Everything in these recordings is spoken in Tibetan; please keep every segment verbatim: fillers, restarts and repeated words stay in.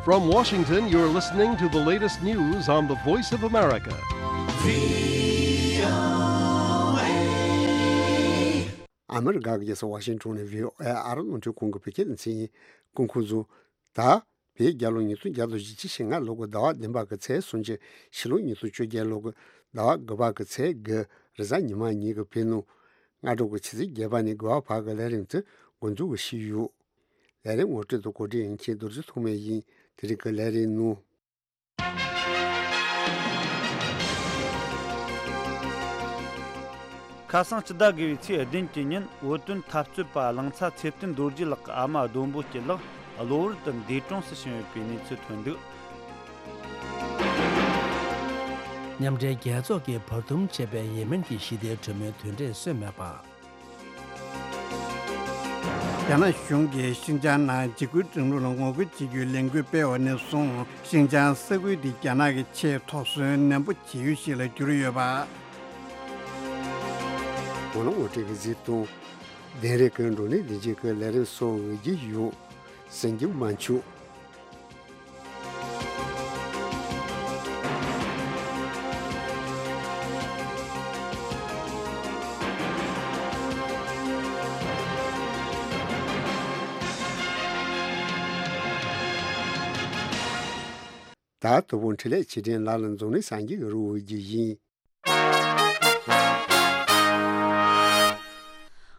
From Washington, you're listening to the latest news on the Voice of America. ཨ་མི་རི་ཀ་གི་རྒྱལ་ས་ཝ་ཤིང་ཊོན་ནས་བྷི་ཨོ་ཨེ་ཨ་རི་རླུང་འཕྲིན་ཁང་གི་བོད་སྐད་སྡེ་ཚན་ཡིན། སྐུ་ཁམས་བཟང་། ད་བོད་རྒྱལ་ལོ་ཉིས་སྟོང་བརྒྱ་དང་བཞི་བཅུ་ཞེ་ལྔ་ལོ་གི་ཟླ་བ་བདུན་པ་གི་ཚེས་སུམ་ཅུ། ཕྱི་ལོ་ཉིས་སྟོང་བཅོ་བརྒྱད་ལོ་གི་ཟླ་བ་དགུ་པ་གི་ཚེས་དགུ། རེས་གཟའ་ཉི་མ་ཉིན་གྱི་བོད་ནང་སྔ་དྲོ་གི་ཆུ་ཚོད་བརྒྱད་པ་ནས་དགུ་པ་བར་གྱི་ལས་རིམ་དེ་འགོ་འཛུགས་ཞུས་ཡོད། ལས་རིམ་ངོ་སྤྲོད་དང་གོ་སྒྲིག་ཡིན་མཁན་རྡོ་རྗེ་ཐོགས་མེད་ཡིན། དེ་རིང་གི་ལས་རིམ་ནང་། ཁ་སང་སྤྱི་ཟླ་དགུ་པའི་ཚེས་བདུན་གྱི་ཉིན་བོད་དོན་འཐབ་རྩོད་པ་གླིང་ཚ་ཚེ་བརྟན་རྡོ་རྗེ་ལགས་ཀྱི་ཨ་མ་ལྡོང་པོ་སྐྱིད་ལགས་གློ་བུར་དུ་འདས་གྲོངས་སུ་ཕྱིན་ཡོད་པའི་གནས་ཚུལ་ཐོན་འདུག། མཉམ་འབྲེལ་རྒྱལ་ཚོགས་ཀྱིས་བར་འདུམ་བྱས་པའི་ཡེ་མེན་གྱི་ཞི་བདེའི་གྲོས་མོལ་དོན་འབྲས་སོན་མེད་པ། རྒྱ་ནག་གཞུང་གིས་ཤིན་ཅང་ནང་འཇིགས་སྐུལ་སྒྲིག་ལམ་ལ་ངོ་རྒོལ་བྱེད་རྒྱུའི་ལས་འགུལ་སྤེལ་བ་ནས་བཟུང་། ཤིན་ཅང་ས་ཁུལ་དེ་རྒྱ་ནག་གི་ཆེས་དོགས་ཟོན་ནན་པོ་བྱེད་ཡུལ་ཞིག་ལ་གྱུར་ཡོད་པ། ཝང་ལ་ཝང་ཀྲིག་གི་གཟིགས་སྟངས། དེང་རབས་ཀྱི་བགྲོ་གླེང་ལས་འགུལ་གྱི་ལས་རིམ་སོགས་འོས་ཀྱི་ཡོད། གསན་རྒྱུ་མ་འཆུག། ད་དོ་དགོང་འཕྲིན་ལས་ཆེད་སྒྲིག་ལ་ལ་འཛོམས་ནས་སངས་རྒྱས་ཀྱི་རུ་འོས་ཀྱི་ཡིན།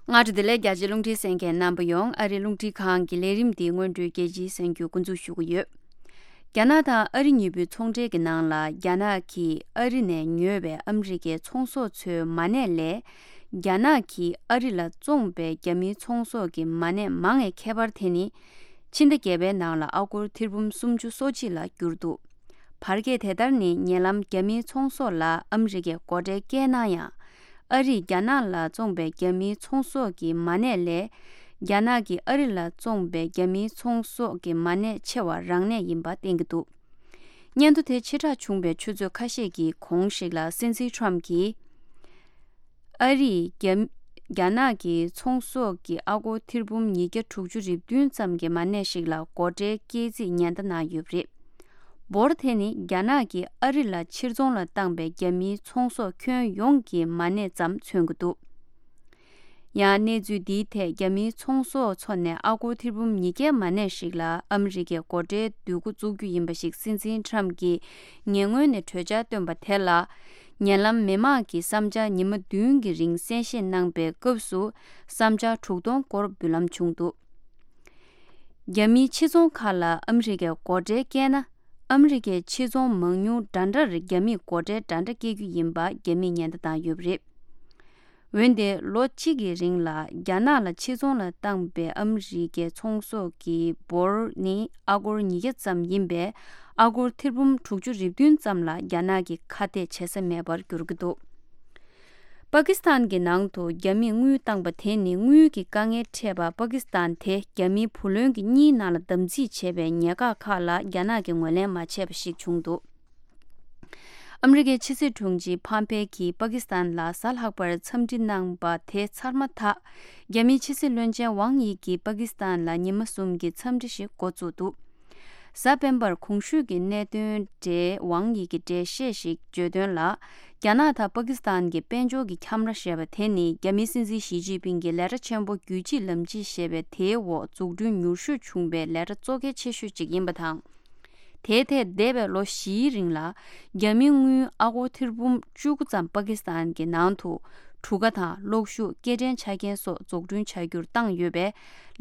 སྔ་དྲོ་བདེ་ལེགས། རྒྱ་ཆེའི་རླུང་འཕྲིན་གསན་མཁན་རྣམ་པ་ཡོངས། ཨ་རིའི་རླུང་འཕྲིན་ཁང་གི་ལས་རིམ་འདི་སྔོན་འགྲོའི་རྒྱལ་སྤྱིའི་གསར་འགྱུར་འགོ་འཛུགས་ཞུ་གི་ཡོད། རྒྱ་ནག་དང་ཨ་རི་གཉིས་པོའི་ཚོང་འབྲེལ་གྱི་ནང་ལ་རྒྱ་ནག་གིས་ཨ་རི་ནས་ཉོས་པའི་ཨ་མི་རི་ཀའི་ཚོང་ཟོག་ཚོའི་མ་གནས་ལས། རྒྱ་ནག་གིས་ཨ་རི་ལ་བཙོངས་པའི་རྒྱ་མིའི་ཚོང་ཟོག་གི་མ་གནས་མང་བའི་ཁྱད་པར་དེ་ནི། ཕྱི་ཟླ་བརྒྱད་པའི་ནང་ལ་ཨ་སྒོར་ཐེར་འབུམ་སུམ་ཅུ་སོ་གཅིག་ལ་གྱུར་འདུག། བར་བརྒལ་དེ་ལྟར་ནི་ཉེ་ལམ་རྒྱ་མིའི་ཚོང་ཟོག་ལ་ཨ་མི་རི་ཀས་སྒོ་ཁྲལ་བཀལ་ན་ཡང་། ཨ་རིས་རྒྱ་ནག་ལ་བཙོངས་པའི་རྒྱ་མིའི་ཚོང་ཟོག་གི་མ་གནས་ལས། རྒྱ་ནག་གིས་ཨ་རི་ལ་བཙོངས་པའི་རྒྱ་མིའི་ཚོང་ཟོག་གི་མ་གནས་ཆེ་བ་རང་གནས་ཡིན་པ་བསྟན་གྱི་འདུག། སྙན་ཐོ་དེ་ཕྱིར་བསྒྲགས་བྱུང་བའི་ཆུ་ཚོད་ཁ་ཤས་ཀྱི་གོང་ཞིག་ལ་སྲིད་འཛིན་ཁྲོམ་གྱིས། ཨ་རིས་རྒྱ་རྒྱ་ནག་གི་ཚོང་ཟོག་གི་ཨ་སྒོར་ཐེར་འབུམ་ཉིས་བརྒྱ་དྲུག་ཅུ་རེ་བདུན་ཙམ་གྱི་མ་གནས་ཤིག་ལ་སྒོ་ཁྲལ་བཀལ་རྩིས་ཉེན་བརྡ་གནང་ཡོད་པ་རེད། འབོར་དེ་ནི་རྒྱ་ནག་གིས་ཨ་རི་ལ་ཕྱིར་ཚོང་ལ་བཏང་པའི་རྒྱ་མིའི་ཚོང་ཟོག་ཁྱོན་ཡོངས་ཀྱི་མ་གནས་ཙམ་མཚོན་གྱི་འདུག། ཡང་གནས་ཚུལ་འདིའི་ཐད་རྒྱ་མིའི་ཚོང་ཟོག་ཚོ་ནས་ཨ་སྒོར་ཐེར་འབུམ་ཉིས་བརྒྱའི་མ་གནས་ཤིག་ལ་ཨ་མི་རི་ཀས་སྒོ་ཁྲལ་བསྡུ་འགོ་བཙུགས་རྒྱུ་ཡིན་པ་ཞིག་སྲིད་འཛིན་ཁྲམ་གྱིས་ཉེ་སྔོན་ནས་གྲོས་འཆར་བཏོན་པ་དེ་ལ། ཉེ་ལམ་མི་མང་གི་བསམ་འཆར་ཉི་མ་བདུན་གྱི་རིང་གསན་བཞེས་གནང་པའི་སྐབས་སུ་བསམ་འཆར་དྲུག་སྟོང་སྐོར་འབུལ་ལམ་བྱུང་འདུག། རྒྱ་མིའི་ཕྱིར་ཚོང་ཁག་ལ་ཨ་མི་རི་ཀས་སྒོ་ཁྲལ་བཀལ་ན། ཨ་མི་རི་ཀའི་ཕྱིར་ཚོང་མང་ཉུང་འདྲ་འདྲར་རྒྱ་མིས་སྒོ་ཁྲལ་འདྲ་འདྲ་བཀལ་རྒྱུ་ཡིན་པ་རྒྱ་མིས་ཉེན་བརྡ་བཏང་ཡོད་པ་རེད། འོན་ཏེ་ལོ་གཅིག་གི་རིང་ལ་རྒྱ་ནག་ལ་ཕྱིར་ཚོང་ལ་བཏང་པའི་ཨ་མི་རི་ཀའི་ཚོང་ཟོག་གི་འབོར་ནི་ཨ་སྒོར་ཉིས་བརྒྱ་ཙམ་ཡིན་པས། ཨ་སྒོར་ཐེར་འབུམ་དྲུག་ཅུ་རེ་བདུན་ཙམ་ལ་རྒྱ་ནག་གིས་ཁ་གཏད་བྱེད་ས་མེད་པར་གྱུར་གྱི་འདུག། པ་ཀི་སི་ཐན་གྱི་ནང་དུ་རྒྱ་མིས་དངུལ་བཏང་པ་དེ་ནི་དངུལ་གྱི་དཀའ་ངལ་འཕྲད་པ་པ་ཀི་སི་ཐན་དེ་རྒྱ་མིའི་བུ་ལོན་གྱི་གཉིས་ནང་ལ་དམ་འཛིན་བྱས་པའི་ཉེན་ཁ་ཁག་ལ་རྒྱ་ནག་གིས་ངོས་ལེན་མ་བྱས་པ་ཞིག་བྱུང་འདུག། ཨ་མི་རི་ཀའི་ཕྱི་སྲིད་དྲུང་ཆེ་ཕམ་ཕེ་གྱིས་པ་ཀི་སི་ཐན་ལ་གཟའ་ལྷག་པར་འཚམས་འདྲི་གནང་པ་དེ་ཚར་མ་ཐག་རྒྱ་མིའི་ཕྱི་སྲིད་བློན་ཆེན་ཝང་ཡི་གིས་པ་ཀི་སི་ཐན་ལ་ཉི་མ་གསུམ་གྱི་འཚམས་འདྲི་ཞིག་འགོ་བཙུགས་འདུག། གཟའ་སྤེན་པར་གོང་ཞུས་ཀྱི་གནད་དོན་འབྲེལ་ཝང་ཡི་གིས་འགྲེལ་བཤད་ཞིག་བརྗོད་དོན་ལ། རྒྱ་ནག་དང་པ་ཀི་སི་ཐན་གྱི་དཔལ་འབྱོར་གྱི་ཁྱམས་ར་ཞེས་པ་དེ་ནི་རྒྱ་མིའི་སྲིད་འཛིན་ཞི་ཅིན་ཕིང་གི་ལས་གྲྭ་ཆེན་པོ་རྒྱུད་གཅིག་ལམ་གཅིག་ཞེས་པའི་དེའི་འོག་འཛུགས་སྐྲུན་མྱུར་ཤོས་བྱུང་བའི་ལས་གྲྭ་གཙོ་གལ་ཆེ་ཤོས་གཅིག་ཡིན་པ་དང་། དེའི་ཐད་འདས་པའི་ལོ་བཞིའི་རིང་ལ་རྒྱ་མིའི་དངུལ་ཨ་སྒོར་ཐེར་འབུམ་བཅུ་དགུ་ཙམ་པ་ཀི་སི་ཐན་གྱི་ནང་དུ་གྲུ་ཁ་དང་གློག་ཤུགས་སྐྱེལ་འདྲེན་ཆ་རྐྱེན་སོགས་འཛུགས་སྐྲུན་བྱ་རྒྱུར་བཏང་ཡོད་པས།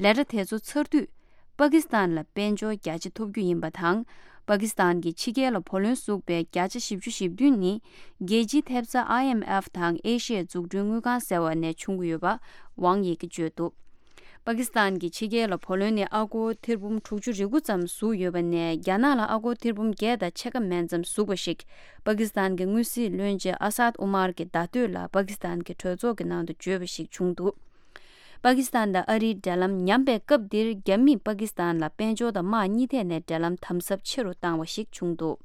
ལས་གྲྭ་དེ་ཚོ་ཚར་དུས་པ་ཀི་སི་ཐན་ལ་དཔལ་འབྱོར་རྒྱ་ཆེ་ཐོབ་རྒྱུ་ཡིན་པ་དང་། པ་ཀི་སི་ཐན་གྱི་ཕྱི་རྒྱལ་ལ་བུ་ལོན་ཟུག་པའི་བརྒྱ་ཆ་བཞི་བཅུ་ཞེ་བདུན་ནི་རྒྱལ་སྤྱིའི་ཐེབས་རྩ་ཨའི་ཨེམ་ཨེཕ་དང་ཨེ་ཤི་ཡའི་འཛུགས་སྐྲུན་དངུལ་ཁང་ཟེར་བ་ནས་བྱུང་གི་ཡོད་པ་ཝང་ཡི་གིས་བརྗོད་འདུག། པ་ཀི་སི་ཐན་གྱི་ཕྱི་རྒྱལ་ལ་བུ་ལོན་ནི་ཨ་སྒོར་ཐེར་འབུམ་དྲུག་ཅུ་རེ་དགུ་ཙམ་ཟུག་ཡོད་པ་ནས། རྒྱ་ནག་ལ་ཨ་སྒོར་ཐེར་འབུམ་བརྒྱད་དང་ཕྱེད་ཀ་མན་ཙམ་ཟུག་པ་ཞིག་པ་ཀི་སི་ཐན་གྱི་དངུལ་སྲིད་བློན་ཆེན་ཨ་སཱད་ཨུ་མར་གྱིས་ཟླ་སྟོད་ལ་པ་ཀི་སི་ཐན་གྱི་གྲོས་ཚོགས་ཀྱི་ནང་དུ་བརྗོད་པ་ཞིག་བྱུང་འདུག། པ་ཀི་སི་ཐན་དང་ཨ་རིའི་འབྲེལ་ལམ་ཉམས་པའི་སྐབས་འདིར་རྒྱ་མིས་པ་ཀི་སི་ཐན་ལ་དཔལ་འབྱོར་དང་དམག་གཉིས་ཐད་ནས་འབྲེལ་ལམ་དམ་ཟབ་ཆེ་རུ་བཏང་བ་ཞིག་བྱུང་འདུག།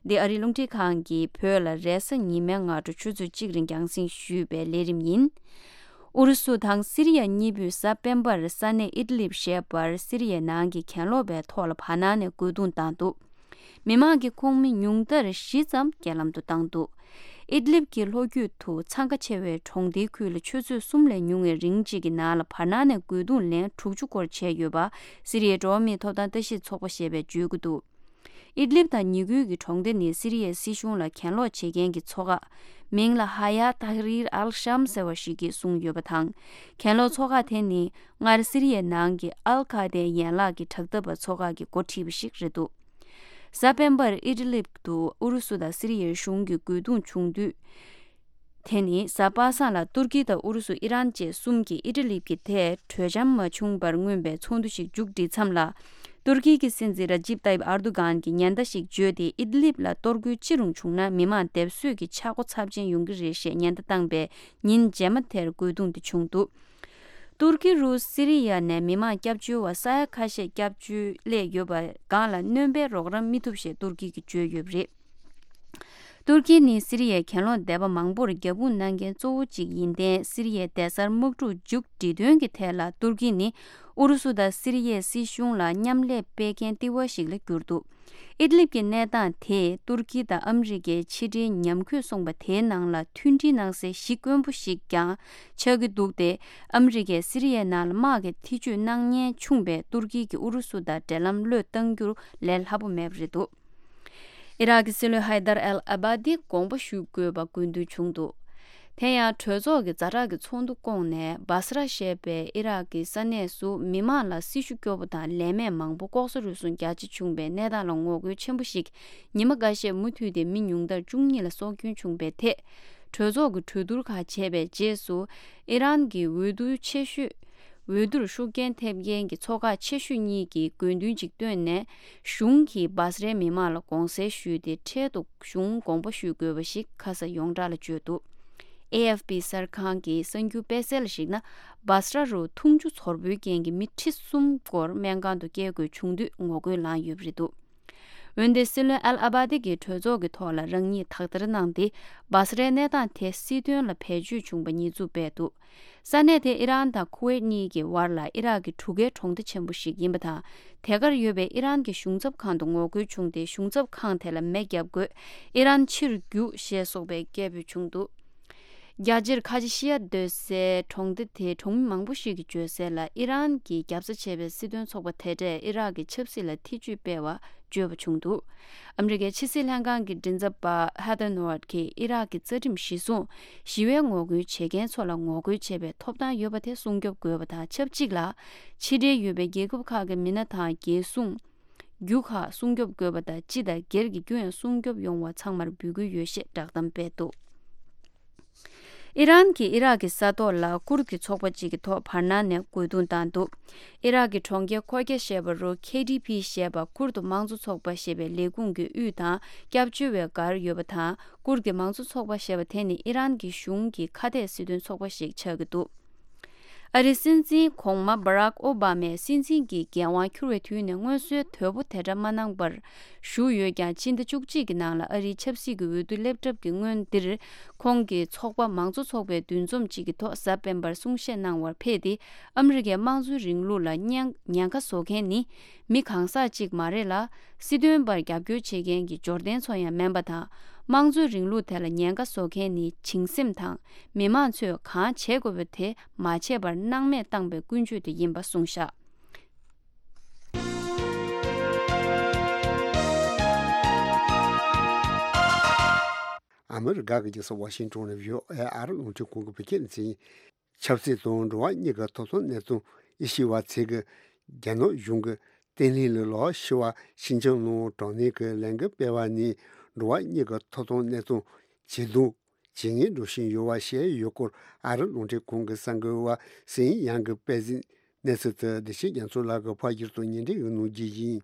འདི་ཨ་རིའི་རླུང་འཕྲིན་ཁང་གིས་བོད་ལ་རེས་གཟའ་ཉི་མའི་སྔ་དྲོ་ཆུ་ཚོད་གཅིག་རིང་རྒྱང་སྲིང་ཞུས་པའི་ལས་རིམ་ཡིན། ཨུ་རུ་སུ་དང་སི་རི་ཡ་གཉིས་པོས་གཟའ་སྤེན་པར་ས་གནས་ཨིད་ལིབ་ཞེས་པར་སི་རི་ཡའི་ནང་གི་གྱེན་ལོག་པའི་ཐོག་ལ་བར་སྣང་ནས་རྒོལ་རྡུང་བཏང་འདུག་མི་མང་གི་ཁོངས་མི་ཉུང་མཐར་བཞི་ཙམ་རྐྱེན་ལམ་དུ་བཏང་འདུག་ཨིད་ལིབ་ཀྱི་ལྷོ་རྒྱུད་དུ་འཚང་ཁ་ཆེ་བའི་གྲོང་སྡེའི་ཁུལ་ལ་ཆུ་ཚོད་གསུམ་ལས་ཉུང་བའི་རིང་གཅིག་གི་ནང་ལ་བར་སྣང་ནས་རྒོལ་རྡུང་ལན་དྲུག་ཅུ་སྐོར་བྱས་ཡོད་པ་སི་རི་ཡའི་འགྲོ་བ་མིའི་ཐོབ་ཐང་ལྟ་ཞིབ་ཚོགས་པ་ཞེས་པས་བརྗོད་ཀྱི་འདུག་ཨིད་ལིབ་དང་ཉེ་ཁུལ་གྱི་གྲོང་སྡེ་ནི་སི་རི་ཡའི་སྲིད་གཞུང་ལ་གྱེན་ལོག་བྱེད་མཁན་གྱི་ཚོགས་ཁག་མིང་ལ་ཧ་ཡ་ཏཱ་ཧ་རིར་ཨལ་ཤམ་ཟེར་བ་ཞིག་གིས་གསུངས་ཡོད་པ་དང་། གྱེན་ལོག་ཚོགས་ཁག་དེ་ནི་སྔར་སི་རི་ཡའི་ནང་གི་ཨལ་ཁ་ཏའི་ཡན་ལག་གི་དྲག་འཐབ་པ་ཚོགས་ཁག་གིས་འགོ་ཁྲིད་པ་ཞིག་རེད་འདུག་གཟའ་སྤེན་པར་ཨིད་ལིབ་ཏུ་ཨུ་རུ་སུ་དང་སི་རི་ཡའི་གཞུང་གི་རྒོལ་རྡུང་བྱུང་དུས། དེ་ནི་གཟའ་པ་སངས་ལ་ཏུར་ཀི་དང་ཨུ་རུ་སུ་ཨི་རན་བཅས་གསུམ་གྱིས་ཨི་ཊ་ལི་གྱི་ཐད་གྲོས་འཆམ་མ་བྱུང་བར་མངོན་པའི་ཚོགས་འདུ་ཞིག་མཇུག་བསྒྲིལ་མཚམས་ལ། ཏུར་ཀི་གི་སྲིད་འཛིན་ར་ཇིབ་ཏཱ་ཡིབ་ཨར་དུ་གྷན་གྱིས་ཉེན་བརྡ་ཞིག་བརྗོད་དེ་ཨིད་ལིབ་ལ་གཏོར་རྒོལ་ཅི་རུང་བྱུང་ན་མི་མང་སྡེབ་གསོད་ཀྱི་ཆག་སྒོ་ཚབས་ཆེན་ཡོང་གི་རེད་ཞེས་ཉེན་བརྡ་བཏང་པའི་ཉིན་རྗེས་མ་དེར་རྒོལ་རྡུང་དེ་བྱུང་འདུག་ཏུར་ཀི་རུ་སི་རི་ཡ་ནས་མི་མང་སྐྱབས་བཅོལ་བ་ས་ཡ་ཁ་ཤས་སྐྱབས་བཅོལ་སླེབས་ཡོད་པ་སྒང་ལ་སྣོན་པའི་རོགས་རམ་མི་ཐུབ་ཞེས་ཏུར་ཀི་གིས་བརྗོད་ཡོད་པ་རེད། ཏུར་ཀི་ནི་སི་རི་ཡའི་གྱེན་ལོག་སྡེ་པ་མང་པོར་རྒྱབ་དཔུང་གནང་མཁན་གཙོ་བོ་གཅིག་ཡིན་ཏེ་སི་རི་ཡའི་སྡེ་གསར་དམག་འཁྲུག་མཇུག་སྒྲིལ་དོན་གྱི་ཐད་ལ་ཏུར་ཀི་ནི་ཨུ་རུ་སུ་དང་སི་རི་ཡའི་སྲིད་གཞུང་ལ་མཉམ་ལས་སྤེལ་མཁན་ལྟེ་བ་ཞིག་ལ་གྱུར་འདུག་ཨིད་ལིབ་ཀྱི་གནས་སྟངས་དེས་ཏུར་ཀི་དང་ཨ་མི་རི་ཀའི་ཕྱི་འབྲེལ་ཉམས་རྒུད་སོང་པ་དེའི་ནང་ལ་མཐུན་སྒྲིལ་གནང་སའི་གཞི་དཀོན་པོ་ཞིག་ཀྱང་ཆགས་ཀྱི་འདུག་སྟེ། ཨ་མི་རི་ཀས་སི་རི་ཡའི་ནང་ལ་དམག་གི་ཐེ་ཇུས་གནང་ཉེན་ཆུང་བས་ཏུར་ཀི་གིས་ཨུ་རུ་སུ་དང་འབྲེལ་ལམ་བློས་གཏང་རྒྱུར་ལས་སླ་པོ་མེད་པ་རེད་འདུག་ཨི་རག་གི་སྲིད་བློན་ཧའི་དར་ཨལ་ཨ་བ་དི་དགོངས་པ་ཞུ་དགོས་པ་དགོས་འདུན་བྱུང་འདུག་དེ་ཡང་གྲོས་ཚོགས་ཀྱི་ཛ་དྲག་གི་ཚོགས་འདུ་བསྐོངས་ནས་སྦ་སི་ར་ཞེས་པའི་ཨི་རག་གི་ས་གནས་སུ་མི་མང་ལ་སྲི་ཞུ་སྐྱོ་པོ་དང་ལས་མེད་མང་པོ་ལྐོག་ཟ་རུལ་སུངས་རྒྱ་ཆེ་བྱུང་བའི་གནས་སྟངས་ལ་ངོ་རྒོལ་ཆེན་པོ་ཞིག་ཉི་མ་འགའ་ཤས་མུ་མཐུད་དེ་མི་ཉུང་མཐར་བཅུ་གཉིས་ལ་སྲོག་སྐྱོན་བྱུང་བའི་ཐད། གྲོས་ཚོགས་ཀྱི་གྲོས་བསྡུར་ཁག་བྱས་པའི་རྗེས་སུ་ཨི་རན་གྱི་འོས་བསྡུ་ཆེ་ཤོས། འོས་བསྡུར་ཤུགས་རྐྱེན་ཐེབས་མཁན་གྱི་ཚོགས་ཁག་ཆེ་ཤོས་གཉིས་ཀྱིས་དགོས་འདུན་གཅིག་བཏོན་ནས་གཞུང་གིས་སྦ་སི་རའི་མི་མང་ལ་དགོངས་སེལ་ཞུས་ཏེ་འཕྲལ་དུ་གཞུང་དགོངས་པ་ཞུ་དགོས་པ་ཞིག་ཁ་ས་ཡོངས་གྲགས་ལ་བརྗོད་འདུག་ཨེ་ཨེཕ་པི་གསར་ཁང་གི་གསར་འགྱུར་སྤེལ་གསལ་ལ་གཞིགས་ན། སྦ་སི་ར་རུ་འཐུང་ཆུ་ཚོར་བུའི་རྐྱེན་གྱིས་མི་ཁྲི་གསུམ་སྐོར་སྨན་ཁང་དུ་སྐྱེལ་དགོས་བྱུང་དུས་ངོ་རྒོལ་ལངས་ཡོད་པ་རེད་འདུག་འོན་ཏེ་སྲིད་བློན་ཨལ་ཨ་བ་ཏི་གིས་གྲོས་ཚོགས་ཀྱི་ཐོག་ལ་རང་ཉིད་དག་ཐེར་གནང་སྟེ་སྦ་སི་རའི་གནས་སྟངས་དེ་སྲིད་དོན་ལ་བེད་སྤྱོད་བྱུང་པ་ཉེས་འཛུགས་སྤེལ་འདུག་ས་གནས་དེ་ཨི་རན་དང་ཁུ་ཝེད་གཉིས་ཀྱི་དབར་ལ་ཨི་རག་གི་གྲུ་ཁའི་གྲོང་སྡེ་ཆེན་པོ་ཞིག་ཡིན་པ་དང་། དེ་གར་ཡོད་པའི་ཨི་རན་གྱི་གཞུང་ཚབ་ཁང་དུ་ངོ་རྒོལ་བྱུང་སྟེ་གཞུང་ཚབ་ཁང་དེ་ལ་མེ་བརྒྱབ་དགོས། ཨི་རན་ཕྱིར་རྒྱུགས་ཞེས་སོགས་པའི་སྐད་འབོད་བྱུང་འདུག་རྒྱ་ཆེར་ཁ་ཆེ་ཤི་ཡ་སྡོད་སའི་གྲོང་སྡེ་དེའི་གྲོང་མི་མང་པོ་ཞིག་གིས་བརྗོད་གསལ་ལ་ཨི་རན་གྱིས་རྒྱབ་ས་བྱས་པའི་སྲིད་དོན་ཚོགས་པ་དེ་གྲས་ཨི་རག་གི་ཆབ་སྲིད་ལ་ཐེ་ཇུས་སྤེལ་བ་བརྗོད་པ་བྱུང་འདུག་ཨ་མི་རི་ཀའི་ཕྱི་སྲིད་ལྷན་ཁང་གི་མགྲིན་ཚབ་པ་ཧེ་ཐར་ནོ་ཝར་ཌི་གིས་ཨི་རག་གི་རྩ་ཁྲིམས་གཞི་བཟུང་ཞི་བའི་ངོ་རྒོལ་བྱེད་མཁན་ཚོ་ལ་ངོ་རྒོལ་བྱེད་པའི་ཐོབ་ཐང་ཡོད་པ་དེ་སྲུང་སྐྱོབ་དགོས་པ་དང་ཆབས་ཅིག་ལ་ཕྱི་འབྲེལ་ཡོད་པའི་རྒྱལ་ཁབ་ཁག་གི་མི་སྣ་དང་རྒྱལ་སྲུང་། རྒྱུ་ཁག་སྲུང་སྐྱོབ་དགོས་པ་དང་སྤྱི་དང་སྒེར་གྱི་རྒྱུ་ཡང་སྲུང་སྐྱོབ་ཡོང་བ་ཚང་མར་འབོད་སྐུལ་ཡོད་ཞེས་བསྒྲགས་གཏམ་སྤེལ་འདུག་ཨི་རན་གྱིས་ཨི་རག་གི་ས་ཐོག་ལ་ཀུར་གྱི་ཚོགས་པ་གཅིག་གི་ཐོག་བར་སྣང་ནས་རྒོལ་རྡུང་བཏང་འདུག་ཨི་རག་གི་གྲོང་ཁྱེར་ཁོ་ཀྱ་ཞེས་པ་རུ་ཁེ་ཌི་པི་ཞེས་པ་ཀུར་དུ་དམངས་གཙོ་ཚོགས་པ་ཞེས་པའི་ལས་ཁུངས་ཀྱི་དབུས་དང་སྐྱབས་བཅོལ་བའི་སྒར་ཡོད་པ་དང་། ཀུར་གྱི་དམངས་གཙོ་ཚོགས་པ་ཞེས་པ་དེ་ནི་ཨི་རན་གྱི་གཞུང་གི་ཁ་གཏད་སྲིད་དོན་ཚོགས་པ་ཞིག་ཆགས་ཀྱི་འདུག་ཨ་རིའི་སྲིད་འཛིན་གོང་མ་སྦ་རག་ཨོ་བྷ་མས་སྲིད་འཛིན་གྱི་འགན་དབང་འཁྱུར་བའི་དུས་ནས་སྔོན་སྲོལ་དོད་པོ་དེ་འདྲ་མ་གནང་བར་བཞུགས་ཡོད་ཀྱང་ཕྱི་ཟླ་བཅུ་གཅིག་གི་ནང་ལ་ཨ་རིའི་ཆབ་སྲིད་ཀྱི་འོས་བསྡུ་སླེབས་གྲབས་ཀྱི་སྔོན་འདིར་ཁོང་གིས་ཚོགས་པ་མང་གཙོ་ཚོགས་པའི་འདུ་འཛོམས་གཅིག་གི་ཐོག་གཟའ་སྤེན་པར་གསུང་བཤད་གནང་བར་ཕེབས་ཏེ་ཨ་མི་རི་ཀའི་དམངས་གཙོའི་རིང་ལུགས་ལ་ཉེན་ཉེན་ཁ་བཟོ་མཁན་ནི་མི་གང་ཟག་གཅིག་མ་རེད་ལ། སྲིད་དོན་པར་རྒྱབ་སྐྱོར་བྱེད་མཁན་གྱི་འབྱོར་ལྡན་ཚོ་ཡང་མིན་པ་དང་། དམངས་གཙོའི་རིང་ལུགས་དེ་ལ་ཉེན་ཁ་བཟོ་མཁན་ནི་བྱིངས་སེམས་དང་མི་མང་ཚོས་གང་བྱེད་དགོས་པ་དེ་མ་བྱས་པར་སྣང་མེད་བཏང་པའི་ཀུན་སྤྱོད་དེ་ཡིན་པ་གསུངས་བཞག་ཨ་མི་རི་ཀ་གི་རྒྱལ་ས་ཝ་ཤིང་ཏོན་ནས་བྷི་ཨོ་ཨེ་ཨ་རི་རླུང་འཕྲིན་ཁང་གི་བོད་སྐད་སྡེ་ཚན། ཆབ་སྲིད་དང་འགྲོ་བ་མིའི་ཐོབ་ཐང་གནས་ཚུལ་དབྱེ་ཞིབ་པ་ཚོས་ཀྱི་རྒྱ་ནག་གཞུང་གི་བརྟན་ལྷིང་ལ་ལོག་ཞི་བ་ཞི་འཇམ་ངང་དྲང་གནས་ཀྱི་ལས་འགུལ་སྤེལ་བ་ནི་འགྲོ་བ་མིའི་ཐོབ་ཐང་གནས་ཚུལ་ཇེ་སྡུག་ཇེ་ངན་འགྲོ་བཞིན་ཡོད་པ་བཤད་ཡོད་སྐོར་ཨ་རི་རླུང་འཕྲིན་ཁང་གི་གསར་འགོད་པ་སིན་ཡང་གིས་སྤེལ་གཟིགས་གནས་ཚུལ་དེ་བདེ་ཆེན་རྒྱ་མཚོ་ལགས་ཀྱིས་ཕར་བསྒྱུར་དུ་སྙན་སྒྲོན་ཞུ་གནང་རྒྱུ་ཡིན།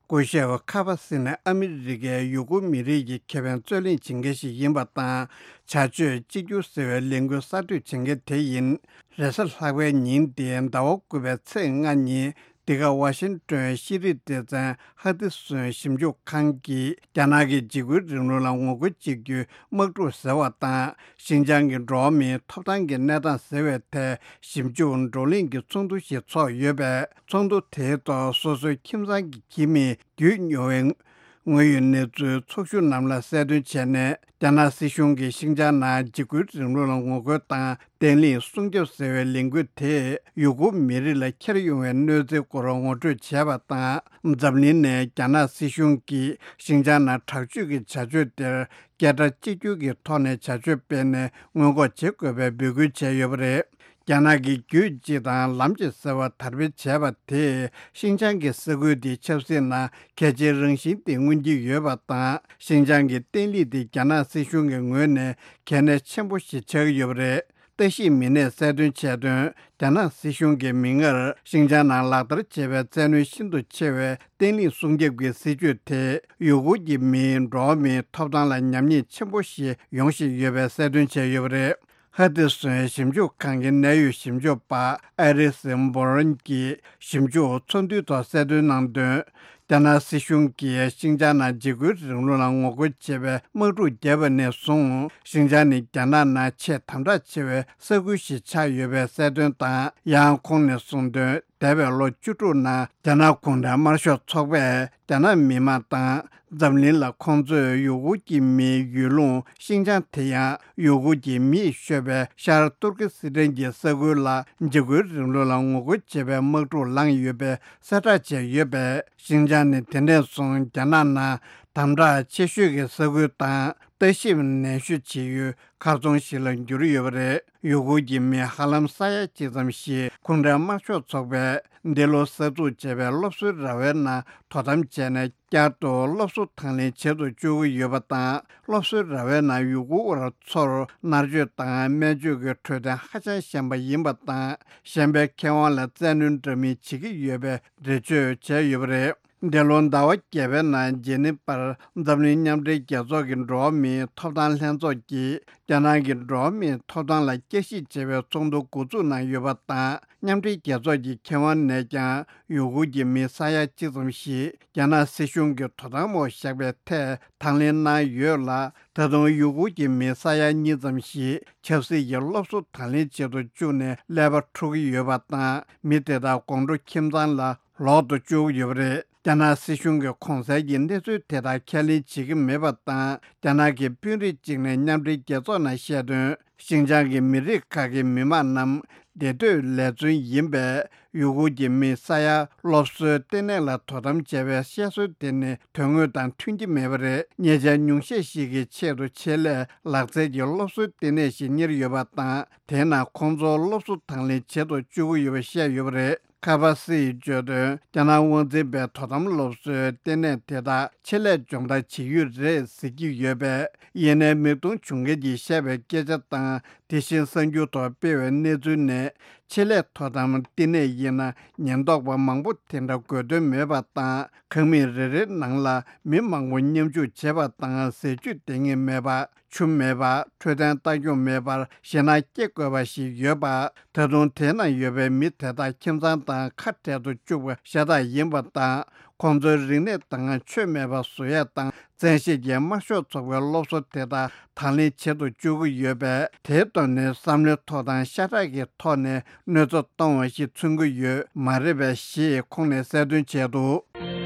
སྐུ་ཞབས་ཁ་པ་སི་ནས་ཨ་མི་རི་ཀའི་ཡུ་གུར་མི་རིགས་ཀྱི་ཁེ་ཕན་རྩོད་ལེན་བྱེད་མཁན་ཞིག་ཡིན་པ་དང་། བྱ་སྤྱོད་གཅིག་གྱུར་ཟེར་བའི་ལས་འགུལ་གསར་གཏོད་བྱེད་མཁན་དེ་ཡིན། རེས་གཟའ་ལྷག་པའི་ཉིན་དེ་ཟླ་བ་དགུ་པའི་ཚེས་ལྔ་ཉིན་ འདི་ག་ཝ་ཤིང་ཏོན་ཤེས་རིག་སྡེ་ཚན་ཧ་ཏི་སུན་ཞིབ་འཇུག་ཁང་གིས་རྒྱ་ནག་གི་འཇིགས་སྐུལ་རིང་ལུགས་ལ་ངོ་རྒོལ་བྱེད་རྒྱུའི་དམག་འཁྲུག་ཟེར་བ་དང་། ཤིན་ཅང་གི་འགྲོ་བ་མིའི་ཐོབ་ཐང་གི་གནས་སྟངས་ཟེར་བའི་ཐད་ཞིབ་འཇུག་བགྲོ་གླེང་གི་ཚོགས་འདུ་ཞིག་ཚོགས་ཡོད་པས། ཚོགས་འདུ་དེའི་ཐོག་སོ་སོའི་ཁྱིམ་ཚང་གི་ཁྱིམ་མིས་བརྒྱུད་མྱོང་བའི་དངོས་ཡོད་གནས་ཚུལ་ཚོགས་ཞུགས་རྣམས་ལ་གསལ་སྟོན་བྱས་ནས། རྒྱ་ནག་སྲིད་གཞུང་གིས་ཤིན་ཅང་ནང་འཇིགས་སྐུལ་རིང་ལུགས་ལ་ངོ་རྒོལ་དང་བརྟན་ལྷིང་སྲུང་སྐྱོབ་ཟེར་བའི་ལས་འགུལ་དེས་ཡུ་གུར་མི་རིགས་ལ་འཁྱེར་ཡོང་བའི་གནོད་འཚེའི་སྐོར་ངོ་སྤྲོད་བྱས་པ་དང་། འཛམ་གླིང་ནས་རྒྱ་ནག་སྲིད་གཞུང་གིས་ཤིན་ཅང་ནང་དྲག་སྤྱོད་ཀྱི་བྱ་སྤྱོད་དེར་སྐད་སྒྲ་གཅིག་གྱུར་གྱི་ཐོག་ནས་བྱ་སྤྱོད་སྤེལ་ནས་སྔོན་འགོག་བྱེད་དགོས་པའི་འབོད་སྐུལ་བྱས་ཡོད་པ་རེད། རྒྱ་ནག་གིས་རྒྱུད་གཅིག་དང་ལམ་གཅིག་ཟེར་བ་དར་སྤེལ་བྱས་པ་དེས་ཤིན་ཅང་གི་ས་ཁུལ་དེའི་ཆབ་སྲིད་ནང་གལ་ཆེའི་རང་བཞིན་དེ་མངོན་གྱི་ཡོད་པ་དང་། ཤིན་ཅང་གི་བརྟན་ལྷིང་དེ་རྒྱ་ནག་སྲིད་གཞུང་གི་ངོས་ནས་གལ་གནད་ཆེན་པོ་ཞིག་ཆགས་ཀྱི་ཡོད་པ་རེད། ལྟ་ཞིབ་མི་སྣས་གསལ་སྟོན་བྱས་དོན། རྒྱ་ནག་སྲིད་གཞུང་གིས་མིག་སྔར་ཤིན་ཅང་ནང་ལག་བསྟར་བྱས་པའི་བཙན་གནོན་ཤིན་ཏུ་ཆེ་བའི་བརྟན་ལྷིང་སྲུང་སྐྱོབ་ཀྱི་སྲིད་ཇུས་དེས་ཡུ་གུར་གྱི་མིའི་འགྲོ་བ་མིའི་ཐོབ་ཐང་ལ་ཉམས་ཉེས་ཆེན་པོ་ཞིག་ཡོང་བཞིན་ཡོད་པའི་གསལ་སྟོན་བྱས་ཡོད་པ་རེད། ཧ་ཏི་སུན་ཞིབ་འཇུག་ཁང་གི་གནད་ཡོད་ཞིབ་འཇུག་པ་ཨ་རི་སི་འབོ་རོན་གྱིས་ཞིབ་འཇུག་ཚོགས་འདུའི་ཐོག་གསལ་སྟོན་གནང་དོན། རྒྱ་ནག་སྲིད་གཞུང་གིས་ཤིན་ཅང་ནང་འཇིགས་སྐུལ་རིང་ལུགས་ལ་ངོ་རྒོལ་བྱེད་པའི་དམག་འཁྲུག་བརྒྱབ་པ་ནས་བཟུང་། ཤིན་ཅང་ནི་རྒྱ་ནག་ནང་ཆེས་དམ་དྲག་ཆེ་བའི་ས་ཁུལ་ཞིག་ཆགས་ཡོད་པའི་གསལ་སྟོན་དང་། ཡང་ཁོང་ནས་གསུངས་དོན། འདས་པའི་ལོ་བཅུ་དྲུག་ནང་རྒྱ་ནག་གུང་ཁྲན་དམར་ཤོག་ཚོགས་པས་རྒྱ་ནག་མི་དམངས་དང་འཛམ་གླིང་ལ་ཁོང་ཚོས་ཡུ་གུར་གྱི་མིའི་ཡུལ་ལུང་ཤིན་ཅང་དེ་ཡང་ཡུ་གུར་གྱི་མིས་ཤོད་པའི་ཤར་ཏུར་ཀི་སི་ཐན་གྱི་ས་ཁུལ་ལ་འཇིགས་སྐུལ་རིང་ལུགས་ལ་ངོ་རྒོལ་བྱེད་པའི་དམག་འཁྲུག་བསླངས་ཡོད་པའི་གསལ་བསྒྲགས་བྱས་ཡོད་པས། ཤིན་ཅང་ནི་དེ་ནས་བཟུང་རྒྱ་ནག་ནང་དམ་དྲག་ཆེ་ཤོས་ཀྱི་ས་ཁུལ་དང་ལྟ་ཞིབ་ནན་ཤོས་བྱེད་ཡུལ་མཁར་རྫོང་ཞིག་ལ་གྱུར་ཡོད་པ་རེད། ཡུ་གུར་གྱི་མི་ཧ་ལམ་ས་ཡ་གཅིག་ཙམ་ཞིག་གུང་ཁྲན་དམར་ཤོག་ཚོགས་པས་འདི་ལོ་གསར་འཛུགས་བྱས་པའི་སློབ་གསོའི་ར་བའི་ནང་དོ་དམ་བྱས་ནས། བསྐྱར་དུ་སློབ་གསོ་དང་ལེན་བྱེད་དུ་བཅུག་གི་ཡོད་པ་དང་། སློབ་གསོའི་ར་བའི་ནང་ཡུ་གུར་བ་ཚོར་མནར་གཅོད་དང་སྨན་བཅོས་ཀྱི་འཕྲོད་བསྟེན་ཧ་ཅང་ཞན་པ་ཡིན་པ་དང་། གཞན་པའི་ཁེ་དབང་ལ་བཙན་གནོན་འདྲ་མིན་བྱེད་ཀྱི་ཡོད་པའི་འགྲེལ་བརྗོད་བྱས་ཡོད་པ་རེད། འདི་ལོ་ཟླ་བ་བརྒྱད་པའི་ནང་ཇེ་ནི་ཕར་འཛམ་གླིང་མཉམ་འབྲེལ་རྒྱལ་ཚོགས་ཀྱི་འགྲོ་བ་མིའི་ཐོབ་ཐང་ལྷན་ཚོགས་ཀྱིས་རྒྱ་ནག་གི་འགྲོ་བ་མིའི་ཐོབ་ཐང་ལ་བསྐྱར་ཞིབ་བྱེད་པའི་ཚོགས་འདུ་འགོ་འཛུགས་གནང་ཡོད་པ་དང་། མཉམ་འབྲེལ་རྒྱལ་ཚོགས་ཀྱི་ཁེ་དབང་ནས་ཀྱང་ཡུ་གུར་གྱི་མི་ས་ཡ་གཅིག་ཙམ་ཞིག་རྒྱ་ནག་སྲིད་གཞུང་གི་དོ་དམ་འོག་བཞག་པའི་ཐད་དང་ལེན་གནང་ཡོད་ལ། ད་དུང་ཡུ་གུར་གྱི་མི་ས་ཡ་གཉིས་ཙམ་ཞིག་ཆབ་སྲིད་ཀྱི་སློབ་གསོ་དང་ལེན་བྱེད་དུ་བཅུག་ནས་ཀླད་པ་འཁྲུག་གི་ཡོད་པ་དང་། མི་དེ་དག་དགོང་དྲོ་ཁྱིམ་ཚང་ལ་ལོག་ཏུ་བཅུག་ཡོད་པ་རེད། རྒྱ་ནག་སྲིད་གཞུང་གིས་གོང་གསལ་གྱི་གནས་ཚུལ་དེ་དག་ཁས་ལེན་བྱེད་ཀྱི་མེད་པ་དང་། རྒྱ་ནག་གི་དཔོན་རིགས་གཅིག་ནས་མཉམ་འབྲེལ་རྒྱལ་ཚོགས་ནང་བཤད་དོན། ཤིན་ཅང་གི་མི་རིགས་ཁག་གི་མི་དམངས་རྣམས་བདེ་སྡོད་ལས་བརྩོན་ཡིན་པས། ཡུ་གུར་གྱི་མི་ས་ཡ་སློབ་གསོའི་ལྟེ་གནས་ལ་དོ་དམ་བྱས་པའི་བཤད་སྲོལ་དེ་ནི་དོན་དངོས་དང་མཐུན་གྱི་མེད་པ་རེད། ཉེ་ཆར་ཉུང་ཤས་ཤིག་གི་ཆེད་དུ་ཆེད་ལས་ལག་རྩལ་གྱི་སློབ་གསོའི་ལྟེ་གནས་ཤིག་གཉེར་ཡོད་པ་དང་། དེས་ན་ཁོང་ཚོར་སློབ་གསོ་དང་ལེན་བྱེད་དུ་བཅུག་གི་ཡོད་པ་བཤད་ཡོད་པ་རེད། ཁ་པ་སི་ཡིས་བརྗོད་དོན། རྒྱ་ནག་དབང་འཛིན་པའི་དོ་དམ་སློབ་གསོའི་ལྟེ་གནས་དེ་དག་ཆེད་ལས་སྦྱོང་བརྡར་བྱེད་ཡུལ་རེད་ཟེར་གྱི་ཡོད་པས། ཡིན་ནའི་མིག་མཐོང་བྱུང་མཁན་གྱིས་བཤད་པའི་སྐད་ཆ་དང་། དེ་བཞིན་གསར་འགྱུར་ཐོག་སྤེལ་བའི་གནས་ཚུལ་ནས། ཆེད་ལས་དོ་དམ་ལྟེ་གནས་ཡིན་ན་ཉེན་རྟོག་པ་མང་པོ་དེ་འདྲ་དགོས་དོན་མེད་པ་དང་། ཁང་མིག་རེ་རེའི་ནང་ལ་མི་མང་པོ་མཉམ་ཞུགས་བྱེད་པ་དང་། ཟས་བཅུད་ལྡན་ངེས་མེད་པ། ཆུ་མེད་པ། འཕྲོད་བསྟེན་ལྟ་སྐྱོང་མེད་པར་ཞེད་སྣང་སྐྱེ་དགོས་པ་ཞིག་ཡོད་པ། ད་དུང་དེ་ན་ཡོད་པའི་མི་དེ་དག་ཁྱིམ་ཚང་དང་ཁ་བྲལ་དུ་བཅུག་པ་ཤ་སྟག་ཡིན་པ་དང་། ཁོང་ཚོའི་རིག་གནས་དང་ཆོས་མེད་པ་བཟོ་ཡས་དང་བཙན་ཤེད་ཀྱིས་དམར་ཤོག་ཚོགས་པའི་སློབ་གསོ་དེ་དག་དང་ལེན་བྱེད་དུ་བཅུག་གི་ཡོད་པས། དེའི་ཐོག་ནས་བསམ་བློའི་ཐོག་དང་ཤ་ཁྲག་གི་ཐོག་ནས་གནོད་འཚེ་གཏོང་བ་ཞིག་མཚོན་གྱི་ཡོད་མ་རེད་པས་ཞེས་ཁོང་ནས་གསལ་སྟོན་བྱས་འདུག།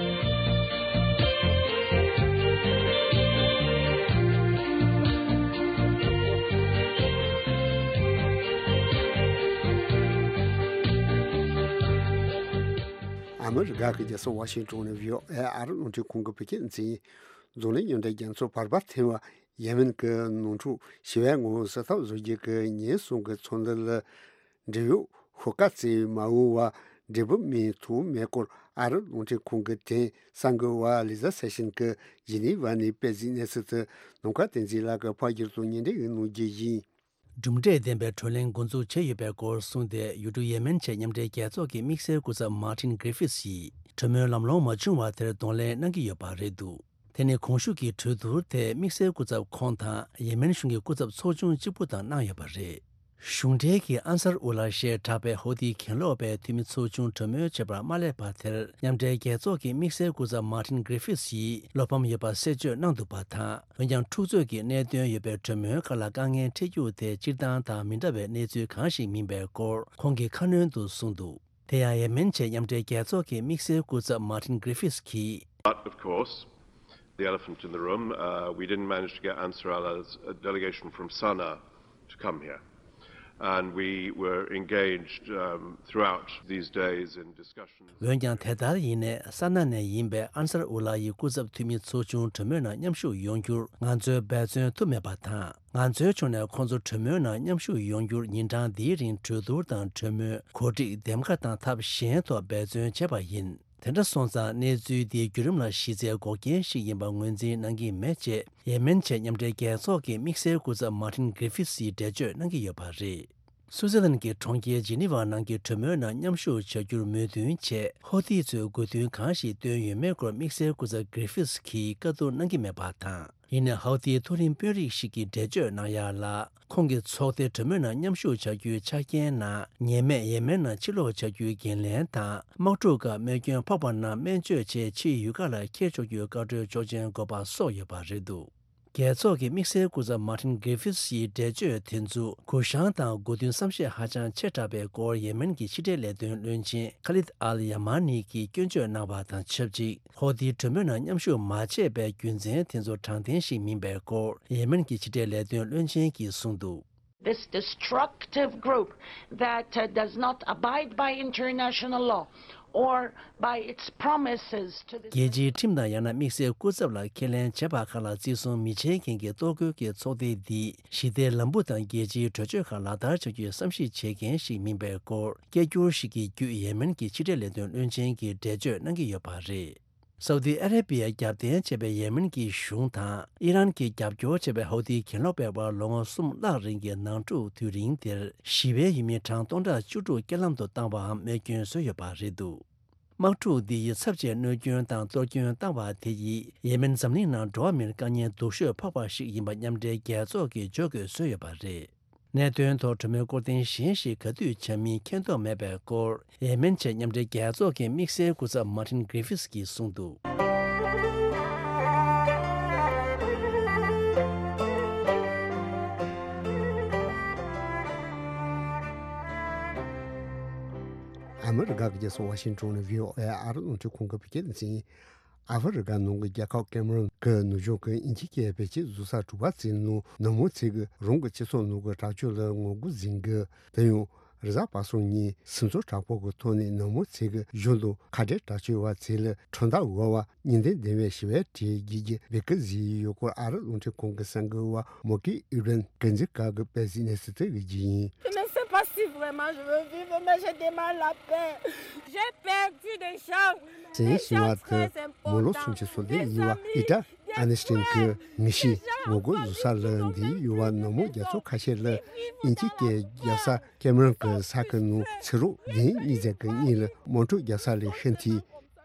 ཨ་མི་རི་ཀ་གི་རྒྱལ་ས་ཝ་ཤིང་ཏོན་ནས་བྷི་ཨོ་ཨེ་ཨ་རི་རླུང་འཕྲིན་ཁང་གི་བོད་སྐད་སྡེ་ཚན་ཡིན། འཛམ་གླིང་མཉམ་འབྲེལ་རྒྱལ་ཚོགས་བར་པ་ཐེ་བ་ཡེ་མེན་གྱི་ནང་འཁྲུག་ཞི་བའི་ངང་སེལ་ཐབས་བཟོ་རྒྱུ་གི་ཉེན་སྲུང་གི་ཚོགས་འདུ་ལ། འབྲེལ་ཡོད་ཤོག་ཁག་ཚོས་མ་འོངས་པར་འབྲས་བུ་སྨིན་ཐུབ་མེད་སྐོར་ཨ་རི་རླུང་འཕྲིན་ཁང་གི་དེང་སང་གི་བར་ལི་ཛ་སེ་ཤན་གྱིས་ཇི་ནི་ཝ་ནས་སྤེལ་གཟིགས་གནས་ཚུལ་དེ་ནམ་མཁའ་བསྟན་འཛིན་ལགས་ཀྱིས་ཕབ་བསྒྱུར་དང་སྙན་སྒྲོན་ཞུ་གནང་རྒྱུ་ཡིན། གྲུབ་འབྲས་ལྡན་པའི་གྲོས་གླེང་འགོ་འཛུགས་བྱས་ཡོད་པའི་སྐོར་གསུངས་ཏེ། ཡུལ་གྲུ་ཡེ་མེན་ཆེད་མཉམ་འབྲེལ་རྒྱལ་ཚོགས་ཀྱི་དམིགས་བསལ་སྐུ་ཚབ་མཱ་ཏིན་གྷི་རི་ཧྥིད་ཀྱིས་གྲོས་མོལ་ལམ་ལྷོང་མ་བྱུང་བ་དེར་གདོང་ལེན་གནང་གི་ཡོད་པ་རེད་འདུག། དེ་ནི་གོང་ཞུས་ཀྱི་གྲོས་བསྡུར་དེ་དམིགས་བསལ་སྐུ་ཚབ་ཁོང་དང་ཡེ་མེན་གཞུང་གི་སྐུ་ཚབ་ཚོགས་ཆུང་གཅིག་པུ་དང་གནང་ཡོད་པ་རེད། གཞུང་འབྲེལ་གྱི་ཨན་སར་ཨུ་ལ་ཞེས་གྲགས་པའི་ཧོ་ཏི་གྱེན་ལོག་པའི་འཐུས་མི་ཚོགས་ཆུང་གྲོས་མོལ་བྱེད་པར་མ་སླེབས་པ་དེར། མཉམ་འབྲེལ་རྒྱལ་ཚོགས་ཀྱི་དམིགས་བསལ་སྐུ་ཚབ་མཱ་ཏིན་གྷི་རི་ཕིས་ཡིས་བློ་ཕམ་ཡོད་པ་གསལ་བརྗོད་གནང་འདུག་པ་དང་། འོན་ཀྱང་། འཁྲུག་རྩོད་ཀྱི་གནད་དོན་ཡོད་པའི་གྲོས་མོལ་ཁག་ལ་དཀའ་ངལ་འཕྲད་རྒྱུ་དེ་སྤྱིར་བཏང་དང་མི་འདྲ་བའི་གནས་ཚུལ་གང་ཞིག་མིན་པའི་སྐོར་ཁོང་གིས་ཁ་སྣོན་དུ་གསུངས་འདུག་དེ་ཡང་། ཡེ་མེན་བྱེད་མཉམ་འབྲེལ་རྒྱལ་ཚོགས་ཀྱི་དམིགས་བསལ་སྐུ་ཚབ་མཱ་ཏིན་གྷི་རི་ཕིས་ཀྱིས། But of course, the elephant in the room, uh, we didn't manage to get Ansar Allah's, uh, delegation from Sanaa to come here. And we were engaged, um, throughout these days in discussions. འོན་ཀྱང་། དེ་ལྟར་ཡིན་ནའི། ས་ན་ནས་ཡིན་པའི་ཨན་སར་ཨུ་ལ་ཡི་སྐུ་ཚབ་འཐུས་མི་ཚོགས་ཆུང་གྲོས་མོལ་ནང་མཉམ་ཞུགས་ཡོང་རྒྱུར་ང་ཚོས་འབད་བརྩོན་ཐུབ་མེད་པ་དང་། ང་ཚོའི་ཕྱོགས་ནས་ཁོང་ཚོ་གྲོས་མོལ་ནང་མཉམ་ཞུགས་ཡོང་རྒྱུར་ཉིན་གྲངས་འདིའི་རིང་གྲོས་བསྡུར་དང་གྲོས་མོལ། གོ་སྒྲིག་འདེམས་ཀ་དང་ཐབས་གཞན་ཐོག་འབད་བརྩོན་བྱས་པ་ཡིན། དེ་འདྲ་སོང་ཙང་། གནས་ཚུལ་འདི་བརྒྱུད་རིམ་ལ་གཞི་རྩའི་འགོག་རྐྱེན་ཞིག་ཡིན་པ་ངོས་འཛིན་གནང་གི་མེད་ཅེས། ཡེ་མེན་བྱེད་མཉམ་འབྲེལ་རྒྱལ་ཚོགས་ཀྱི་དམིགས་བསལ་སྐུ་ཚབ་མཱ་ཏིན་གྷི་རི་ཕིས་ཡིས་འགྲེལ་བརྗོད་གནང་གི་ཡོད་པ་རེད། སུའུ་ཙེར་ལན་གྱི་གྲོང་ཁྱེར་ཇི་ནི་ཝ་ནང་གི་གྲོས་མོལ་ནང་མཉམ་ཞུགས་བྱ་རྒྱུར་མོས་མཐུན་ཆེད། ཧོ་ཏི་ཚོས་དགོས་འདུན་གང་ཞིག་བཏོན་ཡོད་མེད་སྐོར་དམིགས་བསལ་སྐུ་ཚབ་གྷི་རི་ཕིས་ཀྱིས་བཀའ་བསྡུར་གནང་གི་མེད་པ་དང་། ཡིན་ནའི། ཧོ་ཏིའི་མཐོ་རིམ་དཔོན་རིགས་ཤིག་གིས་འགྲེལ་བརྗོད་གནང་ཡག་ལ། ཁོང་གི་ཚོགས་སྡེ་གྲོས་མོལ་ནང་མཉམ་ཞུགས་བྱ་རྒྱུའི་ཆ་རྐྱེན་ནང་། ཉེས་མེད་ཡེ་མེན་ནང་ཕྱིར་ལོག་བྱ་རྒྱུའི་འགན་ལེན་དང་། དམག་འཁྲུག་སྐབས་རྨས་སྐྱོན་ཕོག་པ་རྣམས་སྨན་བཅོས་ཆེད་ཕྱིའི་ཡུལ་ཁག་ལ་འཁྱེར་ཆོག་རྒྱུའི་བཀའ་འཁྲོལ་ཆོག་མཆན་དགོས་པ་སོགས་ཡོད་པ་རེད་འདུག་རྒྱལ་ཚོགས་ཀྱི་དམིགས་བསལ་སྐུ་ཚབ་མཱ་ཏིན་གྷི་རི་ཕིས་ཡི་འགྲེལ་བརྗོད་དེ་ཚོ། གུ་ཡངས་དང་དགོས་འདུན་བསམ་ཤེས་ཧ་ཅང་ཆེ་དྲགས་པའི་སྐོར། ཡེ་མེན་གྱི་ཕྱི་འབྲེལ་ལས་དོན་བློན་ཆེན་ཁ་ལིད་ཨལ་ཡ་མ་ནི་གིས་སྐྱོན་བརྗོད་གནང་བ་དང་ཆབས་ཅིག་ཧོ་ཏིའི་གྲོས་མོལ་ནང་མཉམ་ཞུགས་མ་བྱས་པའི་རྒྱུ་མཚན་དེ་ཚོ་དྲང་བདེན་ཞིག་མིན་པའི་སྐོར། ཡེ་མེན་གྱི་ཕྱི་འབྲེལ་ལས་དོན་བློན་ཆེན་གྱིས་གསུངས་འདུག This destructive group that, uh, does not abide by international law or by its promises to the རྒྱལ་སྤྱིའི་ཁྲིམས་དང་། ཡང་ན་དམིགས་བསལ་སྐུ་ཚབ་ལ་ཁས་ལེན་བྱས་པ་ཁག་ལ་བརྩི་སྲུང་མི་བྱེད་མཁན་གྱི་གཏོར་རྒོལ་གྱི་ཚོགས་སྡེ་འདིས་ཞི་བདེའི་ལམ་བུ་དང་རྒྱལ་སྤྱིའི་གྲོས་ཆོད་ཁག་ལག་བསྟར་བྱ་རྒྱུའི་བསམ་གཞིག་བྱེད་མཁན་ཞིག་མིན་པའི་སྐོར། སྐད་སྒྱུར་ཞིག་གི་བརྒྱུད། ཡེ་མེན་གྱི་ཕྱི་འབྲེལ་ལས་དོན་བློན་ཆེན་གྱིས་འགྲེལ་བརྗོད་གནང་གི་ཡོད་པ་རེད། སའུ་ཏི་ཨ་རེ་བྷི་ཡ་རྒྱབ་རྟེན་བྱས་པའི་ཡེ་མེན་གྱི་གཞུང་དང་། ཨི་རན་གྱིས་རྒྱབ་སྐྱོར་བྱས་པའི་ཧོ་ཏི་གྱེན་ལོག་པའི་བར། ལོ་ངོ་གསུམ་ལྷག་རིང་གི་ནང་འཁྲུག་དུས་རིང་དེར། ཞི་བའི་ཡུལ་མི་གྲངས་སྟོང་ཕྲག་བཅུ་དྲུག་རྐྱེན་ལམ་དུ་བཏང་བའམ་རྨས་སྐྱོན་བཟོས་ཡོད་པ་རེད་འདུག་དམག་འཁྲུག་འདི་ཡིས་ཚབས་ཆེའི་གནོད་སྐྱོན་དང་གཏོར་སྐྱོན་བཏང་བ་དེ་ཡིས། ཡེ་མེན་འཛམ་གླིང་ནང་འགྲོ་བ་མིར་དཀའ་ངལ་སྡུག་ཤོས་ཕོག་པ་ཞིག་ཡིན་པ་མཉམ་འབྲེལ་རྒྱལ་ཚོགས་ཀྱིས་བརྗོད་དགོས་བཟོས་ཡོད་པ་རེད། གནད་དོན་ཐོག་གྲོས་མོལ་སྐོར་ཐེངས་གཞན་ཞིག་ག་དུས་བྱ་མིན་མཁྱེན་རྟོགས་མེད་པའི་སྐོར། ཡེ་མེན་ཆེད་མཉམ་འབྲེལ་རྒྱལ་ཚོགས་ཀྱི་དམིགས་བསལ་སྐུ་ཚབ་མཱ་ཏིན་གྷི་རི་ཕིས་ཀྱིས་གསུངས་འདུག་ཨ་མི་རི་ཀ་གི་རྒྱལ་ས་ཝ་ཤིང་ཊོན་ནས་བྷི་ཨོ་ཨེ་ཨ་རི་རླུང་འཕྲིན་ཁང་གི་བོད་སྐད་སྡེ་ཚན་ཡིན། ཨ་ཧྥེ་རི་ཀ་ནང་གི་རྒྱལ་ཁབ་ཀེ་མ་རོན་གྱི་ནུབ་བྱང་གི་དབྱིན་ཇི་སྐད་བེད་སྤྱོད་བཟོ་ས་དྲུག་པ་དེའི་ནང་ནག་མོ་ཚོས་ཀྱིས་རང་གི་སྤྱི་ཚོགས་ནང་གི་དྲག་སྤྱོད་ལ་ངོ་རྒོལ་འཛིན་གྱི། དེ་ཡང་རེས་གཟའ་པ་སངས་ཉིན་སེམས་ཚོར་དྲག་པོ་གི་ཐོག་ནས་ནག་མོ་ཚོས་ཀྱིས་གཞུང་དང་ཁ་བྲལ་དྲག་སྤྱོད་པ་ཚོ་ལ་ཁྲིམས་ཐག་འགོ་བ་གཉིས་ལྡན་ལྡན་པའི་ཞི་བའི་གྲས་བརྒྱུད་ཀྱི་བེད་སྤྱོད་བཟོས་ཡོད་སྐོར་ཨ་རི་རླུང་འཕྲིན་ཁང་གི་གསར་འགོད་པ་མོ་ཀི་ཨི་རན་གྱིས་འཛིན་གྲྭ་གི་དཔེ་གཟིགས་གནས་ཚུལ་དེ་གི་རྒྱུད་ཡིན། Je ne sais pas si vraiment je veux vivre, mais j'ai tellement la peine. J'ai perdu des gens. Des gens très importants. མོ་ལོ་སུམ་ཅུ་སོ་བདུན་ཡིན་པ་ཨི་ཏྲ་ཨ་ནི་སི་ཏན་གྱིས་ངེས་ཤེས་ངོ་རྒོལ་བཟོ་ས་ལ་འདིར་ཡོད་པ་ནག་མོ་རྒྱ་མཚོ་ཁ་ཤས་ལ་དབྱིན་ཇིའི་སྐད་རྒྱབ་ས་ཀེ་མ་རོན་གྱི་ས་ཁུལ་ནང་ཚེ་རབས་བདུན་གཉིས་ཙམ་གྱི་གཉིས་ལ་དམག་འཁྲུག་རྒྱག་ས་ལས་ཤི་འཐུས།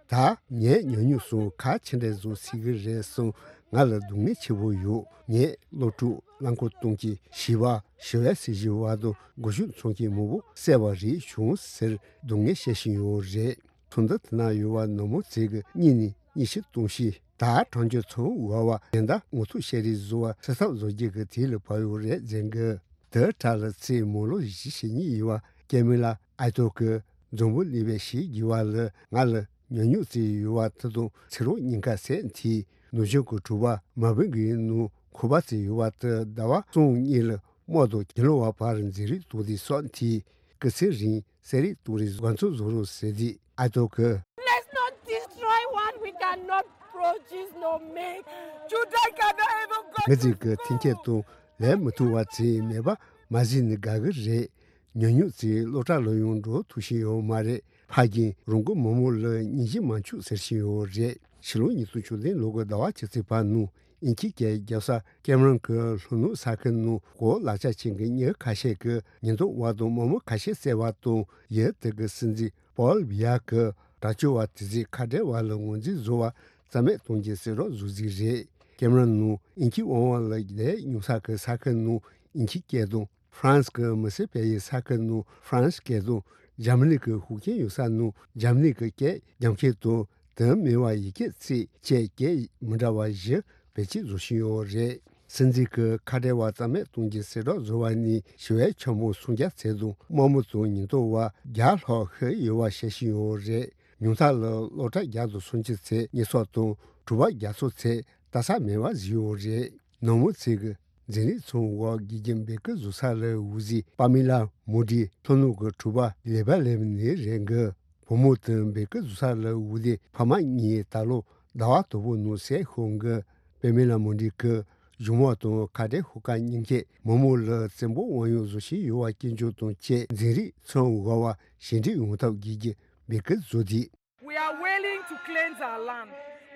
ད་ངས་ཉམས་མྱོང་སོགས་ག་ཅི་འདྲ་བཟོ་སྲིད་ཀྱི་རེད་གསུངས། ང་ལ་སྡུག་བསྔལ་ཆེ་པོ་ཡོད། ངས་སློབ་ཕྲུག་རླངས་འཁོར་གཏོང་མཁན་བྱིས་པ་ཞི་བའི་སྲིད་བྱུས་པ་དང་སྒོ་ཕྱུགས་འཚོང་མཁན་མང་པོ་བསད་པ་རིགས་བྱུང་ཟེར་སྡུག་བསྔལ་བཤད་བཞིན་ཡོད་རེད། ཚོགས་འདུ་དེ་ན་ཡོད་པ་ནག་མོ་ཚོས་ཀྱིས་གཉིས་ནས་ཉི་ཤུ་སྟོང་ཞིག་ད་གྲངས་ཆོད་ཚོ་བ་བ་གཞན་དག་ངོ་ཐུག་བཤད་རེས་བཟོ་བ་ཚེ་ཐབས་བཟོ་རྒྱུ་གི་དུས་ལ་བབ་ཡོད་རེད་ཟེར་གི། དེ་དག་ལ་ཚེས་མོ་ལོ་བཞི་ཞེ་གཉིས་ཡིན་པ་ཀེ་མི་ལ་ཨའི་ཏོ་གིས་འཛམ་བུ་གླིང་པའི་ཞི་བའི་རྒྱལ་བ་ལ་ང་ལ་ཉམས་མྱོང་བརྩིས་ཡོད་པ་དེ་དང་ཚེ་རབས་གཉིས་ཀ་བསད་འཐུས་ནུབ་བྱང་གི་གྲུ་པ་མ་བིན་གྱི་ནང་ཁོག་པ་བརྩིས་ཡོད་པ་དེ་ཟླ་བ་གསུམ་གཉིས་ལ་དམག་དང་གྱེན་ལོག་པ་བར་འཛིང་རེས་གཏོང་དུས་སོགས་འཐུས་སྐུ་ཚེ་རིང་། གསོད་རེས་གཏོང་རེས་འགོ་ཚུགས་བཟོ་རོགས་ཟེར་དུས་ཨའི་ཏོ་གིས། Let's not destroy what we cannot produce nor make. Judai cannot even go. ངེད་ཚོས་ཀྱི་འཐེན་འཁྱེར་དང་ལས་མི་ཐུབ་པ་ཚོས་མེད་པ་མ་བཟོས་ན་དགའ་གི་རེད། ཉམས་མྱོང་ཚོས་སློབ་གྲྭ་ལ་ཡང་འགྲོ་ཐུབ་བཞིན་ཡོད་མ་རེད། ཕ་རྒན་རང་གི་མི་མང་ལ་སྙིང་རྗེ་མ་བྱུང་ཟེར་བཞིན་ཡོད་རེད། ཕྱི་ལོ་ཉིས་སྟོང་བཅུ་བདུན་ལོ་གི་ཟླ་བ་བཅུ་གཅིག་པ་ནང་དབྱིན་ཇིའི་སྐད་རྒྱབ་ས་ཀེ་མ་རོན་གྱི་ལྷོ་ནུབ་ས་ཁུལ་ནང་གོ་ལག་ཆ་ཅན་གྱི་མྱི་ཁ་ཤས་ཀྱིས་ཉེན་རྟོག་པ་དང་དམག་མི་ཁ་ཤས་བསད་པ་དང་ཡུལ་དེ་གི་སྲིད་འཛིན་པོལ་བྷི་ཡ་གིས་དྲག་སྤྱོད་པ་དེ་ཚོས་ཁ་བྲལ་བ་ལ་ངོས་འཛིན་བཟོ་བ་རྩ་མེད་གཏོང་རྒྱུའི་བསྲེ་རོགས་བཟོ་རྩིས་རེད། ཀེ་མ་རོན་ནང་དབྱིན་ཇིའི་དབང་དབང་ལ་བསྡད་མྱོང་ས་ཀྱི་ས་ཁུལ་ནང་དབྱིན་ཇིའི་སྐད་དང་ ཧྥ་རན་སི་གི་མི་སེར་སྤེལ་ཡུལ་ས་ཁུལ་ནང་ཧྥ་རན་སི་སྐད་དང་། འཇར་མ་ནི་གི་ཤུགས་རྐྱེན་ཡོད་ས་ནང་འཇར་མ་ནི་གི་སྐད་རྒྱབ་མཁན་དང་། དེ་མིན་པ་ཡི་གེ་ཚིག་བཅས་སྐད་མི་འདྲ་བ་བཞི་བེད་སྤྱོད་བཟོ་བཞིན་ཡོད་རེད། སྲིད་འཛིན་གྱིས་ཁ་བྲལ་བ་རྩ་མེད་གཏོང་རྒྱུའི་གསལ་བསྒྲགས་བཟོ་བ་ནས་ཞི་བའི་འཆར་སྦོམ་སུམ་བརྒྱ་ཙམ་དང་། དམག་མི་དང་ཉེན་རྟོག་པ་བརྒྱ་ལྷག་ཤི་ཡོད་པ་བཤད་བཞིན་ཡོད་རེད། ཉུང་མཐའ་ལ་སློབ་གྲྭ་བརྒྱ་དང་སུམ་ཅུ་ཙམ་རྙེད་སོགས་དང་། གྲུ་པ་བརྒྱ་ཙམ་ཙམ་ལྟ་ས་མེད་པ་བཟོས་ཡོད་རེད། ནང་མི་ཚོས་ཀྱི་འཛིང་རེས་ཚང་འོག་དགེ་རྒན་འབོད་སྐུལ་བཟོ་ས་ལ་འོད་ཟེར་པ་མི་ལ་མོ་འདི་ལྷོ་ནུབ་ཀྱི་གྲུ་པ་ལེ་བ་ལེབ་ནས་རེད་འགི། བུ་མོ་དང་འབོད་སྐུལ་བཟོ་ས་ལ་འོད་ཟེར་ཕ་མ་གཉིས་ད་ལོ་ཟླ་བ་དང་པོ་ནང་བསད་ཤོར་འགི། པ་མི་ལ་མོ་འདི་གི་གཞུང་མང་དང་ཁ་བྲལ་ཤོག་ཁག་གཉིས་ཀས་མི་མང་ལ་བཙན་པོ་དབང་ཡོད་བཟོ་བཞིན་ཡོད་པ་སྐྱོན་བརྗོད་དང་བཅས། འཛིང་རེས་ཚང་འོག་པ་ཞི་འགྲིག་ཡོང་ཐབས་དགེ་རྒན་འབོད་སྐུལ་བཟོ་དུས། We are willing to cleanse our land.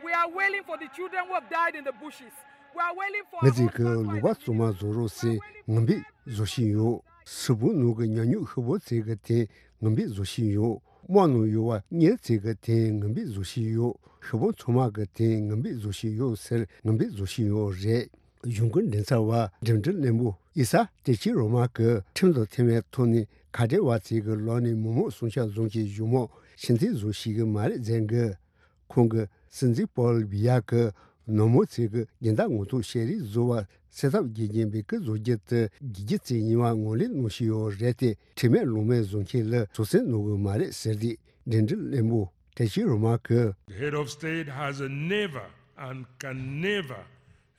We are willing for the children who have died in the bushes. We are willing for ང་ཚོས་ཀྱི་ལུང་པ་གཙང་མ་བཟོ་རོགས་ཟེར་ངང་པིག་བཟོ་བཞིན་ཡོད། སུ་བུ་ནུ་གི་ཉ་ཉུག་ཤི་བོ་ཚེ་གི་དེ་ངང་པིག་བཟོ་བཞིན་ཡོད། དམག་ནང་ཡོད་པ་གཉེར་ཚེ་གི་དེ་ངང་པིག་བཟོ་བཞིན་ཡོད། ཤི་བོ་ཚང་མ་གི་དེ་ངང་པིག་བཟོ་བཞིན་ཡོད་ཟེར་ངང་པིག་བཟོ་བཞིན་ཡོད་རེད། གཞུང་གི་མགྲིན་ཚབ་པ་འགྲིམ་འགྲུལ་བློན་པོ་ཨི་ས་ཏེ་ཆི་རོ་མ་གིས་ཁྲིམས་དང་མཐུན་པའི་ཐོག་ནས་ཁ་བྲལ་བ་ཚོའི་གི་ལོག་ནས་མི་མང་སྲུང་སྐྱོབ་བཟུང་གི་གཞུང་མང་ཕྱིར་འཐེན་བཟོ་ཤེས་གི་མ་རེད་ཟེར་གི། ཁོང་གིས་སྲིད་འཛིན་པོལ་བི་ཡ་གིས་ནང་མི་ཚོའི་གི་སྦྱིན་བདག་ངོ་ཐོག་བཤད་རེས་བཟོ་བ་སེལ་ཐབས་དགེ་རྒན་འབོད་སྐུལ་བཟོ་རྒྱུ་དེ་དགེ་རྒྱུ་ཙམ་ཡིན་པ་ངོས་ལེན་གནང་བཞིན་ཡོད་རེད་དེ། ཁྲིམས་མེད་ལུགས་མེད་བཟོ་མཁན་ལ་སྲོག་ཟན་གནང་གི་མ་རེད་ཟེར་དུས། འགྲིམ་འགྲུལ་བློན་པོ་ཏེ་ཆི་རོ་མ་གིས། The head of state has never and can never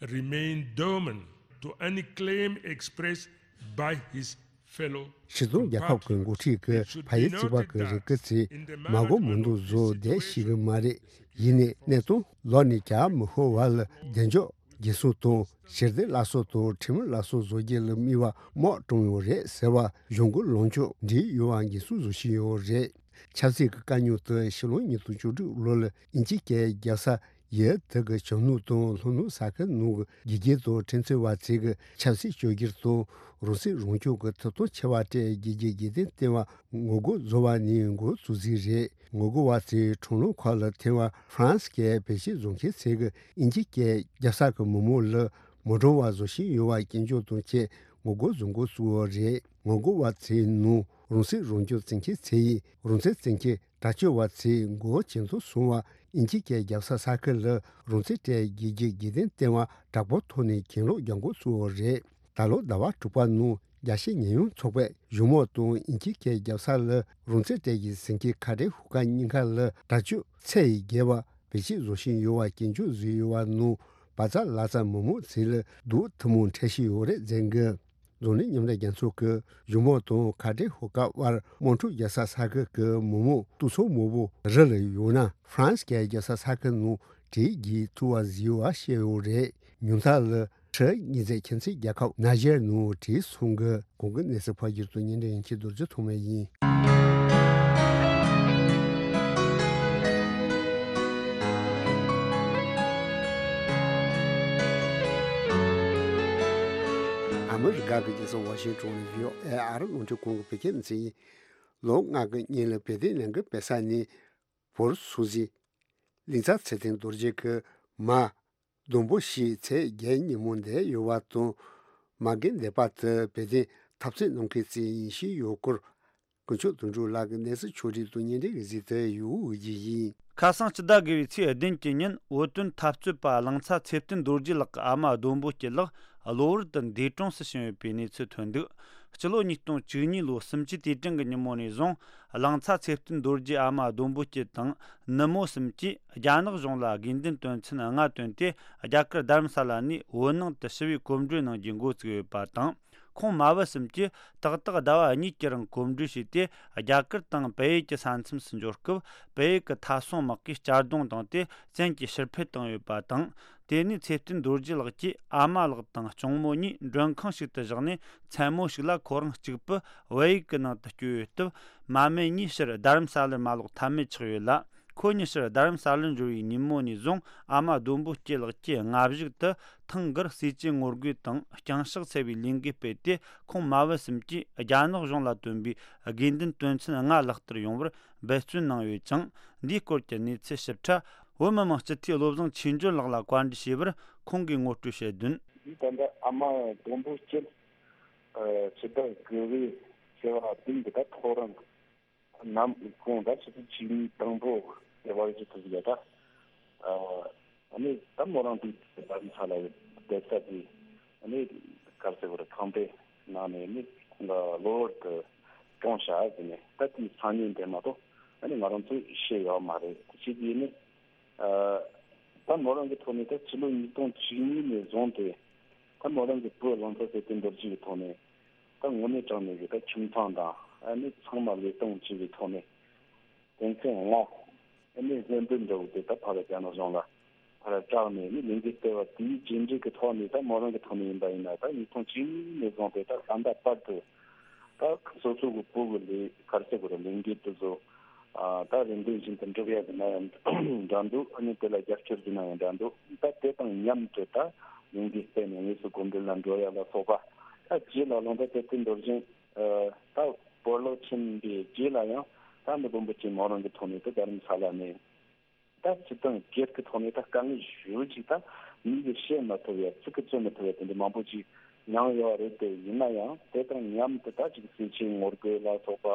remain dormant to any claim expressed by his fellow སྤྱི་དང་རྒྱལ་ཁབ་ཀྱི་འགོ་ཁྲིད་ཀྱིས་ཕ་ཡུལ་གཅིག་པ་གི་རིགས་ཀྱི་ཚེ་མ་གོ་མི་འདུག་བཟོ་བསྡད་ཤེས་ཀྱི་མ་རེད། ཡིན་ནའི་གནས་སྟངས་ལོག་ནས་ཀྱང་མི་ཤོར་བ་ལ་བདེ་འཇགས་འགན་སྲུང་དང་ཞི་བདེ་སླར་གསོ་དང་ཁྲིམས་སླར་གསོ་བཟོ་རྒྱུ་ལ་དམིགས་པ་མང་བཏང་ཡོད་རེད་ཟེར་བ་གཞུང་གི་ལངས་ཕྱོགས་འགྲིག་ཡོད་པ་འགན་སྲུང་བཟོ་བཞིན་ཡོད་རེད། ཆབ་སྲིད་ཀྱི་དཀའ་རྙོག་དེ་ཕྱི་ལོ་ཉིས་སྟོང་བཅུ་དྲུག་ལོ་ལ་དབྱིན་ཇི་སྐད་རྒྱལ་ས་ཡུལ་དེ་གི་བྱང་ནུབ་དང་ལྷོ་ནུབ་ས་ཁུལ་ནང་གི་དགེ་རྒན་དང་ཁྲིམས་རྩོད་པ་ཚོས་ཀྱི་ཆབ་སྲིད་བཅོས་བསྒྱུར་དང་རང་སྲིད་རང་སྐྱོང་གི་ཐོབ་ཐང་ཆེ་བ་སྤྲད་རྒྱུ་གི་དགེ་སྡིག་སྟེར་བ་ངོ་རྒོལ་བཟོ་བ་ནས་འགོ་བཙུགས་ཟིན་རེད། ངོ་རྒོལ་བ་ཚོས་ཁྲོམ་ལམ་ཁག་ལ་ཐོན་པ་ཧྥ་རན་སི་སྐད་བེད་སྤྱོད་བཟོ་མཁན་ཚོས་ཀྱི་དབྱིན་ཇི་སྐད་རྒྱལ་ས་གི་མི་མང་ལ་མི་སྒྲོལ་བ་བཟོ་བཞིན་ཡོད་པ་སྐྱོན་བརྗོད་དང་བཅས་ངོ་རྒོལ་བཟོ་འགོ་བཙུགས་པ་རེད། ངོ་རྒོལ་བ་ཚོའི་ནང་རང་སྲིད་རང་སྐྱོང་བརྩི་མཁན་ཚོ་ཡིས་རང་བཙན་བརྩི་མཁན་དྲག་སྤྱོད་པ་ཚོས་མགོ་ཇེ་མཐོར་སོང་བ་དབྱིན་ཇི་སྐད་རྒྱལ་ས་ས་ཁུལ་ལ་རང་བཙན་སྤྲད་རྒྱུ་གི་དགེ་སྡིག་སྟེར་བ་དྲག་པོའི་ཐོག་ནས་གྱེན་ལོག་རྒྱག་འགོ་བཙུགས་པ་རེད། ད་ལོ་ཟླ་བ་དྲུག་པ་ནང་རྒྱལ་སྤྱིའི་ཉེས་ཡངས་ཚོགས་པས་གཞུང་མང་དང་དབྱིན་ཇི་སྐད་རྒྱལ་ས་ལ་རང་བཙན་སྤྲད་རྒྱུ་ཟེར་མཁན་ཁ་བྲལ་ཤོག་ཁག་གཉིས་ཀ་ལ་དྲག་སྤྱོད་ཚད་ཡི་བརྒལ་བ་བེད་སྤྱོད་བཟོ་བཞིན་ཡོད་པ་སྐྱོན་བརྗོད་བཟོས་ཡོད་པ་ནང་བ་ཙ་ལ་ཙ་མི་མང་ཚོ་ལ་སྡུག་ཐུན་མོང་འཕྲད་བཞིན་ཡོད་རེད་ཟེར་གི། འཛམ་གླིང་མཉམ་འབྲེལ་རྒྱལ་ཚོགས་ཀྱིས་གཞུང་མང་དང་ཁ་བྲལ་ཤོག་ཁག་དབར་དམངས་ཁྲོད་རྒྱལ་ས་ས་ཁུལ་གྱི་མི་མང་སྡུག་ཚོགས་མང་པོ་རི་ལ་ཡོད་ན་ཧྥ་རན་སི་སྐད་རྒྱལ་ས་ས་ཁུལ་ནང་གྲོས་བསྡུར་ཐུབ་པ་བཟོས་པ་བཤད་ཡོད་རེད། ཉུང་མཐའ་ལ་ཁྲི་གཉིས་ཚད་ཁྱིམ་མཚེས་རྒྱལ་ཁབ་ནཱི་ཇེར་ནང་གྲོས་སོང་གི། གོང་གི་གནས་ཚུལ་ཕབ་སྒྱུར་དང་སྙན་སྒྲོན་ཡིན་ཁྱེད་རྡོ་རྗེ་ཐོགས་མེད་ཡིན། ཨ་མི་རི་ཀ་གི་རྒྱལ་ས་ཝ་ཤིང་ཏོན་ནས་བྷི་ཨོ་ཨེ་ཨ་རི་རླུང་འཕྲིན་ཁང་གི་བོད་སྐད་སྡེ་ཚན་ཡིན། ལོ་ལྔ་གི་སྔོན་ལ་བོད་དོན་ལས་འགུལ་སྤེལ་ས་ནས་བོད་སོག་གཟིགས་ལིང་ཚ་ཚེ་བརྟན་རྡོ་རྗེ་གི་མ། ལྡོང་པོ་ཞིག་ཚེས་བརྒྱད་ཉིན་མོ་འདས་ཡོད་པ་དང་། མ་རྒན་འདས་པ་དེ་བོད་དོན་འཐབ་རྩོད་གནང་མཁན་ཞིག་ཡིན་བཞིན་ཡོད་སྐོར། དཀོན་མཆོག་དོན་གྲུབ་ལགས་ཀྱི་གནས་ཚུལ་ཕྱོགས་སྒྲིག་དང་སྙན་སྒྲོན་གྱི་གཟིགས་དུ་ཡོད་ཀྱི་ཡིན། ཁ་སང་སྤྱི་ཟླ་དགུ་བའི་ཚེས་བདུན་གྱི་ཉིན་བོད་དོན་འཐབ་རྩོད་པ་གླིང་ཚ་ཚེ་བརྟན་རྡོ་རྗེ་ལགས་ཀྱི་ཨ་མ་ལྡོང་པོ་སྐྱིད་ལགས་གློ་བུར་དུ་འདས་གྲོངས་སུ་ཕྱིན་ཡོད་པའི་གནས་ཚུལ་ཐོན་འདུག་སྤྱི་ལོ་ཉིས་སྟོང་བཅུ་གཉིས་ལོའི་གསུམ་བཅུའི་དུས་དྲན་གྱི་ཉིན་མོ་ནས་བཟུང་གླིང་ཚ་ཚེ་བརྟན་རྡོ་རྗེའི་ཨ་མ་ལྡོང་པོ་སྐྱིད་དང་ནུ་མོ་གསུམ་གྱིས་རྒྱ་ནག་གཞུང་ལ་དགོས་འདུན་དོན་ཚན་ལྔ་བཏོན་ཏེ་རྒྱ་གར་རྡ་རམ་ས་ལ་ནས་བོད་ནང་དུ་ཞི་བའི་གོམ་བགྲོད་གནང་རྒྱུའི་འགོ་བཙུགས་ཡོད་པ་དང་། ཁོང་མ་བུ་གསུམ་གྱིས་ཏག་ཏག་ཟླ་བ་གཉིས་ཀྱི་རིང་གོམ་བགྲོད་བྱས་ཏེ་རྒྱ་གར་དང་བལ་ཡུལ་གྱི་ས་མཚམས་སུ་འབྱོར་སྐབས་བལ་ཡུལ་གྱི་མཐའ་སྲུང་དམག་གིས་གཅར་རྡུང་བཏང་སྟེ་བཙན་གྱིས་ཕྱིར་འཕུད་བཏང་ཡོད་པ་དང་། དེ་ནས་ཚེ་བརྟན་རྡོ་རྗེ་ལགས་ཀྱིས་ཨ་མ་ལགས་དང་གཅུང་མོ་གཉིས་མགྲོན་ཁང་ཞིག་ཏུ་བཞག་ནས་མཚན་མོ་ཞིག་ལ་ཁོ་རང་གཅིག་པུ་བལ་ཡུལ་གྱི་ནང་དུ་བསྐྱོད་ཡོད་སྟབས། མ་སྨད་གཉིས་ཕྱིར་རྡ་རམ་ས་ལར་མ་ལོག་ཐབས་མེད་ཆགས་ཡོད་ལ། ཁོ་གཉིས་ཕྱིར་རྡ་རམ་ས་ལར་འབྱོར་བའི་ཉིན་མོ་ནས་བཟུང་ཨ་མ་ལྡོང་པོ་སྐྱིད་ལགས་ཀྱིས་སྔ་གཞུག་ཏུ་ཐེངས་འགར་ཟས་བཅད་ངོ་རྒོལ་དང་རྐྱང་ཕྱག་འཚལ་བའི་ལས་འགུལ་སྤེལ་ཏེ། ཁོང་མ་བུ་གསུམ་གྱིས་རྒྱ་ནག་གཞུང་ལ་བཏོན་པའི་དགོས་འདུན་དོན་ཚན་ལྔ་ལག་བསྟར་ཡོང་བར་འབད་བརྩོན་གནང་ཡོད་ཅིང་། འདིའི་སྐོར་གྱི་གནས་ཚུལ་ཞིབ་ཕྲ་བོད་མི་མང་སྤྱི་འཐུས་བློ་བཟང་ཆོས་འབྱོར་ལགས་ལ་བཀའ་འདྲི་བྱས་པར། ཁོང་གིས་ངོ་སྤྲོད་བྱས་དོན། ད་ལྟ་ཨ་མ་ལྡོང་པོ་སྐྱིད་ ཨ་ཕྱི་ཟླ་དགུ་པའི་ཚེས་པ་བདུན་གྱི་ད་ཐོ་རངས་ནམ་གུང་ད་ཆུ་ཚོད་བཅུ་གཉིས་དང་པོ་དེ་བར་གྱི་དུས་ཡ་ད། ཨ་ཨ་ནི་ད་མོ་རང་དུས་ད་རིང་ས་ལ་བསྡད་ས་དེ་ཨ་ནི་གར་སེ་བོར་ཁང་པའི་ནང་ནས་ནི་ཁོང་ལ་གློ་བུར་དུ་གྲོངས་ཤག་ཟེར་ནས། ད་དེའི་སང་ཉིན་དེ་མ་གཏོགས་ཨ་ནི་ང་རང་ཚོས་ཤེས་ཡོད་མ་རེད། དེ་བྱས་དུས་ནི། ཨ་ད་མོ་རང་གི་ཐོག་ནས་ད་ཕྱི་ལོ་ཉིས་སྟོང་བཅུ་གཉིས་ནས་བཟུང་སྟེ་ད་མོ་རང་གི་བུ་གླང་ཚ་ཚེ་བརྟན་རྡོ་རྗེ་གི་ཐོག་ནས་ད་དངོས་གནས་དྲང་གནས་ཀྱི་ད་ཁྱིམ་ཚང་དང་ཨ་ནི་ཚང་མ་ལུས་སྟོང་བྱས་པའི་ཐོག་ནས་དོན་ཚན་ལྔ་ཨ་ནི་སྣེ་འདྲེན་འདྲ་བོ་དེ་ད་ཕར་རྒྱ་ནག་གཞུང་ལ་ཕར་སྐྲག་ནས་ནི་ལས་འགུལ་སྤེལ་བ་དེའི་རྗེས་འབྲས་ཀྱི་ཐོག་ནས་ད་མོ་རང་གི་ཐོག་ནས་ཡིན་པ་ཡིན་ན་ད་ཉིས་སྟོང་བཅུ་གཉིས་ནས་བཟུང་སྟེ་ད་ད་ལྟ་བར་དུ། ད་སོ་སོ་གི་བུ་གི་ལས་གར་སེ་གོ་ར་ལས་འགུལ་དེ་ཚོ། ཨ་ད་རེ་འདུན་བཞིན་དུ་འགྲུབ་ཡ་ཟེར་ན་ཡང་འདྲ་འདུག་ཨ་ནི་དེ་ལ་རྒྱབ་སྐྱོར་ཟེར་ན་ཡང་འདྲ་འདུག་ད་དེ་དང་མཉམ་དུ་ད་ལས་འགུལ་སྤེལ་ནས་དངོས་སུ་གོམ་བགྲོད་ལ་འགྲོ་ཡ་ལ་སོགས་པ། ད་རྗེས་ལ་ལོ་ཟླ་དེ་ཚོའི་འདོར་བཞིན་ད་སྤོ་ལོ་ཕྱིན་པའི་རྗེས་ལ་ཡང་ད་འདི་དཔོན་པོ་ཆེན་མོ་རང་གི་ཐོག་ནས་ད་རྡ་རམ་ས་ལ་ནས། ད་སྤྱི་དང་སྒེར་གྱི་ཐོག་ནས་ད་དཀའ་ངལ་ཞེ་པོ་ཅིག་ད་མི་གིས་བཤད་མ་ཐུབ་ཡ་ཚིག་གིས་བརྗོད་མ་ཐུབ་ཡ་དེ་འདྲ་མང་པོ་ཅིག་མྱངས་ཡོད་རེད། དེ་ཡིན་ན་ཡང་དེ་དང་མཉམ་དུ་ད་ཅིག་ཟས་བཅད་ངོ་རྒོལ་ལ་སོགས་པ་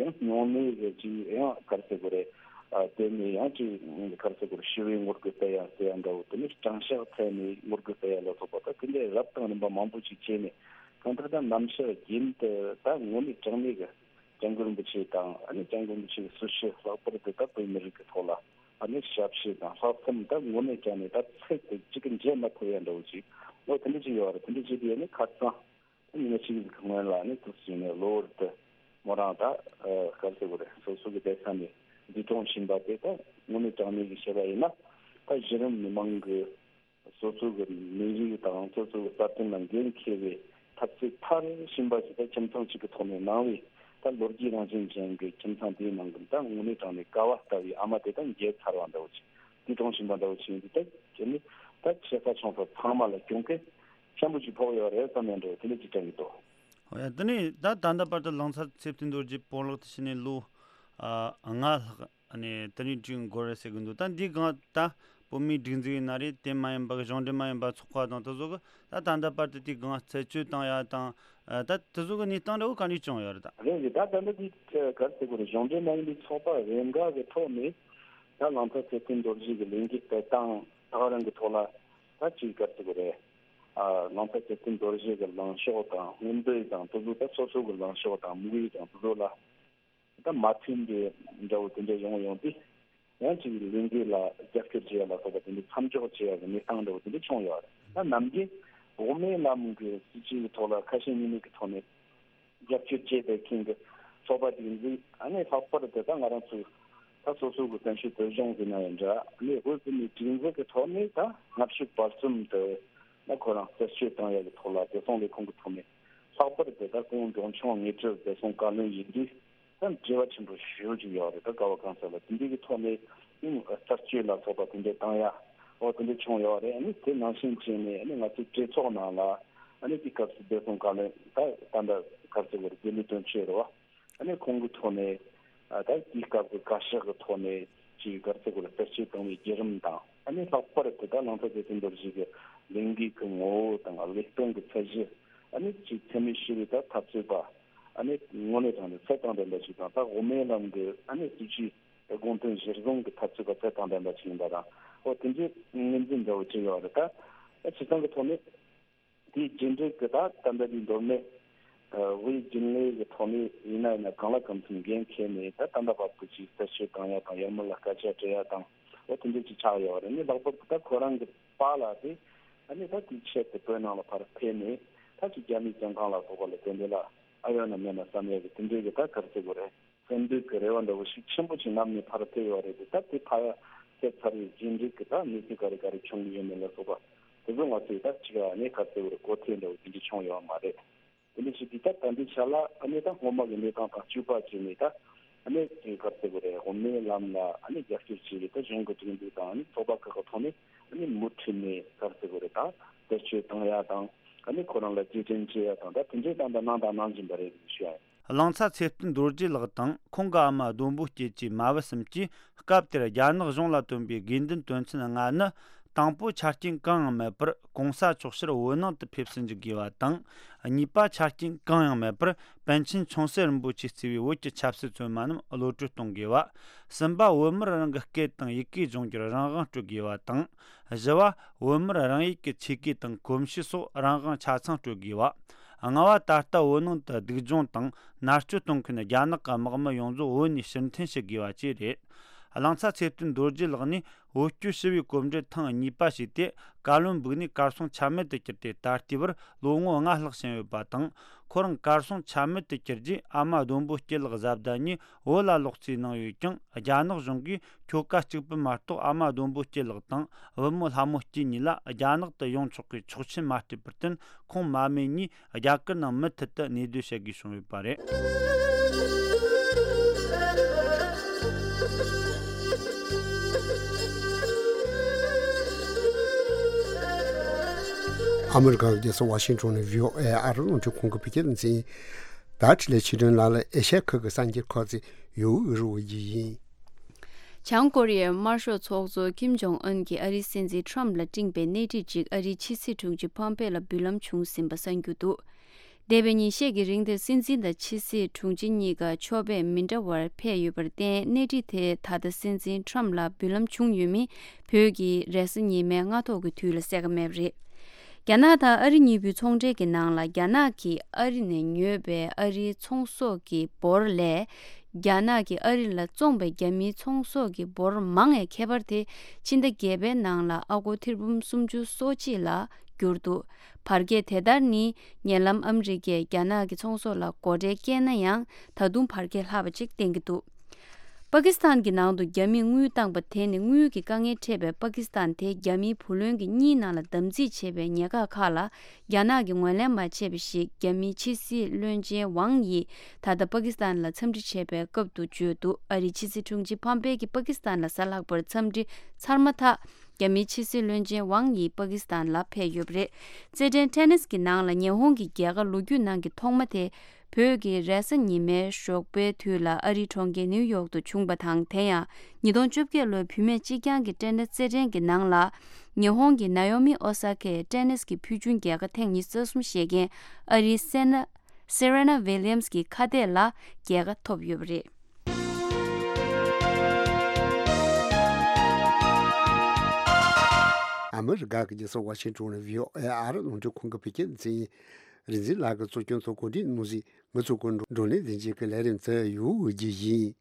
ཡང་སྨྱུང་གནས་རེད། ཅིག་ཡང་ག་རེ་ཟེར་དགོས་རེད། ཨ་དེ་ནས་ཡང་ཅིག་ག་རེ་ཟེར་དགོས་རེད། ཞི་བའི་ངོ་རྒོལ་སྤེལ་ཡ་ཟེར་ཡ་འདྲ་བོ། དེ་ནས་དྲང་གཞག་ཐད་ནས་ངོ་རྒོལ་སྤེལ་ཡ་ལ་སོགས་པ་ད་དེ་འདྲའི་རབ་དང་རིམ་པ་མང་པོ་ཅིག་བྱས་ནས་གང་ལྟར་ད་ནམ་ཞར་རྒྱུན་དུ་ད་དངོས་གནས་དྲང་གནས་ཀྱི་སྐྱབས་མགོན་རིན་པོ་ཆེ་དང་ཨ་ནི་སྐྱབས་མགོན་རིན་པོ་ཆེ་གི་སྲི་ཞུ་ལྷག་པར་དུ་ད་བོད་མི་རིགས་ཀྱི་ཐོག་ལ་ཨ་ནི་ཞབས་ཕྱི་དང་ལྷག་བསམ་ད་དངོས་གནས་ཀྱང་ནས་ད་ཚད་དེ་གཅིག་གི་འཇལ་མ་ཐུབ་ཡ་འདྲ་བོ་ཅིག་ཨོ་དེ་འདྲ་ཅིག་ཡོད་རེད། དེ་འདྲ་བྱེད་དུས་ཨ་ནི་ཁ་སང་ཉི་མ་གཅིག་གི་སྔོན་ལ་ཨ་ནི་དུས་ཅིག་ནས་གློ་བུར་དུ་མོ་རང་ད་ག་རེ་ཟེར་དགོས་རེད། སོ་སོ་གི་བསྡད་ས་ནས་འདས་གྲོངས་ཕྱིན་པ་དེ་ད་དངོས་གནས་དྲང་གནས་ཀྱི་བཤད་པ་ཡིན་ན་ད་གཞི་རིམ་མི་མང་གི་སོ་སོ་གི་མི་རིགས་དང་སོ་སོ་གི་རྩ་དོན་ལ་འགན་འཁྱེར་བའི་འཐབ་རྩོད་མཐར་ཕྱིན་པ་ཞིག་ད་ཁྱིམ་ཚང་གཅིག་གི་ཐོག་ནས་གནང་བའི་ད་ལོ་རྒྱུས་རང་བཞིན་ཅན་གྱི་ཁྱིམ་ཚང་དེའི་ནང་གི་ད་དངོས་གནས་དྲང་གནས་ཀ་བ་ལྟ་བུའི་ཨ་མ་དེ་ད་མཇལ་ཚར་བ་འདྲ་བོ་ཅིག་འདས་གྲོངས་ཕྱིན་པ་འདྲ་བོ་ཅིག་ཡིན་དུས་ད་ཁྱེད་ནི་ད་ཆེ་ས་ཆུང་ས་ཚང་མ་ལ་གྱོང་གུན་ཆེན་པོ་ཞིག་ཕོག་ཡོད་རེད་བསམ་ཡ་འདྲ་བོ་དེ་འདྲ་ཅིག་དྲན་གྱི་འདུག་ཨོ་ཡ། དེ་ནས་ད་ད་ལྟ་བར་དུ་གླང་ཚ་ཚེ་བརྟན་རྡོ་རྗེ་སྤོ་ལགས་དེ་ཕྱི་ནས་ལོ་ཨ་ལྔ་ལྷག་ཨ་ནི་དེ་རིང་དུས་འགོར་རེད་ཟེར་གི་འདུག་ད་འདིའི་སྒང་ད་བོད་མིའི་སྒྲིག་འཛུགས་ཡིན་ན་རེད། དེ་མ་ཡིན་པ་གཞུང་འབྲེལ་མ་ཡིན་པ་ཚོགས་པ་དང་དེ་ཚོ་གི་ད་ད་ལྟ་བར་དུ་དེའི་སྒང་རྩད་གཅོད་བཏང་ཡ་དང་ད་དེ་ཚོ་གི་གནས་སྟངས་འདྲ་བོ་ག་འདྲས་བྱུང་ཡོད་རེད་ད། རེད་རེད། ད་ད་ལྟ་དེ་ག་རེ་ཟེར་དགོས་རེད། གཞུང་འབྲེལ་མ་ཡིན་པའི་ཚོགས་པ་རེ་འགའ་གི་ཐོག་ནས་ད་གླང་ཚ་ཚེ་བརྟན་རྡོ་རྗེ་གི་ལས་འགུལ་སྤེལ་སྟངས་ད་ག་རང་གི་ཐོག་ལ་ད་ཅིག་ག་རེ་ཟེར་དགོས་རེད། ཨ་གླང་ཚ་ཚེ་བརྟན་རྡོ་རྗེ་གི་ལངས་ཕྱོགས་དང་མངོན་འདོད་དང་དེ་ཚོ་ད་སོ་སོ་གི་ལངས་ཕྱོགས་དང་དམིགས་ཡུལ་དང་དེ་ཚོ་ལ་ད་མ་མཐུན་པའི་འདྲ་བོ་དེ་འདྲ་ཡོང་ཡོང་དུས་ཡང་ཅིག་ལས་འགུལ་ལ་རྒྱབ་སྐྱོར་བྱེད་ཡ་ལ་སོགས་པ་དེ་འདྲ་མཚམས་འཇོག་བྱེད་ཡ་གི་གནས་སྟངས་འདྲ་བོ་དེ་འདྲ་བྱུང་ཡོད་རེད། ད་ནམ་རྒྱུན་འོག་མའི་ལམ་གྱི་སྲིད་བྱུས་ཀྱི་ཐོག་ལ་ཁ་ཞེ་གཉིས་མེད་ཀྱི་ཐོག་ནས་རྒྱབ་སྐྱོར་བྱས་པའི་ཁྱིམ་གྱི་ཚོགས་པ་སྒྲིག་འཛུགས་ཨ་ནི་ལྷག་པར་དུ་ད་ང་རང་ཚོའི་ད་སོ་སོ་གི་བཙན་བྱོལ་བོད་གཞུང་ཟེར་ན་ཡང་འདྲ། ཨ་ནི་བོད་བོད་མིའི་སྒྲིག་འཛུགས་ཀྱི་ཐོག་ནས་ད་སྔ་ཕྱི་བར་གསུམ་དུ་ད་ཁོ་རང་རྩད་གཅོད་བཏང་ཡ་གི་ཐོག་ལ་བདེ་སྲུང་ལས་ཁུངས་ཀྱི་ཐོག་ནས་ལྷག་པར་དུ་ད་སྐུ་ངོ་འབྲོང་ཆུང་ངེས་སྒྲིབ་བདེ་སྲུང་བཀའ་བློན་ཡིན་དུས་ད་འབྲེལ་བ་ཆེན་པོ་ཞེ་པོ་ཅིག་ཡོད་རེད། ད་ག་བ་གང་ས་ལ་དེ་འདྲའི་གི་ཐོག་ནས་ཨིན་རྩད་གཅོད་ལ་སོགས་པ་དེ་འདྲ་བཏང་ཡ་འོ་དེ་འདྲ་བྱུང་ཡོད་རེད། ཨ་ནི་དེ་ནང་བཞིན་བྱས་ནས་ཨ་ནི་ང་ཚོའི་གྲོས་ཚོགས་ནང་ལ་ཨ་ནི་དེ་སྐབས་སུ་བདེ་སྲུང་བཀའ་བློན་ད་ད་ལྟ་ག་རེ་ཟེར་དགོས་རེད། དགེ་ལེགས་དོན་གཅོད་རེད་བ། ཨ་ནི་ཁོང་གི་ཐོག་ནས་ཨ་ད་དེའི་སྐབས་ཀྱི་བཀའ་ཤག་གི་ཐོག་ནས་ཅིག་ག་རེ་ཟེར་དགོས་རེད། རྩད་གཅོད་བཏང་བའི་བརྒྱུད་རིམ་དང་ཨ་ནི་ལྷག་པར་དུ་ད་གླང་ཚ་ཚེ་བརྟན་རྡོ་རྗེ་གི་ལས་འགུལ་གྱི་ངོ་བོ་དང་ལས་དོན་གྱི་ཚད་གཞི་ཨ་ནི་ཅིག་འཚེ་མེད་ཞི་བའི་ད་འཐབ་རྩོད་པ་ཨ་ནི་དངོས་གནས་དྲང་གནས་ཚད་དང་ལྡན་པ་ཞིག་དང་ད་འོག་མའི་ལམ་གྱི་ཨ་ནི་སྲིད་བྱུས་དགོངས་དོན་གཞིར་བཟུང་གི་འཐབ་རྩོད་པ་ཚད་དང་ལྡན་པ་ཞིག་ཡིན་པ་དང་འོ་དེ་འདྲའི་ངོས་འཛིན་འདྲ་བོ་བྱས་ཡོད་རེད། ད་ཨ་སྤྱིར་བཏང་གི་ཐོག་ནས། དེའི་རྗེས་འབྲས་ཀྱི་ད་ད་ལྟ་འདི་མདོ་སྨད་དབུས་རྒྱུན་ལས་ཀྱི་ཐོག་ནས་ཡིན་ན་ཡིན་ན་གང་ལ་གང་འཚམ་འགན་འཁྱེར་ནས་ད་ད་ལྟ་བར་དུ་ཅིག་རྩད་གཅོད་བཏང་ཡ་དང་ཡར་མར་ལ་སྐད་ཆ་དྲི་ཡ་དང་འོ་དེ་འདྲ་ཅིག་ཆགས་ཡོད་རེད། ནི་ལྷག་པར་དུ་ད་ཁོ་རང་གི་པཱ་ལགས་དེ་ཨ་ནི་ད་དེའི་ཆེད་དུ་བོད་ནང་ལ་ཕར་ཕེབས་ནས་ད་ཅིག་རྒྱ་མིའི་བཙོན་ཁང་ལ་སོགས་པ་ལ་དེ་འདྲ་ལ་ཨ་ཡོད་ན་མེད་ན་བསམ་ཡ་གི་དེ་འདྲའི་གི་ད་ག་རེ་ཟེར་དགོས་རེད། སེམས་འདུན་གྱི་རེ་བ་འདྲ་བོ་ཞིག་ཆེན་པོ་ཅིག་བསྣམས་ནས་ཕར་ཕེབས་ཡོད་རེད་དེ། ད་དེ་ཕར་ཕེབས་ཚར་བའི་རྗེས་འབྲས་ཀྱི་ད་གནས་ཚུལ་ག་རེ་ག་རེ་བྱུང་གི་ཡོད་མེད་ལ་སོགས་པ་དེ་ཚོ་ང་ཚོས་ད་ཅིག་ཨ་ནི་ག་རེ་ཟེར་དགོས་རེད། གོ་ཐོས་འདྲ་བོ་དེ་འདྲ་བྱུང་ཡོད་མ་རེད། དེ་འདྲ་ཞིག་གིས་ད་ད་ལྟའི་ཆ་ལ་ཨ་ནི་ད་སྔོན་མ་གི་གནས་སྟངས་དང་གཅིག་པ་བྱས་ནས་ད་ཨ་ནི་ག་རེ་ཟེར་དགོས་རེད། འོག་མའི་ལམ་ལ་ཨ་ནི་རྒྱབ་སྐྱོར་བྱས་ཡོད་ད་གཞུང་གི་སྒྲིག་འཛུགས་དང་ཨ་ནི་ཚོགས་པ་ཁག་གི་ཐོག་ནས་ཨ་ནི་མུ་མཐུད་ནས་ག་རེ་ཟེར་དགོས་རེད། ད་རྩད་གཅོད་བཏང་ཡ་དང་ཨ་ནི་ཁོ་རང་ལ་རྗེས་དྲན་བྱེད་ཡ་དང་ད་དེ་འདྲའི་ད་ད་གནང་དང་གནང་བཞིན་པ་རེད་ཞུ་ཡ་ཡིན། གླང་ཚ་ཚེ་བརྟན་རྡོ་རྗེ་ལགས་དང་ཁོང་གི་ཨ་མ་ལྡོམ་བུ་སྐྱིད་ཀྱི་མ་བུ་གསུམ་གྱིས་སྐབས་དེར་རྒྱ་ནག་གཞུང་ལ་བཏོན་པའི་དགོས་འདུན་དོན་ཚན་ལྔ་ནི། དང་པོ། ཆ་རྐྱེན་གང་ཡང་མེད་པར་གོང་ས་མཆོག་ཕྱིར་བོད་ནང་དུ་ཕེབས་སུ་འཇུག་དགོས་པ་དང་ གཉིས་པ་ཆ་རྐྱེན་གང་ཡང་མེད་པར་པཎ་ཆེན་ཆུང་སྲིད་རིན་པོ་ཆེས་གཙོས་པའི་བོད་ཀྱི་ཆབ་སྲིད་བཙོན་མ་རྣམས་གློད་བཀྲོལ་གཏོང་དགོས་པ། གསུམ་པ། བོད་མིར་རང་གི་སྐད་དང་ཡི་གེ་སྦྱོང་རྒྱུར་རང་དབང་སྤྲོད་དགོས་པ་དང་། བཞི་བ། བོད་མིར་རང་ཡུལ་གྱི་ཆོས་གོས་དང་གོམས་གཤིས་སོགས་རང་དབང་ཆ་ཚང་སྤྲོད་དགོས་པ། ལྔ་བ། ད་ལྟ་བོད་ནང་དུ་སྡུག་སྦྱོང་དང་མནར་གཅོད་གཏོང་མཁན་རྒྱ་ནག་གི་དམག་མི་ཡོངས་རྫོགས་བོད་ནས་ཕྱིར་འཐེན་བྱེད་དགོས་པ་བཅས་རེད། གླིང་ཚ་ཚེ་བརྟན་རྡོ་རྗེ་ལགས་ནས་བོད་སྐྱོད་ཞི་བའི་གོམ་བགྲོད་ཐེངས་གཉིས་པ་ཞུས་ཏེ། བཀའ་བློན་འབུགས་ནས་གར་སོང་ཆ་མེད་དུ་གྱུར་ཏེ། ད་ལྟའི་བར་ལོ་ངོ་ལྔ་ལྷག་ཕྱིན་ཡོད་པ་དང་། ཁོ་རང་གར་སོང་ཆ་མེད་དུ་གྱུར་རྗེས། ཨ་མ་ལྡོམ་པོ་སྐྱིད་ལགས་བཟའ་ཟླ་གཉིས་བོད་ལ་ལོག་རྩིས་གནང་ཡོད་ཀྱང་། རྒྱ་ནག་གཞུང་གིས་ཁྱོ་ག་གཅིག་པུ་མ་གཏོགས་ཨ་མ་ལྡོམ་པོ་སྐྱིད་ལགས་དང་བུ་མོ་ལྷ་མོ་སྐྱིད་གཉིས་ལ་རྒྱ་ནག་ཏུ་ཡོང་ཆོག་པའི་ཆོག་མཆན་མ་སྤྲད་པར་བརྟེན། ཁོང་མ་སྨད་གཉིས་རྒྱ་གར་ནང་མུ་མཐུད་དུ་གནས་སྡོད་བྱེད་དགོས་བྱུང་ཡོད་པ་རེད། ཨ་མི་རི་ཀའི་རྒྱལ་ས་ཝ་ཤིང་ཊོན་ནས་བྷི་ཨོ་ཨེ་ཨ་རི་རླུང་འཕྲིན་ཁང་གི་བོད་སྐད་སྡེ་ཚན། ད་ཁྲི་ལས་ཆིག་སྒྲོན་ལགས་ལ་ཨེ་ཤ་ཡ་ཁུལ་གྱི་གསར་འགྱུར་ཁག་ཅིག་ཡོད་འུ་རུ་བ་ཡི་ཡིན། བྱང་ཀོ་རི་ཡའི་དམར་ཤོག་ཚོགས་གཙོ་ཀིམ་ཇོང་ཨུན་གྱིས་ཨ་རིའི་སྲིད་འཛིན་ཁྲམ་ལ་སྤྲིངས་པའི་སྣེ་ཁྲིད་ཅིག་ཨ་རིའི་ཕྱི་སྲིད་དྲུང་ཆེ་ཕམ་པེ་ལ་འབུལ་ལམ་བྱུང་ཟིན་པ་གསར་འགྱུར་འདུག་འདས་པའི་ཉིན་ཤས་ཀྱི་རིང་དེར་སྲིད་འཛིན་དང་ཕྱི་སྲིད་དྲུང་ཆེ་གཉིས་ཀ་ཕྱོགས་ཕེབས་མི་འདྲ་བར་ཕེབས་ཡོད་པར་བརྟེན། སྣེ་ཁྲིད་དེ་ད་ལྟ་སྲིད་འཛིན་ཁྲམ་ལ་འབུལ་ལམ་བྱུང་ཡོད་མིན་བོད་ཀྱི་རེས་གཟའ་ཉི་མའི་སྔ་ཐོག་གི་དུས་ལ་གསལ་ཁ་མེད་པ་རེད། རྒྱ་ནག་དང་ཨ་རི་གཉིས་པོའི་ཚོང་འབྲེལ་གྱི་ནང་ལ། རྒྱ་ནག་གིས་ཨ་རི་ནས་ཉོས་པའི་ཨ་རིའི་ཚོང་ཟོག་གི་འབོར་ལས། རྒྱ་ནག་གིས་ཨ་རི་ལ་བཙོངས་པའི་རྒྱ་མིའི་ཚོང་ཟོག་གི་འབོར་མང་བའི་ཁྱད་པར་དེ། ཕྱི་ཟླ་བརྒྱད་པའི་ནང་ལ་ཨ་སྒོར་ཐེར་འབུམ་སུམ་ཅུ་སོ་གཅིག་ལ་གྱུར་འདུག་བར་བརྒལ་དེ་ལྟར་ནི། ཉེ་ལམ་ཨ་མི་རི་ཀས་རྒྱ་ནག་གི་ཚོང་ཟོག་ལ་སྒོ་ཁྲལ་བཀལ་ན་ཡང་། ད་དུང་བར་བརྒལ་ལྷག་པ་ཅིག་བསྟན་གྱི་འདུག་པ་ཀི་སི་ཐན་གྱི་ནང་དུ་རྒྱ་མིས་དངུལ་བཏང་པ་དེ་ནི། དངུལ་གྱི་དཀའ་ངལ་འཕྲད་པའི་པ་ཀི་སི་ཐན་དེ་རྒྱ་མིའི་བུ་ལོན་གྱི་གཉིས་ནང་ལ་དམ་རྫས་བྱས་པའི་ཉེན་ཁ་ཁག་ལ། རྒྱ་ནག་གིས་ངོས་ལེན་མ་བྱས་པ་ཞིག་རྒྱ་མིའི་ཕྱི་སྲིད་བློན་ཆེན་ཝང་ཡིས་ད་ལྟ་པ་ཀི་སི་ཐན་ལ་འཚམས་འདྲི་བྱས་པའི་སྐབས་སུ་བརྗོད་འདུག་ཨ་རིའི་ཕྱི་སྲིད་དྲུང་ཆེ་ཕམ་པེ་གྱིས་པ་ཀི་སི་ཐན་ལ་གཟའ་ལྷག་པར་འཚམས་འདྲི་ཚར་མ་ཐག་རྒྱ་མིའི་ཕྱི་སྲིད་བློན་ཆེན་ཝང་ཡི་པ་ཀི་སི་ཐན་ལ་ཕེབས་ཡོད་པ་རེད། རྩེད་འགྲན་ཊེ་ནིས་ཀྱི་ནང་ལ་ཉི་ཧོང་གི་རྒྱལ་ཁ་ལོ་རྒྱུས་ནང་གི་ཐོག་མ་དེ། བོད་ཀྱི་རེས་གཟའ་ཉི་མའི་ཞོགས་པའི་དུས་ལ་ཨ་རིའི་གྲོང་ཁྱེར་ནིའུ་ཡོག་ཏུ་བྱུང་བ་དང་། དེ་ཡང་ཉིས་སྟོང་བཅོ་བརྒྱད་ལོའི་བུད་མེད་གཅིག་རྐྱང་གི་ཊེ་ནིས་རྩེད་འགྲན་གྱི་ནང་ལ། ཉི་ཧོང་གི་ནཱ་ཡོ་མི་ཨོ་ས་ཀའི་ཊེ་ནིས་ཀྱི་ཕུལ་བྱུང་རྒྱལ་ཁ་ཐེངས་ཉི་ཤུ་རྩ་གསུམ་བཞེས་མཁན་ཨ་རིའི་སེ་ན། སེ་རེ་ན་ཝི་ལི་ཡམ་སི་གི་ཁ་གཏད་ལ་རྒྱལ་ཁ་ཐོབ་ཡོད་པ་རེད། ཨ་མི་རི་ཀ་གི་རྒྱལ་ས་ཝ་ཤིང་ཊོན་ནས་བྷི་ཨོ་ཨེ་ཨ་རི་རླུང་འཕྲིན་ཁང་གི་བོད་སྐད་སྡེ་ཚན། རིག་འཛིན་ལགས་ཀྱིས་གཙོ་སྐྱོང་ཚོགས་གོ་སྒྲིག་གནང་ཟིན། ང་ཚོ་གོ་བགྲོ་གླེང་ལེན་བྱེད་ཀྱི་ལས་རིམ་ཚོ་ཡོད་ཀྱི་ཡིན།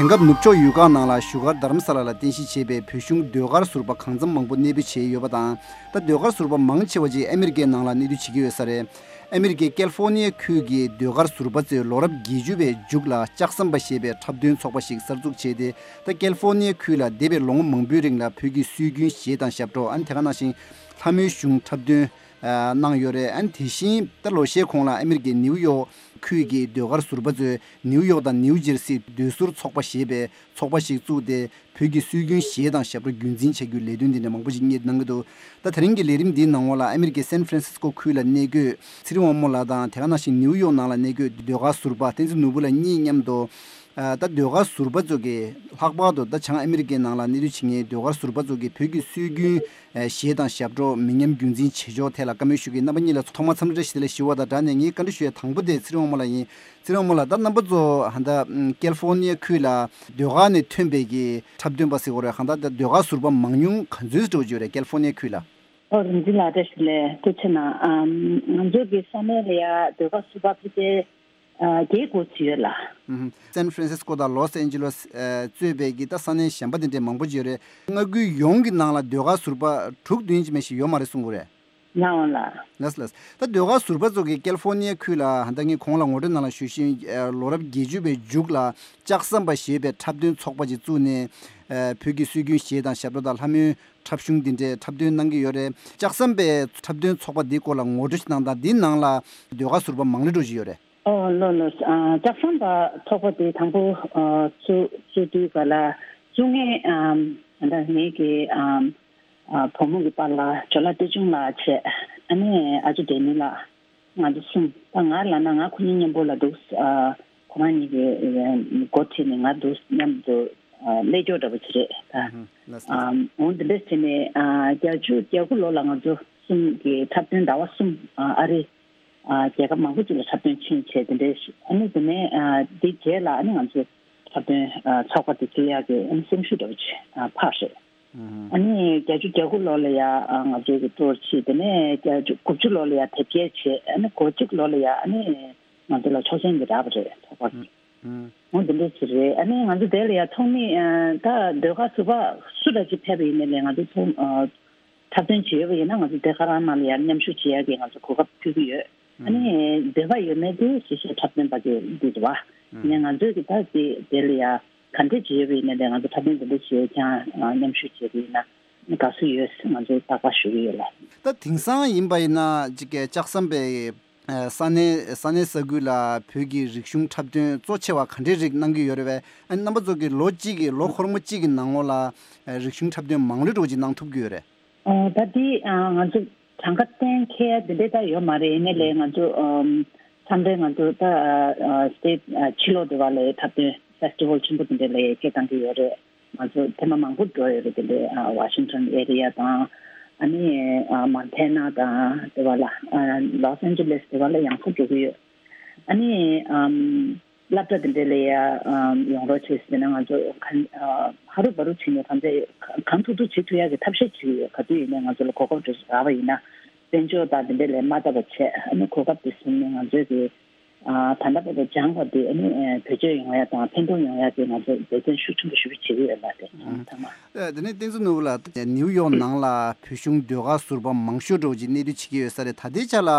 དེང་སྐབས་ནུབ་ཕྱོགས་ཡུལ་ཁག་ནང་ལ་བཞུགས་སྒར་དྷ་རམ་ས་ལ་ལ་རྟེན་གཞི་བྱས་པའི་བོད་གཞུང་ཟློས་གར་ཟུར་པ་གང་འཚམ་མང་པོ་གནས་སྤོས་བྱས་ཡོད་པ་དང་། ད་ཟློས་གར་ཟུར་པ་མང་ཆེ་བ་ཅིག་ཨ་མི་རི་ཀའི་ནང་ལ་གནས་སྡོད་བྱེད་ཀྱི་ཡོད་ས་རེད། ཨ་མི་རི་ཀའི་ཀལ་ཧྥོར་ནི་ཡ་ཁུལ་གྱི་ཟློས་གར་ཟུར་པ་ཚོས་ལོ་རབས་བརྒྱད་ཅུ་བའི་མཇུག་ལ་ལྕགས་ཟམ་པ་ཞེས་པའི་འཁྲབ་སྟོན་ཚོགས་པ་ཞིག་གསར་འཛུགས་བྱས་ཏེ། ད་ཀལ་ཧྥོར་ནི་ཡ་ཁུལ་ལ་འདས་པའི་ལོ་ངོ་མང་པོའི་རིང་ལ་བོད་ཀྱི་སྲོལ་རྒྱུན་གཞས་དང་ཞབས་བྲོ། ཨ་ནི་དེ་ག་ནང་བཞིན་ལྷ་མོའི་གཞུང་འཁྲབ་སྟོན་གནང་ཡོད་རེད། ཨ་ནི་དེ་བཞིན་ད་ལོ་ཤས་གོང་ལ་ཨ་མི་རི་ཀའི་ནིའུ་ཡོག་ཁུལ་གྱི་ཟློས་གར་ཟུར་པ་ཚོས་ནིའུ་ཡོག་དང་ནིའུ་ཇེར་སིའི་ཟློས་ཟུར་ཚོགས་པ་ཞེས་པའི་ཚོགས་པ་ཞིག་བཙུགས་ཏེ། བོད་ཀྱི་སྲོལ་རྒྱུན་གཞས་དང་ཞབས་བྲོ་རྒྱུན་འཛིན་བྱ་རྒྱུའི་ལས་དོན་འདི་འདྲ་མང་པོ་ཞིག་གཉེར་གནང་གི་འདུག་ད་དེ་རིང་གི་ལས་རིམ་འདིའི་ནང་ལོགས་ལ་ཨ་མི་རི་ཀའི་སན་ཧྥ་རན་སིས་ཀོ་ཁུལ་ལ་གནས་འཁོད་ཚེ་རིང་དབང་མོ་ལགས་དང་། དེ་ག་ནང་བཞིན་ནིའུ་ཡོག་ནང་ལ་གནས་འཁོད་ཟློས་གར་ཟུར་པ་བསྟན་འཛིན་ནོར་བུ་ལགས་གཉིས་མཉམ་དུ། ཨ། ད་ཟློས་གར་ཟུར་པ་ཚོ་གིས་ལྷག་པར་དུ་ད་བྱང་ཨ་མི་རི་ཀའི་ནང་ལ་གནས་སྡོད་བྱེད་མཁན་ཟློས་གར་ཟུར་པ་ཚོ་གིས་བོད་ཀྱི་སྲོལ་རྒྱུན་གཞས་དང་ཞབས་བྲོ་མི་ཉམས་རྒྱུན་འཛིན་བྱེད་ཕྱོགས་ཐད་ལ་བཀའ་མོལ་ཞུ་གི་ཡིན། རྣམ་པ་གཉིས་ལ་ཐོག་མར་འཚམས་འདྲི་བཀྲ་ཤིས་བདེ་ལེགས་ཞུ་བ་དང་སྦྲགས་ནས། ངས་བཀའ་འདྲི་ཞུ་ཡ་དང་པོ་དེ་ཚེ་རིང་དབང་མོ་ལགས་ཡིན། ཚེ་རིང་དབང་མོ་ལགས། ད་རྣམ་པ་ཚོ་ད་ལྟ་ཀལ་ཧྥོར་ནི་ཡ་ཁུལ་ལ་ཟློས་གར་ནས་ཐོན་པའི་གི་འཁྲབ་སྟོན་པ་ཟེར་དགོས་རེད། གང་ལྟར་ད་ཟློས་གར་ཟུར་པ་མང་ཉུང་ག་ཚོད་འགྲོ་གི་ཡོད་རེད་ཀལ་ཧྥོར་ནི་ཡ་ཁུལ་ལ། ཨོ། རིག་འཛིན་ལགས་བཀྲ་ཤིས་བདེ་ལེགས། ཐུགས་རྗེ་གནང་། ཨམ། ང་ཚོ་གི་ས་གནས་ལ་ཡ་ཟློས་གར་ཟུར་པ་ཕལ་ཆེར་ཨ། བརྒྱད་འགོ་ཚུགས་ཡོད་ལགས། ཨུམ། སན་ཧྥ་རན་སིས་ཀོ་དང་ལོས་ཨན་ཇེ་ལོས་ཨ། གཙོས་པའི་གི་ད་ས་གནས་གཞན་པ་དེ་འདྲའི་མང་པོ་ཅིག་ཡོད་རེད། མངའ་ཁུལ་ཡོངས་ཀྱི་ནང་ལ་ཟློས་གར་ཟུར་པ་དྲུག་བདུན་ཅིག་མ་གཏོགས་ཡོད་མ་རེད་གསུང་གི་རེད། ལགས་འོང་ལགས། ལགས་ལགས། ད་ཟློས་གར་ཟུར་པ་ཚོ་གིས་ཀལ་ཧྥོར་ནི་ཡ་ཁུལ་ལ་ད་ངས་གོང་ལ་ངོ་སྤྲོད་ནང་ལ་ཞུས་བཞིན་ཨ། ལོ་རབས་བརྒྱད་ཅུ་བའི་མཇུག་ལ་ལྕགས་ཟམ་པ་ཞེས་པའི་འཁྲབ་སྟོན་ཚོགས་པ་ཅིག་བཙུགས་ནས་ཨ། བོད་ཀྱི་སྲོལ་རྒྱུན་གཞས་དང་ཞབས་བྲོ་དང་ལྷ་མོའི་འཁྲབ་གཞུང་འདི་འདྲའི་འཁྲབ་སྟོན་གནང་གི་ཡོད་རེད། ལྕགས་ཟམ་པའི་འཁྲབ་སྟོན་ཚོགས་པ་འདིའི་སྐོར་ལ་ངོ་སྤྲོད་ཅིག་གནང་དང་། འདིའི་ནང་ལ་ཟློས་གར་ཟུར་པ་མང་ལོས་འགྲོ་བཞིན་ཡོད་རེད། ཨོ་ལགས་ལགས། ཨ། ལྕགས་ཟམ་པ་ཚོགས་པ་དེ་དང་པོ་ཨ། བཙུགས་བཙུགས་དུས་ག་ལ་བཙུགས་མཁན་ཨམ། ད་ངེད་ཀྱི་ཨམ། ཨ། བུ་མོ་གི་པཱ་ལགས་ཇོ་ལགས་བསྟན་སྐྱོང་ལགས་བྱས། ཨ་ནི་ཨ་ཅོ་བདེ་མོ་ལགས། ང་ཚོ་གསུམ། ད་ང་ལབ་ན་ང་ཁོ་གཉིས་མཉམ་པོ་ལ་འདུག་ཨ། ཁོ་རང་གཉིས་ཀྱིས་འགོ་ཁྲིད་ནས་ང་འདུག་མཉམ་དུ་ ཨ་སླེབས་ཀྱོག་འདྲ་པོ་ཅིག་རེད་ད། ཨ་འོ་འདི་འདྲ་བྱས་ནས་ཨ་བརྒྱད་ཅུ་གྱ་དགུ་ལོ་ལ་ང་ཚོ་གསུམ་གྱི་འཁྲབ་སྟོན་ཟླ་བ་གསུམ་ཨ་ཨ་རི་ཨ་རྒྱལ་ཁབ་མང་པོ་ཅིག་ལ་འཁྲབ་སྟོན་ཕྱིན་བྱས་དེ་འདྲའི་ཞིག་ཨ་ནི་དེ་ནས་ཨ་དེ་རྗེས་ལ་ཨ་ནི་ང་ཚོ་འཁྲབ་སྟོན་ཨ་ཚོགས་པ་དེ་བཙུགས་ཡག་གི་ཨ་ནི་སེམས་ཤུགས་འདྲ་པོ་ཅིག་ཨ་འཕར་རེད། ཨ་ནི་བརྒྱད་ཅུ་གྱ་དགུ་ལོ་ལ་ཡ་ཨ་ང་ཚོའི་གི་ཊུར་ཕྱིན། དེ་ནས་བརྒྱད་ཅུ་དགུ་བཅུ་ལོ་ལ་ཡ་དེབ་སྐྱེལ་བྱས། ཨ་ནི་གོ་གཅིག་ལོ་ལ་ཡ་ཨ་ནི་ང་ཚོ་ལ་ཆོག་མཆན་གྱི་རག་པ་རེད་ཚོགས་པ་གི། འོ་འདི་འདྲ་ཞིག་རེད། ཨ་ནི་ང་ཚོ་དེ་ལ་ཡ་ཚོགས་མི་ཨ་ད་ཟློས་གར་ཟུར་པ་སུ་འདྲ་ཅིག་ཕེབས་པ་ཡིན་ནའི་ལས་ང་ཚོ་ཚོགས་ཨ་འཁྲབ་སྟོན་བྱེད་ཡོད་པ་ཡིན་ན་ང་ཚོ་དེ་ག་རང་ནང་ལ་ཡ་མཉམ་ཞུགས་བྱེད་ཡ་གི་ང་ཚོ་གོ་སྐབས་ཕུལ་གི་ཡོད། ཨ་ནི་འདོད་པ་ཡོད་མེད་དེ་ཞིབ་ཞིབ་འཁྲབ་སྟོན་པ་གི་འདི་རེད་བ། ཡིན་ནའི་ང་ཚོས་གི་ད་དེ་དེ་ལ་ཡ་ག་འདྲ་བྱེད་ཡོད་པ་ཡིན་ནའི་ལས་ང་ཚོ་འཁྲབ་སྟོན་དེ་འདྲ་བྱེད་ཡ་ཀྱང་ཨ་མཉམ་ཞུགས་བྱེད་ཀྱི་ཡིན་ན་དགའ་བསུ་ཡོད་ང་ཚོས་རྟག་པར་ཞུ་གི་ཡོད་ལ། ད་དེང་སང་ཡིན་པ་ཡིན་ན་ཅིག་གི་ལྕགས་ཟམ་པའི་ས་གནས་ས་གནས་ས་ཁུལ་ལ་བོད་ཀྱི་རིག་གཞུང་འཁྲབ་སྟོན་གཙོ་ཆེ་བ་ག་འདྲའི་རིགས་གནང་གི་ཡོད་རེད་པས། ཨ་ནི་རྣམ་པ་ཚོ་གི་ལོ་གཅིག་གི་ལོ་འཁོར་མོ་གཅིག་གི་ནང་ལོགས་ལ་རིག་གཞུང་འཁྲབ་སྟོན་མང་ལོས་འགྲོ་ཅིག་གནང་ཐུབ་ཀྱི་ཡོད་རེད། ཨ་ད་འདི་ཨ་ང་ཚོ་གྲངས་ཀ་གཏན་འཁེལ་ཡ་འདི་འདྲ་ད་ཡོད་མ་རེད། ཡིན་ནའི་ལས་ང་ཚོ་ཨམ་མཚམས་རེ་ང་ཚོ་ད་ཨ་སི་ཊེ་ཊི་ཨ་ཕྱི་ལོགས་དེ་བ་ལ་འཁྲབ་སྟོན་ཕེ་སི་ཊི་ཝལ་ཆེན་པོ་དེ་འདྲ་ལ་སྐད་བཏང་གི་ཡོད་རེད། ང་ཚོ་ཐེངས་མ་མང་པོ་འགྲོ་ཡོད་རེད། དེ་འདྲའི་ཨ་ཝ་ཤིང་ཊོན་ཨེ་རི་ཡ་དང་ཨ་ནི་ཨ་མོན་ཐེ་ན་དང་དེ་བ་ལ་ཨ་ལོས་ཨན་ཇེ་ལེས་དེ་བ་ལ་ཡང་སེ་འགྲོ་གི་ཡོད། ཨ་ནི་ཨམ་སློབ་གྲྭ་དེ་འདྲ་ལ་ཡ་ཨམ་ཡོང་རོགས་བྱེད་ཟེར་ན་ང་ཚོ་ག་ཨ་ཧ་རུ་བ་རུ་བྱེད་ནས་ད་ལྟ་གང་ཐུབ་ཐུབ་བྱེད་ཐུབ་ཡག་གི་ཐབས་ཤེས་བྱེད་ཀྱི་ཡོད། ག་དུས་ཡིན་ནའི་ང་ཚོ་ལ་གོ་སྐབས་དེ་རག་པ་ཡིན་ན་དཔལ་འབྱོར་དང་དེ་འདྲ་ལས་མ་བལྟ་བ་བྱས། ཨ་ནི་གོ་སྐབས་དེ་བཟུང་ནས་ང་ཚོའི་གི་ཨ་ད་ལྟ་བར་དུ་སྦྱངས་པ་དེ་ཨ་ནི་ཨ་བེད་སྤྱོད་ཡོང་ཡ་དང་ཕན་ཐོགས་ཡོང་ཡ་དེ་ང་ཚོ་འབད་བརྩོན་ཤུགས་ཆེན་པོ་ཞུ་བྱེད་ཀྱི་ཡོད་ལ། དེ་ཚང་མ། ཨ་དེ་ནས་བསྟན་འཛིན་ནོར་བུ་ལགས་ནིའུ་ཡོག་ནང་ལ་བོད་གཞུང་ཟློས་གར་ཟུར་པ་མང་ཤོས་འདྲ་བོ་ཅིག་གནས་སྡོད་བྱེད་ཀྱི་ཡོད་ས་རེད། ད་ལྟའི་ཆ་ལ་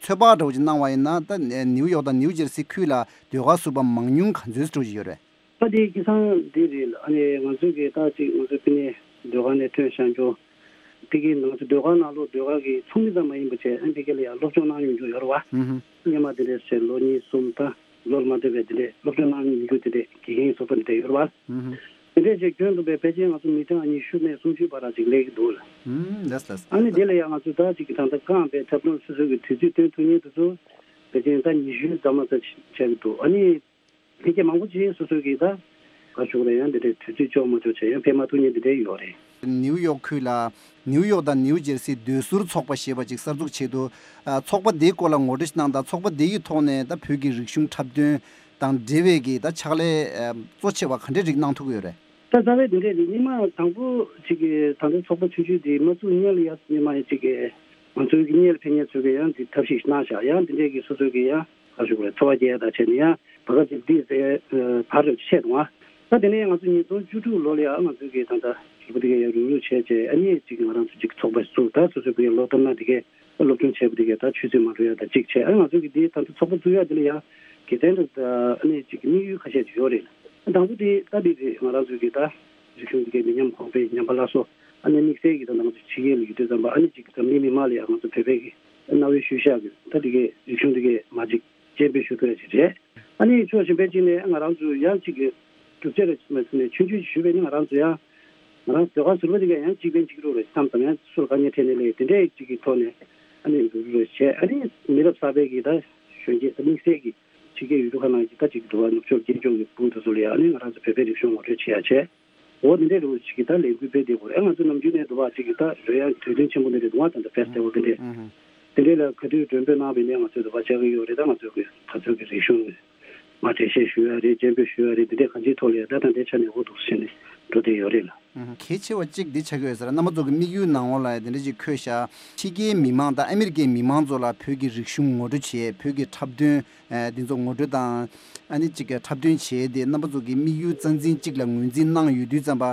ཚོད་དཔག་འདྲ་བོ་ཅིག་གནང་བ་ཡིན་ན་ད་ནིའུ་ཡོག་དང་ནིའུ་ཇེར་སི་ཁུལ་ལ་ཟློས་གར་ཟུར་པ་མང་ཉུང་ག་ཚོད་འདྲ་བོ་ཅིག་ཡོད་རེད། ད་དེ་ཁ་སང་འདི་རེད། ཨ་ནི་ང་ཚོའི་གི་ད་ཅིག་ང་ཚོའི་ཕ་ནས་ཟློས་གར་ནས་ཐོན་བཞག་རྒྱུ། དེ་གའི་ནང་ཚོ་ཟློས་གར་ནང་ལོགས་ཟློས་གར་གི་ཚོགས་མི་ཙམ་མ་ཡིན་པ་བྱས། ཨ་ནི་དེ་ག་ལ་ཡང་སློབ་སྦྱོང་གནང་མྱོང་རྒྱུ་ཡོད་རེད་བ། ཨུ་ཧུ། སྔོན་མ་དེ་འདྲས་བྱས་ལོ་གཉིས་གསུམ་ད་ལོ་ལ་མ་ལྟོས་པའི་དེ་འདྲས་སློབ་སྦྱོང་གནང་མྱོང་རྒྱུ་དེ་འདྲས་དགེ་རྒན་ཚོགས་པ་དེ་འདྲས་ཡོད་རེད་བ། ཨུ་ཧུ། དེ་འདྲས་བྱས་ཁྱོན་བསྡོམས་པའི་ཕལ་ཆེར་ང་ཚོ་མི་གྲངས་ཉི་ཤུ་ནས་སུམ་ཅུའི་བར་ལ་ཅིག་སླེབས་ཀྱི་འདུག་ལ། ཨུ་ལགས་ལགས། ཨ་ནི་དེ་ལ་ཡང་ང་ཚོ་ད་ཅིག་གི་ད་ལྟ་རྐང་པའི་འཁྲབ་སྟོན་སོ་སོ་གི་དུས་ཚོད་བཏོན་ཐུབ་མཁན་དེ་ཚོ་ཕལ་ཆེར་ད་ཉི་ཤུའི་ཟ་མ་ཟ་ཆགས་ཀྱི་འདུག་ཨ་ནི། ལྷན་རྒྱས་མང་པོ་ཅིག་སོ་སོའི་གི་ད་ག་ཞུ་དགོས་རེད། ཡང་འདི་འདྲའི་དུས་ཚོད་ལྕོགས་མ་ལྕོགས་བྱས་ཡང་ཕེབས་མ་ཐུབ་མཁན་འདི་འདྲའི་ཡོད་རེད། ནིའུ་ཡོག་ཁུལ་ལ་ནིའུ་ཡོག་དང་ནིའུ་ཇེར་སི་ཟློས་ཟུར་ཚོགས་པ་ཞེས་པ་ཅིག་གསར་འཛུགས་བྱས་འདུག་ཨ་ཚོགས་པ་འདིའི་སྐོར་ལ་ངོ་སྤྲོད་ཅིག་གནང་དང་། ཚོགས་པ་འདི་ཡི་ཐོག་ནས་ད་བོད་ཀྱི་རིག་གཞུང་འཁྲབ་སྟོན་དང་འབྲེལ་བའི་གི་ད་ཕྱག་ལས་ཨ་གཙོ་ཆེ་བ་ག་འདྲའི་རིགས་གནང་ཐུབ་ཀྱི་ཡོད་རེད། ད་རྩ་བའི་འདི་འདྲའི་རིགས་སྔོན་མ་དང་པོ་ཅིག་གི་ད་ལྟ་ཚོགས་པ་ཆུང་ཆུང་འདི་མ་བཙུགས་སྔོན་ལ་ཡ་སྔོན་མ་ཡ་ཅིག་གི་ང་ཚོའི་གི་སྔོན་ལ་ཕེབས་མཁན་ཚོས་གི་ཡང་འདི་ཐབས་ཤེས་ཤིག་གནང་བཞག་ཡང་འདི་འདྲའི་གི་སོ་སོའི་གི་ཡང་ག་ཞུ་དགོས་རེད། འཚོ་བ་སྐྱེལ་ཡ་དང་བྱས་ནས་ཡང་བར་སྐབས་ཅིག་འདི་ཟེར་བར་རེ་ཆད་འདུག་ཨ། ད་དེ་ནས་ང་ཚོ་ཉིས་སྟོང་བཅུ་དྲུག་ལོ་ལ་ཡང་ང་ཚོ་གི་ད་ལྟ་གྲོས་པོ་དེ་གས་ཡང་རུབ་རུབ་བྱས་བྱས། ཨ་ནི་ཅིག་ང་རང་ཚོ་ཅིག་ཚོགས་པ་བཙུགས། ད་སོ་སོ་གི་ལོ་ལྟར་ན་དེ་གས་སློབ་སྦྱོང་བྱས་པ་དེ་གས་ད་ཆུ་ཚོད་མ་འགྲོ་ཡ་ད་ཅིག་བྱས། ཨ་ང་ཚོ་གི་འདི་ད་ལྟ་ཚོགས་པ་བཙུགས་ཡ་དེ་ལ་ཡང་དགེ་མཚན་དང་ཨ་ནི་ཅིག་དམིགས་ཡུལ་ཁ་ཤས་ཅིག་ཡོད་རེད། དང་པོ་དེ་ད་འདི་རེད། ང་རང་ཚོ་གི་ད་རིག་གཞུང་དེ་གས་མི་ཉམས་གོང་འཕེལ། ཉམས་པ་སླར་གསོ། ཨ་ནི་དམིགས་བསལ་གྱི་ད་ང་ཚོ་ཕྱི་རྒྱལ་ལ་ཡོད་དུས་ཙམ་པ་ཨ་ནི་ཅིག་འཛམ་གླིང་མི་མང་ལ་ཡང་ང་ཚོ་བོད་པའི་གི་གནའ་བོའི་ཤུལ་བཞག་གི་ད་དེ་གས་རིག་གཞུང་དེ་གས་མ་ཅིག་སྤྱན་འབུལ་ཞུ་ཐུབ་ཡ་ཅིག་རེད། ཨ་ནི་ཕྱོགས་གཞན་པའི་གཅིག་ནས་ང་རང་ཚོ་ཡང་གཅིག་གི་གྲུབ་ཆ་རེ་མ་ཟིན་ནས་ཆུང་ཆུང་ཞུས་པས་ནི་ང་རང་ཚོ་ཡང་ང་རང་ཟློས་གར་ཟུར་པ་དེ་ག་ཡང་གཅིག་ཕན་གཅིག་གྲོགས་རེད་བསམ་ཙམ། ཡང་སུ་ལ་དཀའ་ངལ་འཕྲད་ནས་ལས་དེ་འདྲའི་གཅིག་གི་ཐོག་ནས་ཨ་ནི་འགྲོ་རྒྱུ་རེད་བྱས། ཨ་ནི་མི་རབས་གསར་པའི་གི་ད་གཞོན་སྐྱེས་ད་དམིགས་བསལ་གྱི་ཕྱི་རྒྱལ་ཡུལ་གྲུ་ཁག་ནང་གི་ད་གཅིག་འགྲོ་བ་ནུབ་ཕྱོགས་སྐད་ཕྱོགས་ཀྱི་བུ་དེ་ཚོ་ལ་ཡང་ཨ་ནི་ང་རང་ཚོ་བོད་པའི་རིག་གཞུང་ངོ་སྤྲོད་བྱེད་ཡ་བྱས། འོ་དེ་འདྲའི་རུ་ཅིག་གི་ད་ལས་འགུལ་སྤེལ་བསྡད་དགོས་རེད། ང་ཚོ་ནམ་རྒྱུན་ནས་འདུག་བ་ཅིག་གི་ད་རོལ་དབྱངས་དུས་སྟོན་ཆེན་པོ་འདི་རེད་འདུག་བ། ད་ལྟ་ཕེ་སི་ཊི་ཝལ་འདི་འདྲས། ཨུ་ཧུ། དེ་འདྲས་ལ་ག་དུས་མགྲོན་འབོད་གནང་བ་ཡིན་ནའི་ང་ཚོས་འདུག་བ་བཅར་གི་ཡོད་རེད། ད་ང་ཚོ་གི་ད་ཚོད་ཀྱི་རིག་གཞུང་མར་འགྲེལ་བཤད་ཞུ་ཡ་རེད། སྤྱན་འབུལ་ཞུ་ཡ་རེད། འདི་འདྲས་གང་ཅིའི་ཐོག་ལ་ཡ་ད་ད་ལྟའི་ཆ་ནས་འོ་འདུག་ཟེར་ནས་འགྲོ་བསྡད་ཡོད་རེད་ལ། ཨུ་ཧུ། གལ་ཆེ་བ་གཅིག་འདི་ཆགས་ཀྱི་ཡོད་ཟེར། རྣམ་པ་ཚོ་གི་དམིགས་ཡུལ་ནང་ལོགས་ལ་ཡ་དེ་འདྲས་ཅིག་འཁོད་ཤག་ཕྱི་རྒྱལ་མི་མང་དང་ཨ་མི་རི་ཀའི་མི་མང་ཚོ་ལ་བོད་ཀྱི་རིག་གཞུང་ངོ་སྤྲོད་བྱེད། བོད་ཀྱི་འཁྲབ་སྟོན། ཨ་འདི་ཚོ་ངོ་སྤྲོད་དང་། ཨ་ནི་གཅིག་གི་འཁྲབ་སྟོན་བྱས་ཏེ་རྣམ་པ་ཚོ་གི་དམིགས་ཡུལ་རྩ་འཛིན་གཅིག་ལ་ངོས་འཛིན་གནང་ཡོད་དུས་ཙམ་པ།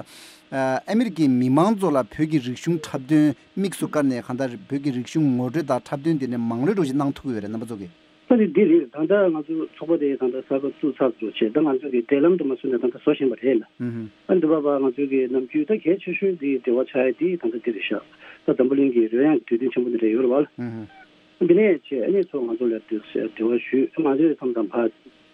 ཨ་ཨ་མི་རི་ཀའི་མི་མང་ཚོ་ལ་བོད་ཀྱི་རིག་གཞུང་འཁྲབ་སྟོན་དམིགས་སུ་བཀར་ནས་གང་ལྟར་བོད་ཀྱི་རིག་གཞུང་ངོ་སྤྲོད་དང་འཁྲབ་སྟོན་དེ་འདྲ་མང་ལོས་འགྲོ་ཞིག་གནང་ཐུབ་ཀྱི་ཡོད་རེད་རྣམ་པ་ཚོ་གི། ད་ནི་འདི་རེད། ད་ལྟ་ང་ཚོ་ཚོགས་པ་དེ་ད་ལྟ་གསར་པ་བཙུགས་ཚར་འགྲོ་བྱས། ད་ང་ཚོ་གི་འབྲེལ་ལམ་དུ་མ་སོང་ནས་ད་ལྟ་བཟོ་བཞིན་པ་རེད་ལ། ཨུ་ཧུ། ཨ་འདི་བ་བ་ང་ཚོ་གི་ནམ་རྒྱུན་ད་གལ་ཆེ་ཤོས་འདི་འབྲེལ་བ་ཆགས་ཡ་འདི་ད་ལྟ་འདི་རེད་ཤག་ད་འཛམ་བུ་གླིང་གི་རོལ་དབྱངས་དུས་སྟོན་ཆེན་པོ་འདི་འདྲ་ཡོད་རེད་བ་ལ། ཨུ་ཧུ། འདི་ནས་བྱས་ཨ་ནི་ཚོ་ང་ཚོ་ལ་འདི་འབྲེལ་བ་ཞུས། ང་ཚོས་མཚམས་དང་ཕར་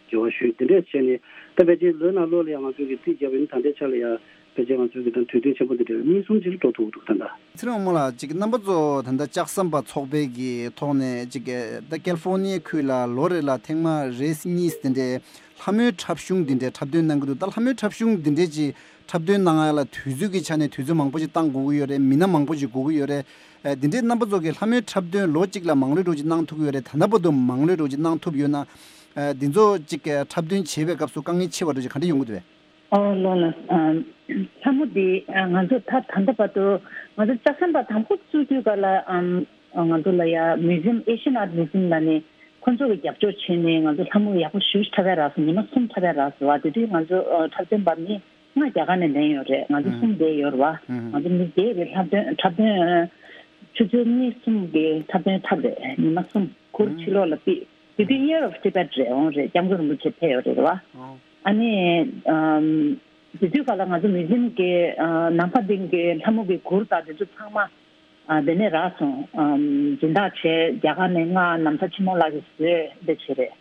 འབྲེལ་བ་ཞུས། འདི་འདྲས་བྱས་ནས་ད་ཕལ་ཆེར་ལོའི་ནང་ལོགས་ལ་ཡང་ང་ཚོ་གི་རྩིས་བརྒྱབ་པ་ཡིན་ན་ད་ལྟའི་ཆ་ལ་ཡང་ ཕལ་ཆེར་ང་ཚོའི་གི་ད་དུས་སྟོན་ཆེན་པོ་འདི་འདྲ་གཉིས་གསུམ་ཅིག་ལ་འགྲོ་ཐུབ་འདུག་ད་ལྟ། ཚེ་རིང་དབང་མོ་ལགས། ཅིག་རྣམ་པ་ཚོ་ད་ལྟ་ལྕགས་ཟམ་པ་ཚོགས་པའི་གི་ཐོག་ནས་ཅིག་ད་ཀལ་ཧྥོར་ནི་ཡའི་ཁུལ་ལ་ལོ་རེ་ལ་ཐེངས་མ་རེ་གཉིས་དེ་འདྲའི་ལྷ་མོའི་འཁྲབ་གཞུང་འདི་འདྲའི་འཁྲབ་སྟོན་གནང་གི་འདུག་ད་ལྷ་མོའི་འཁྲབ་གཞུང་འདི་འདྲའི་ཅིག་འཁྲབ་སྟོན་གནང་ཡ་ལ་དུས་ཚོད་ཀྱི་ཆ་ནས་དུས་ཚོད་མང་པོ་ཅིག་བཏང་དགོས་ཀྱི་ཡོད་རེད། མི་སྣ་མང་པོ་ཅིག་དགོས་ཀྱི་ཡོད་རེད། ཨ་འདི་འདྲའི་རྣམ་པ་ཚོ་གི་ལྷ་མོའི་འཁྲབ་སྟོན་ལོ་གཅིག་ལ་མང་ལོས་འགྲོ་ཅིག་གནང་ཐུབ་ཀྱི་ཡོད་རེད། ད་ལྟ་བར་དུ་མང་ལོས་འགྲོ་ཅིག་གནང་ཐུབ་ཡོད་ན། ཨ་འདི་ཚོ་ཅིག་འཁྲབ་སྟོན་བྱེད་པའི་སྐབས་སུ་དཀའ་ངལ་ཆེ་བ་འདྲ་ཅིག་ག་འདྲ་ཡོང་གི་འདུག་བས། ཨོ་ལོ་ལ། ཨམ། ལྷ་མོ་འདི་ཨ་ང་ཚོ་ད་ད་ལྟ་བར་དུ་ང་ཚོ་ལྕགས་ཟམ་པ་དང་པོ་བཙུགས་དུས་ག་ལ་ཨམ། ང་ཚོ་ལ་ཡ་Museum, Asian Art Museum ལ་ནི་ཁོང་ཚོ་གི་རྒྱབ་སྐྱོར་བྱས་ནས་ང་ཚོ་ལྷ་མོ་ཡག་པོ་ཞེ་པོ་ཅིག་འཁྲབ་ཡ་རག་སོང་། ཉི་མ་གསུམ་འཁྲབ་ཡ་རག་སོང་བ། དེ་དུས་ང་ཚོ་ཨ་འཁྲབ་སྟོན་པ་མི་ལྔ་རྒྱ་གར་ནས་ལེན་ཡོད་རེད། ང་ཚོ་གསུམ་བསྡད་ཡོད་རེད་བ། ང་ཚོ་མི་བསྡད་རེད། འཁྲབ་སྟོན་འཁྲབ་སྟོན་ཆུ་ཚོད་གཉིས་གསུམ་གི་འཁྲབ་སྟོན་འཁྲབ་རེད། ཉི་མ་གསུམ་གུར་ཕྱི་ལོགས་ལ་ཕུད། དེ་དུས་Year of Tibet རེད། འོང་རེད། སྐྱབས་མགོན་རིན་པོ་ཆེ་ཕེབས་ཡོད་རེད་བ། ཨ་ནི་ཨམ། དེ་དུས་ག་ལ་ང་ཚོ་Museum གི་ཨ་ནམ་ཕ་དིང་གི་ལྷ་མོ་གི་གུར་དང་དེ་ཚོ་ཚང་མ་ཨ་དེ་ནས་རག་སོང་། ཨམ། སྦྱིན་བདག་བྱས་རྒྱ་གར་ནས་ང་ནམ་མཁའ་ཆེན་མོ་ལགས་ཀྱིས་བཟོས་འདི་བྱས་རེད།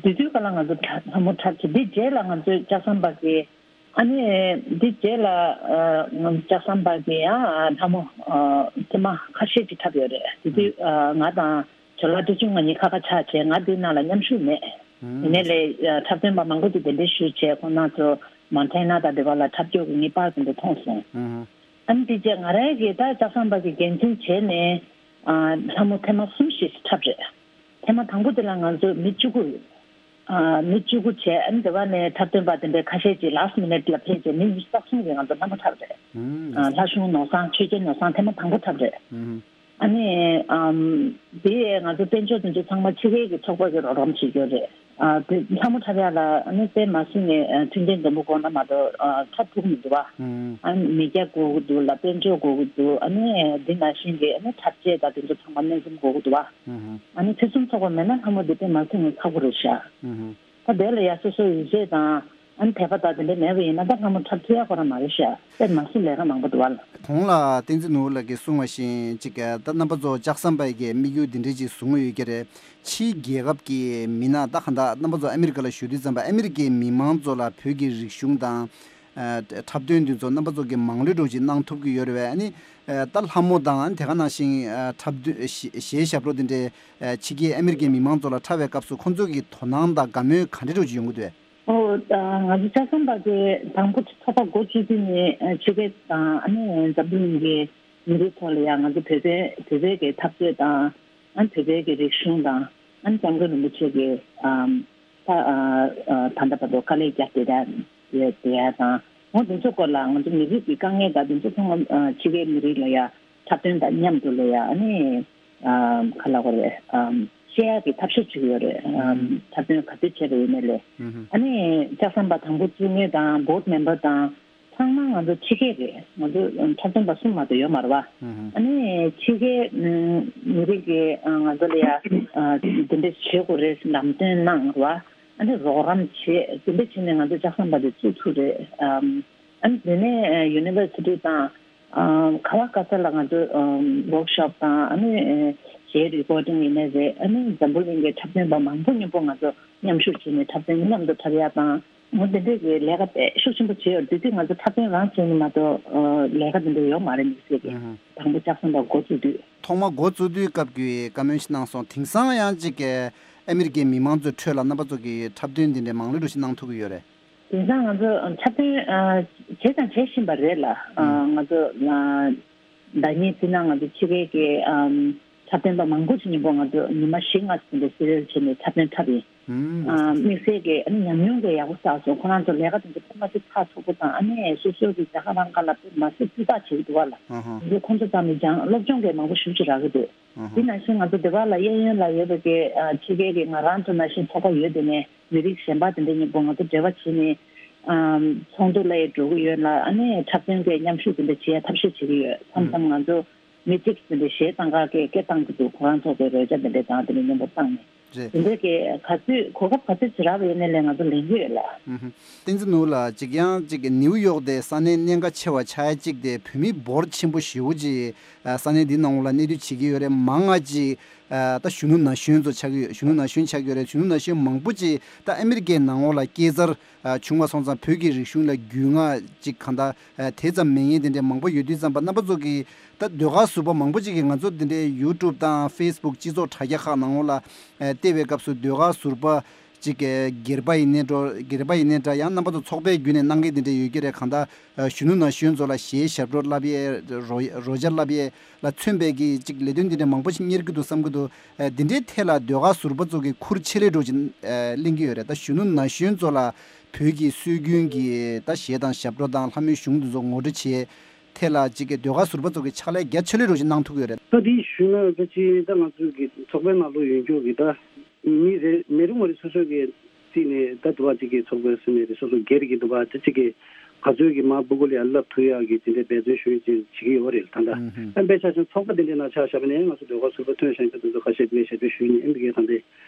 དེ་དུས་ག་ལ་ང་ཚོ་ལྷ་མོ་འཁྲབ་བྱས། འདི་རྗེས་ལ་ང་ཚོའི་ལྕགས་ཟམ་པ་གི་ཨ་ནི་འདི་རྗེས་ལ་ཨ་ང་ཚོ་ལྕགས་ཟམ་པ་གི་ཡང་ལྷ་མོ་ཨ་ཐེངས་མ་ཁ་ཤས་ཅིག་འཁྲབ་ཡོད་རེད། དེ་དུས་ཨ་ང་དང་ཇོ་ལགས་བཀྲ་ཤིས་ལགས་གཉིས་ཁ་ཁ་ཆགས་བྱས། ང་འདི་ནང་ལ་མཉམ་ཞུགས་མེད། ཡིན་ནའི་ལས་ཨ་འཁྲབ་སྟོན་པ་མང་པོ་ཅིག་གདན་འདྲེན་ཞུས་བྱས། ཁོང་རྣམ་ཚོ་མོན་ཊ་ན་དང་དེ་བ་ལ་འཁྲབ་སྐྱོར་གྱི་ངེས་པར་དེ་འདྲ་མཐོང་སོང་། ཨ་ནི་དེ་རྗེས་ང་རང་གིས་ད་ལྕགས་ཟམ་པ་གི་འགན་འཛིན་བྱས་ནས་ཨ་ལྷ་མོ་ཐེངས་མ་གསུམ་ཞིག་འཁྲབ་རེད། ཐེངས་མ་དང་པོ་དེ་ལ་ང་ཚོ་མི་བཅུ་དགུ། ཨ་མི་བཅུ་དགུ་བྱས། ཨ་ནི་དེ་བ་ནས་འཁྲབ་སྟོན་པ་དེ་འདྲའི་ཁ་ཤས་ཀྱིས་last minute ལ་ཕེབས་བྱས་མི་ཉི་ཤུ་རྩ་གསུམ་གྱིས་ང་ཚོ་ལྷ་མོ་འཁྲབ་རེད། ཨ་ལྷ་གཞུང་ནོར་བཟང་ཆོས་རྒྱལ་ནོར་བཟང་ཐེངས་མ་དང་པོ་འཁྲབ་རེད། ཨ་ནི་ཨམ་དེ་ང་ཚོ་དཔལ་འབྱོར་དེ་ཚོ་ཚང་མ་ཕྱི་རྒྱལ་གྱི་ཚོགས་པ་གིས་རོགས་རམ་བྱེད་རྒྱུ་རེད། ཨ་དེ་ལྷ་མོ་འཁྲབ་ཡག་ལ་ཨ་ནི་དཔེ་མ་སྲིད་ནས་ཨ་མཐུན་རྐྱེན་འཛོམས་པོ་དགོས་ན་མ་གཏོགས་ཨ་འཁྲབ་ཐུབ་མི་འདུག་བ། ཨ་ནི་མི་སྐྱ་དགོས་ཀྱི་འདུག་ལ། དཔལ་འབྱོར་དགོས་ཀྱི་འདུག་ཨ་ནི་འདི་ནང་བཞིན་གྱི་ཨ་ནི་འཁྲབ་ཆས་དང་དེ་ཚོ་ཚང་མ་སྣོན་འཛོམས་དགོས་ཀྱི་འདུག་བ། ཨ་ནི་ཕུན་སུམ་ཚོགས་པ་མེད་ན་ལྷ་མོ་འདི་དཔེ་མ་སྲིད་ནས་ཁག་པོ་རེད་ཤག་ད་དེ་ལ་ཡ་སོ་སོའི་ཡིད་ཆེས་དང་ཨ་ནི་དད་པ་དང་དེ་འདྲ་མེད་པ་ཡིན་ན་ད་ལྷ་མོ་འཁྲབ་ཐུབ་ཡ་ཁོ་རང་མ་རེད་ཤག་དཔེ་མ་སྲིད་ལས་ཀ་མང་པོ་འདུག་བ་ལ། གོང་ལ་བསྟན་འཛིན་ནོར་བུ་ལགས་ཀྱིས་གསུངས་པ་བཞིན་ཅིག་ད་རྣམ་པ་ཚོ་ལྕགས་ཟམ་པ་གི་དམིགས་ཡུལ་འདི་འདྲ་ཅིག་བཟུང་ཡོད་ཀྱི་རེད། ཕྱིའི་རྒྱལ་ཁབ་ཀྱི་མི་སྣ་ད་ག་འདྲ་རྣམ་པ་ཚོ་ཨ་མི་རི་ཀ་ལ་བཞུགས་དུས་ཙམ་པ་ཨ་མི་རི་ཀའི་མི་མང་ཚོ་ལ་བོད་ཀྱི་རིག་གཞུང་དང་། ཨ་འཁྲབ་སྟོན་འདི་ཚོ་རྣམ་པ་ཚོ་གིས་མང་ལོས་འགྲོ་ཅིག་གནང་ཐུབ་ཀྱི་ཡོད་རེད་བས། ཨ་ནི་ཨ་ད་ལྷ་མོ་དང་དེ་ག་ནང་བཞིན་ཨ་འཁྲབ་སྟོན་གཞས་གཞས་ཞབས་བྲོ་འདི་འདྲའི་ཨ་ཕྱི་རྒྱལ་ཨ་མི་རི་ཀའི་མི་མང་ཚོ་ལ་འཁྲབ་པའི་སྐབས་སུ་ཁོང་ཚོ་གི་དོ་སྣང་དང་དགའ་མོས་ག་འདྲ་འདྲ་ཅིག་ཡོང་གི་འདུག་བས། ཨོ་ད་ང་ཚོ་ལྕགས་ཟམ་པ་གི་དང་པོ་ཚོགས་པ་འགོ་བཙུགས་དུས་ནས་ཨ་ཕྱི་རྒྱལ་དང་ཨ་ནི་འཛམ་བུ་གླིང་གི་མི་རིགས་ཐོག་ལ་ཡང་ང་ཚོ་བོད་པའི་བོད་པའི་གི་འཐབ་རྩོད་དང་། ཨ་ནི་བོད་པའི་གི་རིག་གཞུང་དང་། ཨ་ནི་སྐྱབས་མགོན་རིན་པོ་ཆེ་གི་ཨམ་ད་ཨ་ཨ་ད་ལྟ་བར་དུ་དཀའ་ལས་བརྒྱབ་བསྡད་ཡ་བསྡད་ཡ་དང་། འོ་དེ་ཚོ་སྐོར་ལ་ང་ཚོ་མི་རིགས་ཀྱི་དཀའ་ངལ་དང་དེ་ཚོ་ཚང་མ་ཨ་ཕྱི་རྒྱལ་མི་རིགས་ལ་ཡ་འཁྲབ་སྟོན་དང་མཉམ་དུ་ལ་ཡ་ཨ་ནི་ཨམ་ག་ལབ་དགོས་རེད། ཨམ་བཤད་ཡ་གི་ཐབས་ཤེས་བྱེད་ཀྱི་ཡོད་རེད། ཨམ་འཁྲབ་སྟོན་ག་ཚོད་བྱས་པ་ཡིན་ནའི་ལས། ཨ་ནི་ལྕགས་ཟམ་པ་དང་པོ་བཙུགས་མཁན་དང་board member དང་། ཚང་མ་ང་ཚོ་ཕྱི་རྒྱལ་རེད། ང་ཚོ་འཁྲབ་སྟོན་པ་གསུམ་མ་གཏོགས་ཡོད་མ་རེད་བ། ཨ་ནི་ཕྱི་རྒྱལ་མི་རིགས་ཀྱི་ང་ཚོ་ལ་ཡ་དེ་འདྲ་བྱེད་དགོས་རེད་ལམ་སྟོན་གནང་རེད་བ། ཨ་ནི་རོགས་རམ་བྱེད་དེ་འདྲ་བྱས་ནས་ང་ཚོ་ལྕགས་ཟམ་པ་དེ་བཙུགས་ཐུབ་རེད། ཨ་ནི་དེ་ནས་university དང་ག་བ་ག་ས་ལ་ང་ཚོ་workshop དང་ཨ་ནི་གཞས་recording ཡིན་ནའི་རེད། ཨ་ནི་འཛམ་བུ་གླིང་གི་འཁྲབ་སྟོན་པ་མང་པོ་མཉམ་པོ་ང་ཚོ་མཉམ་ཞུགས་བྱས་ནས་འཁྲབ་སྟོན་མཉམ་དུ་འཁྲབ་ཡ་དང་། འོ་དེ་འདྲས་ཀྱི་ལས་ཀ་དཔེ་ཤུགས་ཆེན་པོ་བྱས་ཡོད། དེ་དུས་ང་ཚོ་འཁྲབ་སྟོན་རང་བྱས་ནས་མ་གཏོགས་ལས་ཀ་དེ་འདྲ་ཡོད་མ་རེད། དམིགས་བསལ་གྱི་དང་པོ་ལྕགས་ཟམ་པ་འགོ་བཙུགས་དུས། ཐོག་མ་འགོ་བཙུགས་དུས་སྐབས་ཀྱི་བཀའ་མོལ་ཞིག་གནང་སོང་། དེང་སང་ཡང་ཅིག་གི་ཨ་མི་རི་ཀའི་མི་མང་ཚོའི་ཁྲོད་ལ་རྣམ་པ་ཚོ་གིས་འཁྲབ་སྟོན་དེ་འདྲའི་མང་ལོས་འགྲོ་ཞིག་གནང་ཐུབ་ཀྱི་ཡོད་རེད། དེང་སང་ང་ཚོ་འཁྲབ་སྟོན་བྱས་དང་བྱེད་བཞིན་པ་རེད་ལ། ང་ཚོ་ཟླ་ཉིན་ཕྱི་ནང་ང་ཚོ་ཕྱི་རྒྱལ་གྱི་འཁྲབ་སྟོན་པ་མང་པོ་ཞིག་མཉམ་པོ་ང་ཚོ་ཉི་མ་བཞི་ལྔ་ཙམ་དེ་སི་རེལ་བྱས་ནས་འཁྲབ་སྟོན་འཁྲབ་ཡིན། དམིགས་བསལ་གྱི་ཨ་ནི་ཉམས་མྱོང་གི་ཡག་པོ་བསགས་སོང་། ཁོ་རང་ཚོ་ལས་ཀ་དེ་ཚོ་དཔེ་མ་སྲིད་ཕར་ཚུགས་པོ་དང་། ཨ་ནི་སོ་སོ་གི་རྒྱ་གར་རང་ཁ་ལ་དཔེ་མ་སྲིད་སྤུས་དག་བྱེད་ཀྱི་འདུག་བ་ལ། འདི་ཁོང་ཚོ་ཚང་མས་སྦྱང་སློབ་སྦྱོང་གི་མང་པོ་ཞེ་པོ་ཅིག་རག་གི་འདུག་དེ་ནང་བཞིན་ང་ཚོ་སྡེ་བ་ལ་གཡས་གཡོན་ལ་ཡོད་པའི་གི་ཕྱི་རྒྱལ་གྱི་ང་རང་ཚོ་ནང་བཞིན་ཚོགས་པ་ཡོད། དེ་ནས་མི་རིགས་གཞན་པ་དེ་འདྲ་མཉམ་པོ་ང་ཚོ་འབྲེལ་བ་བྱས་ནས་ཚོགས་འདུ་ལ་ཡང་འགྲོ་གི་ཡོད་ལ། ཨ་ནི་འཁྲབ་སྟོན་གྱི་མཉམ་ཞུགས་དེ་འདྲ་བྱེད་ཡ་ཐབས་ཤེས་བྱེད་ཀྱི་ཡོད། མཚམས་མཚམས་ང་ཚོ་མི་གཅིག་དེ་འདྲ་གཞས་བཏང་ག་གི་སྐད་བཏང་གི་འདུག་ཁོ་རང་ཚོ་གི་རོལ་ཆ་དེ་འདྲ་དང་དེ་འདྲ་མཉམ་པོ་བཏང་ནས། རེད། དེ་འདྲ་གི་ག་ཚོད་གོ་སྐབས་ག་ཚོད་ཅིག་རག་པ་ཡིན་ནའི་ལས་ང་ཚོ་ལེན་གྱི་ཡོད་ལ། ཨུ་ཧུ། བསྟན་འཛིན་ནོར་བུ་ལགས། གཅིག་ཡང་གཅིག་ནིའུ་ཡོག་དེ་ས་གནས་གནད་འགག་ཆེ་བ་ཆགས་ཡ་གཅིག་དེ་བོད་མི་འབོར་ཆེན་པོ་ཞེ་པོ་ཅིག་ས་གནས་འདི་ནང་ལ་གནས་སྡོད་བྱེད་ཀྱི་ཡོད་རེད། མང་ང་ཅིག་ ཨ་ད་གཞོན་ནུ་ན་གཞོན་ཚོ་ཆགས་ཀྱི་ཡོད། གཞོན་ནུ་ན་གཞོན་ཆགས་ཀྱི་ཡོད་རེད། གཞོན་ནུ་ན་གཞོན་མང་པོ་ཅིག་ད་ཨ་མི་རི་ཀའི་ནང་ལོགས་ལ་སྐྱེས་འཚར་ཨ་བྱུང་བ་སོང་ཙང་བོད་ཀྱི་རིག་གཞུང་ལ་རྒྱུས་མངའ་ཅིག་གང་ལྟར་ཨ་དེ་ཙམ་མེད་མཁན་དེ་འདྲའི་མང་པོ་ཡོད་དུས་ཙམ་པ་རྣམ་པ་ཚོ་གིས་ད་ཟློས་གར་ཟུར་པ་མང་པོ་ཅིག་གིས་ང་ཚོ་དེ་འདྲའི་ཡུ་ཊུབ་དང་ཕེ་སི་བུག་སྤྱི་ཚོགས་དྲ་རྒྱ་ཁག་ནང་ལོགས་ལ་ཨ་བལྟས་པའི་སྐབས་སུ་ཟློས་གར་ཟུར་པ་ཅིག་གི་སྒེར་པ་ཡིན་ནའི་འགྲོ། སྒེར་པ་ཡིན་ནའི་འདྲ། ཡང་རྣམ་པ་ཚོ་ཚོགས་པའི་བརྒྱུད་ནས་གནང་མཁན་དེ་འདྲ་ཡོད་ཀྱི་རེད། གང་ལྟར་ཨ་གཞོན་ནུ་ན་གཞོན་ཚོ་ལ་གཞས་ཞབས་བྲོ་བསླབ་ཡས། རོལ་རོལ་ཆ་བསླབ་ཡས་ལ་མཚོན་པའི་གི་ཅིག་ལས་དོན་དེ་འདྲ་མང་པོ་ཞིག་གཉེར་གྱི་འདུག་བསམ་གྱི་འདུག་ཨ་དེ་འདྲའི་ཐད་ལ་ཟློས་གར་ཟུར་པ་ཚོ་གིས་ཁུར་ཆེ་ལེ་འགྲོ་ཅིག་ཨ་ལེན་གྱི་ཡོད་རེད། ད་གཞོན་ནུ་ན་གཞོན་ཚོ་ལ་བོད་ཀྱི་སྲོལ་རྒྱུན་གྱི་ད་གཞས་དང་ཞབས་བྲོ་དང་ལྷ་མོའི་གཞུང་དེ་ཚོ་ངོ་སྤྲོད་བྱེད་ཐད་ལ་ཅིག་གི་ཟློས་གར་ཟུར་པ་ཚོ་གིས་ཕྱག་ལས་རྒྱ་ཆེ་ལེ་འགྲོ་ཅིག་གནང་ཐུབ་ཀྱི་ཡོད་རེད། ད་དེ་ཞུས་ན་ད་ཅི་ད་ང་ཚོའི་གི་ཚོགས་པའི་ནང་ལོགས་ཡོད་རྒྱུ་གི་ད་མི་རེ་མི་རེ་ངོ་རེ་སོ་སོ་གི་རྩིས་ནས་ད་དུ་བ་གཅིག་གི་ཚོགས་པའི་སྲིད་ནས་རེ་སོ་སོ་སྒེར་གྱི་དུ་བ་ད་གཅིག་གི་ག་ཚོད་ཀྱི་མ་སྤུ་གུ་ལ་ཡ་བསླབ་ཐུབ་ཡག་གི་དེ་འདྲའི་འབད་བརྩོན་ཞུ་ཡག་ཅིག་བྱེད་ཀྱི་ཡོད་རེད། ད་ལྟ་ཨ་དཔེ་ཆ་བཞག་ཚོགས་པ་དེ་འདྲའི་ནང་ཆ་བཞག་པ་ནས་ང་ཚོ་ཟློས་གར་ཟུར་པ་ཐོན་བཞག་མཁན་དེ་ཚོ་ཁ་ཤས་དེ་འདྲའི་ཞབས་ཕྱི་ཞུས་ནས་ཨེམ་པི་ཀའི་ད་ལྟའི་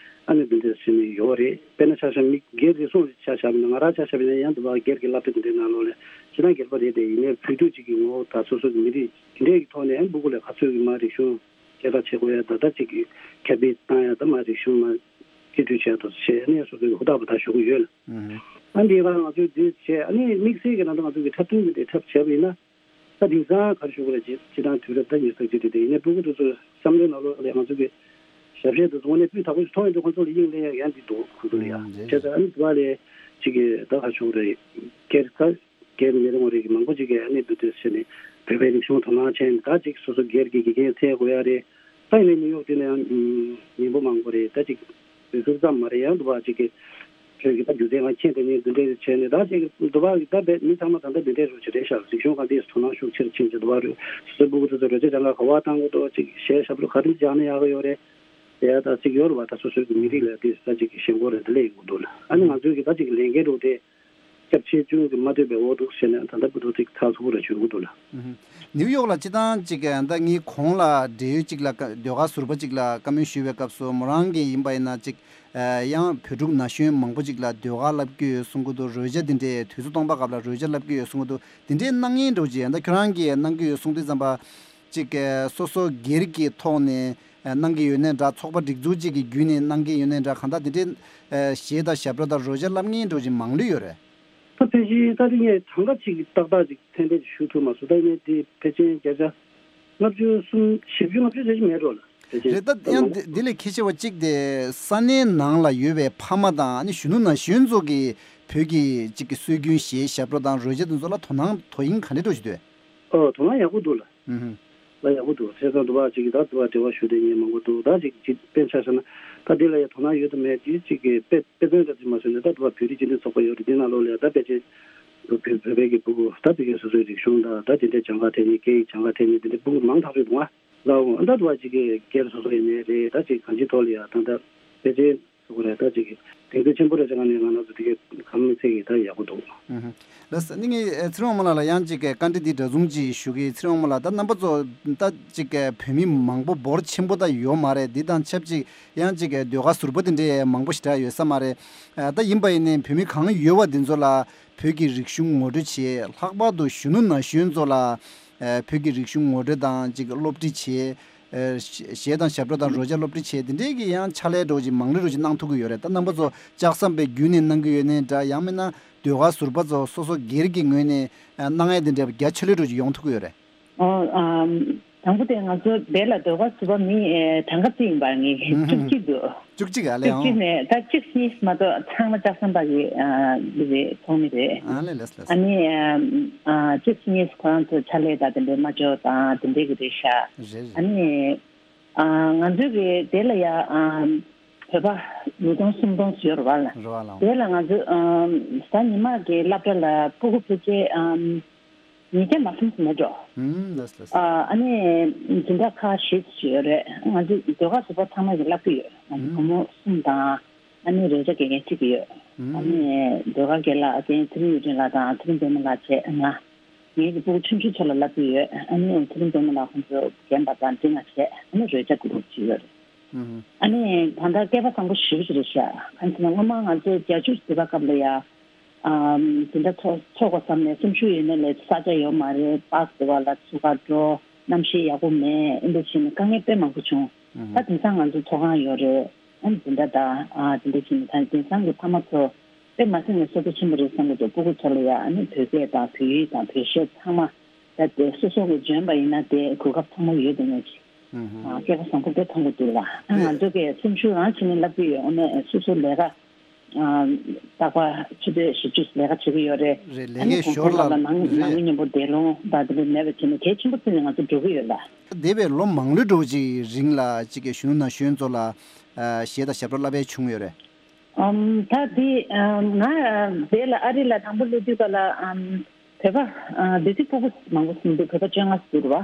ཨ་ནི་དེ་འདྲའི་ཟེར་ནས་ཡོད་རེད། དཔེར་ན་ཆ་བཞག་མི་སྒེར་རེ་ཟུང་ཆ་བཞག་པ་ན་ང་རང་ཆ་བཞག་པ་ན་ཡང་དུ་བ་སྒེར་གྱི་བསླབ་བྱ་དེ་འདྲའི་ནང་ལོགས་ལ་ཅི་ན་སྒེར་པ་རེད་དེ་ཡིན་ནའི་བོད་དུས་གཅིག་གི་ངོ་བོ་ད་སོ་སོ་གི་མི་རིགས་དེ་འདྲའི་གི་ཐོག་ནས་ཨེམ་སྤུ་གུ་ལ་ག་ཚོད་ཀྱི་མ་རིག་གཞུང་སྐད་གྲགས་བྱེད་དགོས་ཡ་ད་ལྟ་གཅིག་གི་ཁྱབ་སྤེལ་བཏང་ཡ་ད་མ་རིག་གཞུང་མ་སྤྱི་འཐུས་བྱས་ཐོག་བྱས་ནས་སོ་སོའི་ཧུར་ཐག་པ་ད་ཞུ་གི་ཡོད་ལ། ཨ་འདི་ལ་ང་ཚོས་འདི་བྱས་ཨ་ནི་དམིགས་བསལ་གྱི་ནང་དུ་ང་ཚོ་གི་འཁྲབ་སྟོན་གྱི་འདི་འཁྲབ་བྱས་པ་ཡིན་ན་ད་དེང་སང་ག་རེ་ཞུ་དགོས་རེད་ཅེས་སྤྱི་བཏང་དུས་རབས་ད་ཉེར་གཅིག་དེ་དེ་ཡིན་ནའི་སྤུ་གུ་དེ་ཚོ་བསམ་བློའི་ནང་ལོགས་ལ་ང་ཚོ་གི་ཞབས་ཕྱི་དེ་ཚོ་དངོས་གནས་སྤུས་དག་པོ་ཞིག་མཐོང་ཡོང་དུས་ཁོང་ཚོ་ལ་དབྱིངས་ལེན་ཡག་ཡང་འདི་འདུག་ཁོང་ཚོ་ལ་ཡ་བྱས་ཙང་ཨ་ནི་དུ་བ་ལས་ཅིག་གི་ད་ག་རེ་ཞུ་དགོས་རེད་སྒེར་ད། སྒེར་མི་རེ་ངོ་རེ་གི་མང་པོ་ཅིག་གིས་ཨ་ནི་འབུལ་དུས་ཟེར་ནས་བོད་པའི་རིག་གཞུང་དོ་སྣང་བྱས་ནས་ད་ཅིག་སོ་སོ་སྒེར་གྱི་དགེ་རྒན་འཚོལ་དགོས་ཡ་རེད། ད་ཡིན་ནའི་ནིའུ་ཡོག་དེ་ནས་ཡང་མི་འབོར་མང་པོ་རེད། ད་ཅིག་འབུལ་ཚུལ་ཙམ་མ་རེད། ཡང་དུ་བ་ཅིག་གི་བོད་ཀྱི་ད་སྒྱུ་རྩལ་ང་མཁྱེན་དེ་ནས་འདི་འདྲས་བྱས་ནས་ད་ཅིག་དུ་བ་གི་ད་བས་མི་ཚང་མ་ད་ལྟ་འདི་འདྲས་རུ་ཅིག་རེད་ཤག་རིག་གཞུང་ག་འདྲས་དོ་སྣང་ཤུགས་ཆེར་ཕྱིན་ཅིག་དུ་བ་རུ་སོ་སོའི་སྤུ་གུ་དེ་ཚོ་རོལ་ཆ་སྦྱང་ག་ག་བ་བཏང་དགོས་འདུག་ཅིག་གཞས་ཞབས་བྲོ་ག་རེ་སྦྱང་ན་ཡག་གི་ཡོད་རེད། དེ་ཡ་ད་ཅིག་ཡོད་རེད་བ། ད་སོ་སོའི་གི་མི་རིགས་ལ་དེ་ད་ཅིག་གི་ཞེན་ཁོག་རེ་འདི་ལས་ཡོང་གི་འདུག་ལ། ཨ་ནི་ང་ཚོའི་གི་ད་ཅིག་ལས་འགན་རུ་དེ། སྐྱབས་ཆེ་ཆུང་གི་མ་ལྟོས་པའི་འོག་འདུག་ཟེར་ནས་ད་ལྟ་བུ་ཐུག་ཚིག་ཚགས་ཚུད་པོ་ར་བྱུང་གི་འདུག་ལ། ནིའུ་ཡོག་ལ་སྤྱི་བཏང་ཅིག་ད་ངའི་གོང་ལ་འབྲེལ་ཡོད་ཅིག་ལ་ཀ་ཟློས་གར་ཟུར་པ་ཅིག་ལ་བཀའ་མོལ་ཞུས་པའི་སྐབས་སུ་མོ་རང་གིས་ཡིན་པ་ཡིན་ན་ཅིག་ཡང་བོད་ཕྲུག་ན་གཞོན་མང་པོ་ཅིག་ལ་ཟློས་གར་བསླབ་ཀྱི་ཡོད་གསུང་གི་འདུག་རོལ་ཆ་འདི་འདྲའི་དུས་ཚོད་སྟོང་པ་སྐབས་ལ་རོལ་ཆ་བསླབ་ཀྱི་ཡོད་གསུང་གི་འདུག་འདི་འདྲའི་གནང་མཁན་འདྲ་བོ་ཅིག་ད་ཁྱོད་རང་གིས་གནང་གི་ཡོད་གསུང་དུས་ཙམ་པ། གཅིག་གི་སོ་སོ་སྒེར་གྱི་ཐོག་ནས་ཨ་གནང་གི་ཡོད་ནའི་འདྲ། ཚོགས་པ་སྒྲིག་འཛུགས་གཅིག་གི་བརྒྱུད་ནས་གནང་གི་ཡོད་ནའི་འདྲ། གང་ལྟར་དེ་འདྲའི་ཨ་གཞས་དང་ཞབས་བྲོ་དང་རོལ་ཆ་བསླབ་མཁན་འདྲ་བོ་ཅིག་མང་ལོས་ཡོད་རེད། ད་ཕལ་ཆེར་ད་དེ་ངས་གྲངས་ཀ་གཅིག་གི་ཏག་ཏག་ཅིག་ཏན་ཏན་ཅིག་ཞུ་ཐུབ་མ་སོང་། ད་ངས་དེ་ཕལ་ཆེར་བརྒྱ་ཆ་ལྔ་བཅུ་གསུམ་བཞི་བཅུ་ལྔ་བཅུ་ཙམ་ཅིག་མེད་འགྲོ་ལ་ཕལ་ཆེར། རེད། ད་ཡང་འདི་འདི་ལས་གལ་ཆེ་བ་གཅིག་དེ་ས་གནས་ནང་ལ་ཡོད་པའི་ཕ་མ་དང་ཨ་ནི་གཞོན་ནུ་ན་གཞོན་ཚོ་གིས་བོད་ཀྱི་གཅིག་གི་སྲོལ་རྒྱུན་གཞས་ཞབས་བྲོ་དང་རོལ་ཆ་དེ་ཚོ་ལ་དོ་སྣང་དོ་དབྱིངས་ག་འདྲ་འདྲ་བོ་ཞིག་འདུག་ཨོ་དོ་སྣང་ཡག་པོ་འདུག་ལ། ཨུ་ཧུ། ལ་ཡག་པོ་འདུག་བྱས་ཙང་དུ་བ་ཅིག་གིས་ད་དུ་བ་འབྲེལ་བ་ཞུ་དེ་ངས་མང་པོ་འདུག་ད་ཅིག་ཅིག་དཔེ་ཆ་བཞག་ན་ད་འདི་ལ་ཡ་དོ་སྣང་ཡོད་དམ་མེད་ཅིག་ཅིག་གི་དཔེ་དཔེ་མཚོན་འདྲ་ཅིག་མ་བཟོས་ནས་ད་དུ་བ་བོད་རིགས་སྤྱི་མཐུན་ཚོགས་པ་ཡོད་རེད། འདི་ནང་ལོགས་ལ་ཡ་ད་ཕལ་ཆེར་བོད་བོད་བོད་པའི་གི་ཕྲུ་གུ་ད་དེ་གའི་སོ་སོའི་རིག་གཞུང་དང་ད་དེ་འདྲའི་སྦྱང་ག་ཐེབས་མཁན་སྐད་ཡིག་སྦྱང་ག་ཐེབས་མཁན་དེ་འདྲའི་ཕྲུ་གུ་མང་ཐག་ཆོད་འདུག་ང་ལ་འོང་ད་དུ་བ་ཅིག་གི་སྒེར་སོ་སོ་ཡིན་ནའི་རེད། ད་ཅིག་གང་ཅིའི་ཐོག་ལ་ཡ་ད་ད་ཕལ་ཆེར། སུ་གུ་རེ་ད་ཅིག་གདེང་ཚོད་ཆེན་པོ་རེ་ཅང་ནས་ང་རང་ཚོ་དེ་གའི་གམ་མི་ཚེ་གི་ད་ཡག་པོ་འདུག་ཨུ་ཧུ། ལགས་སོ། ནི་ངས་ཨེ་ཚེ་རིང་དབང་མོ་ལགས་ལ་ཡང་ཅིག་གི་བཀའ་འདྲི་འདི་འདྲ་བཟུང་ཅིག་ཞུ་གི། ཚེ་རིང་དབང་མོ་ལགས་ད་རྣམ་པ་ཚོ་ད་ཅིག་གི་བོད་མི་མང་པོ་འབོར་ཆེན་པོ་ད་ཡོད་མ་རེད། འདི་དང་ཆབས་ཅིག་ཡང་ཅིག་གི་ཟློས་གར་ཟུར་པ་འདི་འདྲའི་མང་པོ་ཞེ་དྲག་ཡོད་ས་མ་རེད། ཨ་ད་ཡིན་པ་ཡིན་ནའི་བོད་མི་གང་ཡོད་པ་འདི་ཚོ་ལ་བོད་ཀྱི་རིག་གཞུང་ངོ་སྤྲོད་བྱེད། ལྷག་པར་དུ་གཞོན་ནུ་ན་གཞོན་ཚོ་ལ་ཨ་བོད་ཀྱི་རིག་གཞུང་ངོ་སྤྲོད་དང་ཅིག་སློབ་ཁྲིད་བྱེད། ཨེ་གཞས་དང་ཞབས་བྲོ་དང་རོལ་ཆ་སློབ་ཁྲིད་བྱས་དེ་འདྲའི་གི་ཡང་ཕྱག་ལས་འདྲ་བོ་ཅིག་མང་ལོས་འདྲ་བོ་ཅིག་གནང་ཐུབ་ཀྱི་ཡོད་རེད། ད་རྣམ་པ་ཚོ་ལྕགས་ཟམ་པའི་བརྒྱུད་ནས་གནང་གི་ཡོད་ནའི་འདྲ། ཡང་མིན་ན་ཟློས་གར་ཟུར་པ་ཚོ་སོ་སོ་སྒེར་གྱི་ངོས་ནས་ཨེ་གནང་ཡས་དེ་འདྲ་རྒྱ་ཆེ་ལོས་འདྲ་བོ་ཅིག་ཡོང་ཐུབ་ཀྱི་ཡོད་རེད། ཨོ་ཨམ། དང་པོ་དེ་ང་ཚོ་དེ་ལ་ཟློས་གར་ཟུར་པ་མི་ཨེ་གྲངས་ཀ་རྩིས་ཡིན་པ་ངས་ཨུ་ཧུ། བཅུ་གཅིག་འདུག་བཅུ་གཅིག་ཨ་ལས་བཅུ་གཅིག་ཨང་། ནས་ད་བཅུ་གཉིས་མ་གཏོགས་ཚང་མ་ལྕགས་ཟམ་པ་གི་ཨ་འདི་རེད། ཚོགས་མི་རེད། ཨ་ལས་ལས་ལས། ཨ་ནི་ཨ་བཅུ་གཉིས་ཁོ་རང་ཚོ་ཕྱག་ལས་དང་དེ་འདྲའི་མ་འཇོག་དང་དེ་འདྲའི་གི་རེད་ཤག་རེད་རེད། ཨ་ནི་ཨ་ང་ཚོའི་གི་དེ་ལ་ཡ་ཨ་བོད་པ་ཉིས་སྟོང་སུམ་སྟོང་ཡོད་རེད་བ་ལ། རེད་བ་ལ། དེ་ལ་ང་ཚོ་ཨ་ད་ཉི་མ་གི་སློབ་གྲྭ་ལ་སྤུ་གུ་ཕལ་ཆེར་ཨ་ཉིས་བརྒྱ་མ་ཟིན་མེད་འགྲོ། ཨུམ་ལགས་ལགས། ཨ་ནི་འཛིན་གྲྭ་ཁག་བཞི་ཡོད་རེད། ང་ཚོ་ཟློས་གར་ཟུར་པ་ཚང་མ་གི་བསླབ་ཀྱི་ཡོད། ང་ཚོ་བུ་མོ་གསུམ་དང་ཨ་ནི་རོལ་ཆ་དགེ་རྒན་གཅིག་ཡོད། ཨ་ནི་ཟློས་གར་དགེ་ལགས་རྒན་ཚེ་རིང་ཡུལ་སྒྲོན་ལགས་དང་ཚེ་རིང་པད་མ་ལགས་བྱས་ང་། ངའི་གི་སྤུ་གུ་ཆུང་ཆུང་ཚོ་ལ་བསླབ་ཀྱི་ཡོད། ཨ་ནི་ཚེ་རིང་པད་མ་ལགས་ཁོང་ཚོ་རྒན་པ་དང་འདི་ང་བྱས་ཨ་ནི་རོལ་ཆ་གུ་རུབ་ཅིག་ཡོད་རེད། ཨ་ནི་ད་ལྟ་སྐལ་པ་བཟང་པོ་ཞེ་པོ་ཅིག་རེད་ཤག་གང་ཟེར་ན་སྔོན་མ་ང་ཚོ་བརྒྱད་ཅུ་དེ་བ་སྐབས་ལ་ཡ། ཨམ། དེ་འདྲ་ཚོགས་ཚོགས་དགོས་བསམ་ནས་སེམས་ཤུགས་ཡོད་ན་ལས་ས་ཆ་ཡོད་མ་རེད། པཱས་དེ་བ་ལ་ཚུགས་ཀ་འགྲོ། གནམ་གཤིས་ཡག་པོ་མེད། ཨེ་འདྲ་བྱས་ནས་དཀའ་ངལ་དཔེ་མང་པོ་བྱུང་ ད་དེང་སང་ང་ཚོ་ཐོག་ཁང་ཡོད་རེད། ཨ་ནི་འཛིན་གྲྭ་དང་ཨ་དེ་འདྲ་བྱས་ནས་ད་དེང་སང་གི་ཕ་མ་ཚོ་དཔེ་མ་སྲིད་ནས་བསོད་བདེ་ཆེན་པོ་རེད་བསམ་གྱི་འདུག་སྤུ་གུ་ཚོ་ལ་ཡ་ཨ་ནི་བོད་སྐད་དང་བོད་ཡིག་དང་བོད་གཞས་ཚང་མ་ད་དེ་སོ་སོ་གི་འཇོན་པ་ཡིན་ན་དེ་གོ་སྐབས་ཚང་མ་ཡོད་དེ་ནས་ཅིག་ཨ་སྐལ་པ་བཟང་པོ་དཔེ་མཐོང་གི་འདུག་ལ། ཨ་ང་ཚོ་གི་སེམས་ཤུགས་རང་བྱས་ནས་བསླབ་ཀྱི་ཡོད། ཨ་ནི་སོ་སོ་ལས་ཀ་རྟག་པར་ཆུ་ཚོད་བཞི་བཅུ་ལས་ཀ་བྱེད་ཀྱི་ཡོད་རེད། རེད། ལས་ཨ་ནི་ཀའི་གུང་ཞོར་སེང་ལ་ལ་ནང་ནང་རེད། མི་མཉམ་པོ་བསྡད་རུང་ད་དེ་འདྲ་མེད་པ་བྱས་ནས་གལ་ཆེན་པོ་བརྩིས་ནས་ང་ཚོ་འགྲོ་གི་ཡོད་ལ། འདས་པའི་ལོ་མང་ལོས་འགྲོ་ཅིག་རིང་ལ་ཅིག་གི་གཞོན་ནུ་ན་གཞོན་ཚོ་ལ་གཞས་དང་ཞབས་བྲོ་བསླབ་པའི་བྱུང་ཡོད་རེད། ཨམ་ད་དེ་ང་དེ་ལ་ཨ་རི་ལ་དང་པོ་སླེབས་དུས་ག་ལ་ཨམ་བོད་པ་སྡེ་སྲིད་སྤུ་གུ་མང་པོ་ཟིན་འདུག་བོད་པ་བཅོ་ལྔ་ཟིན་འདུག་བ།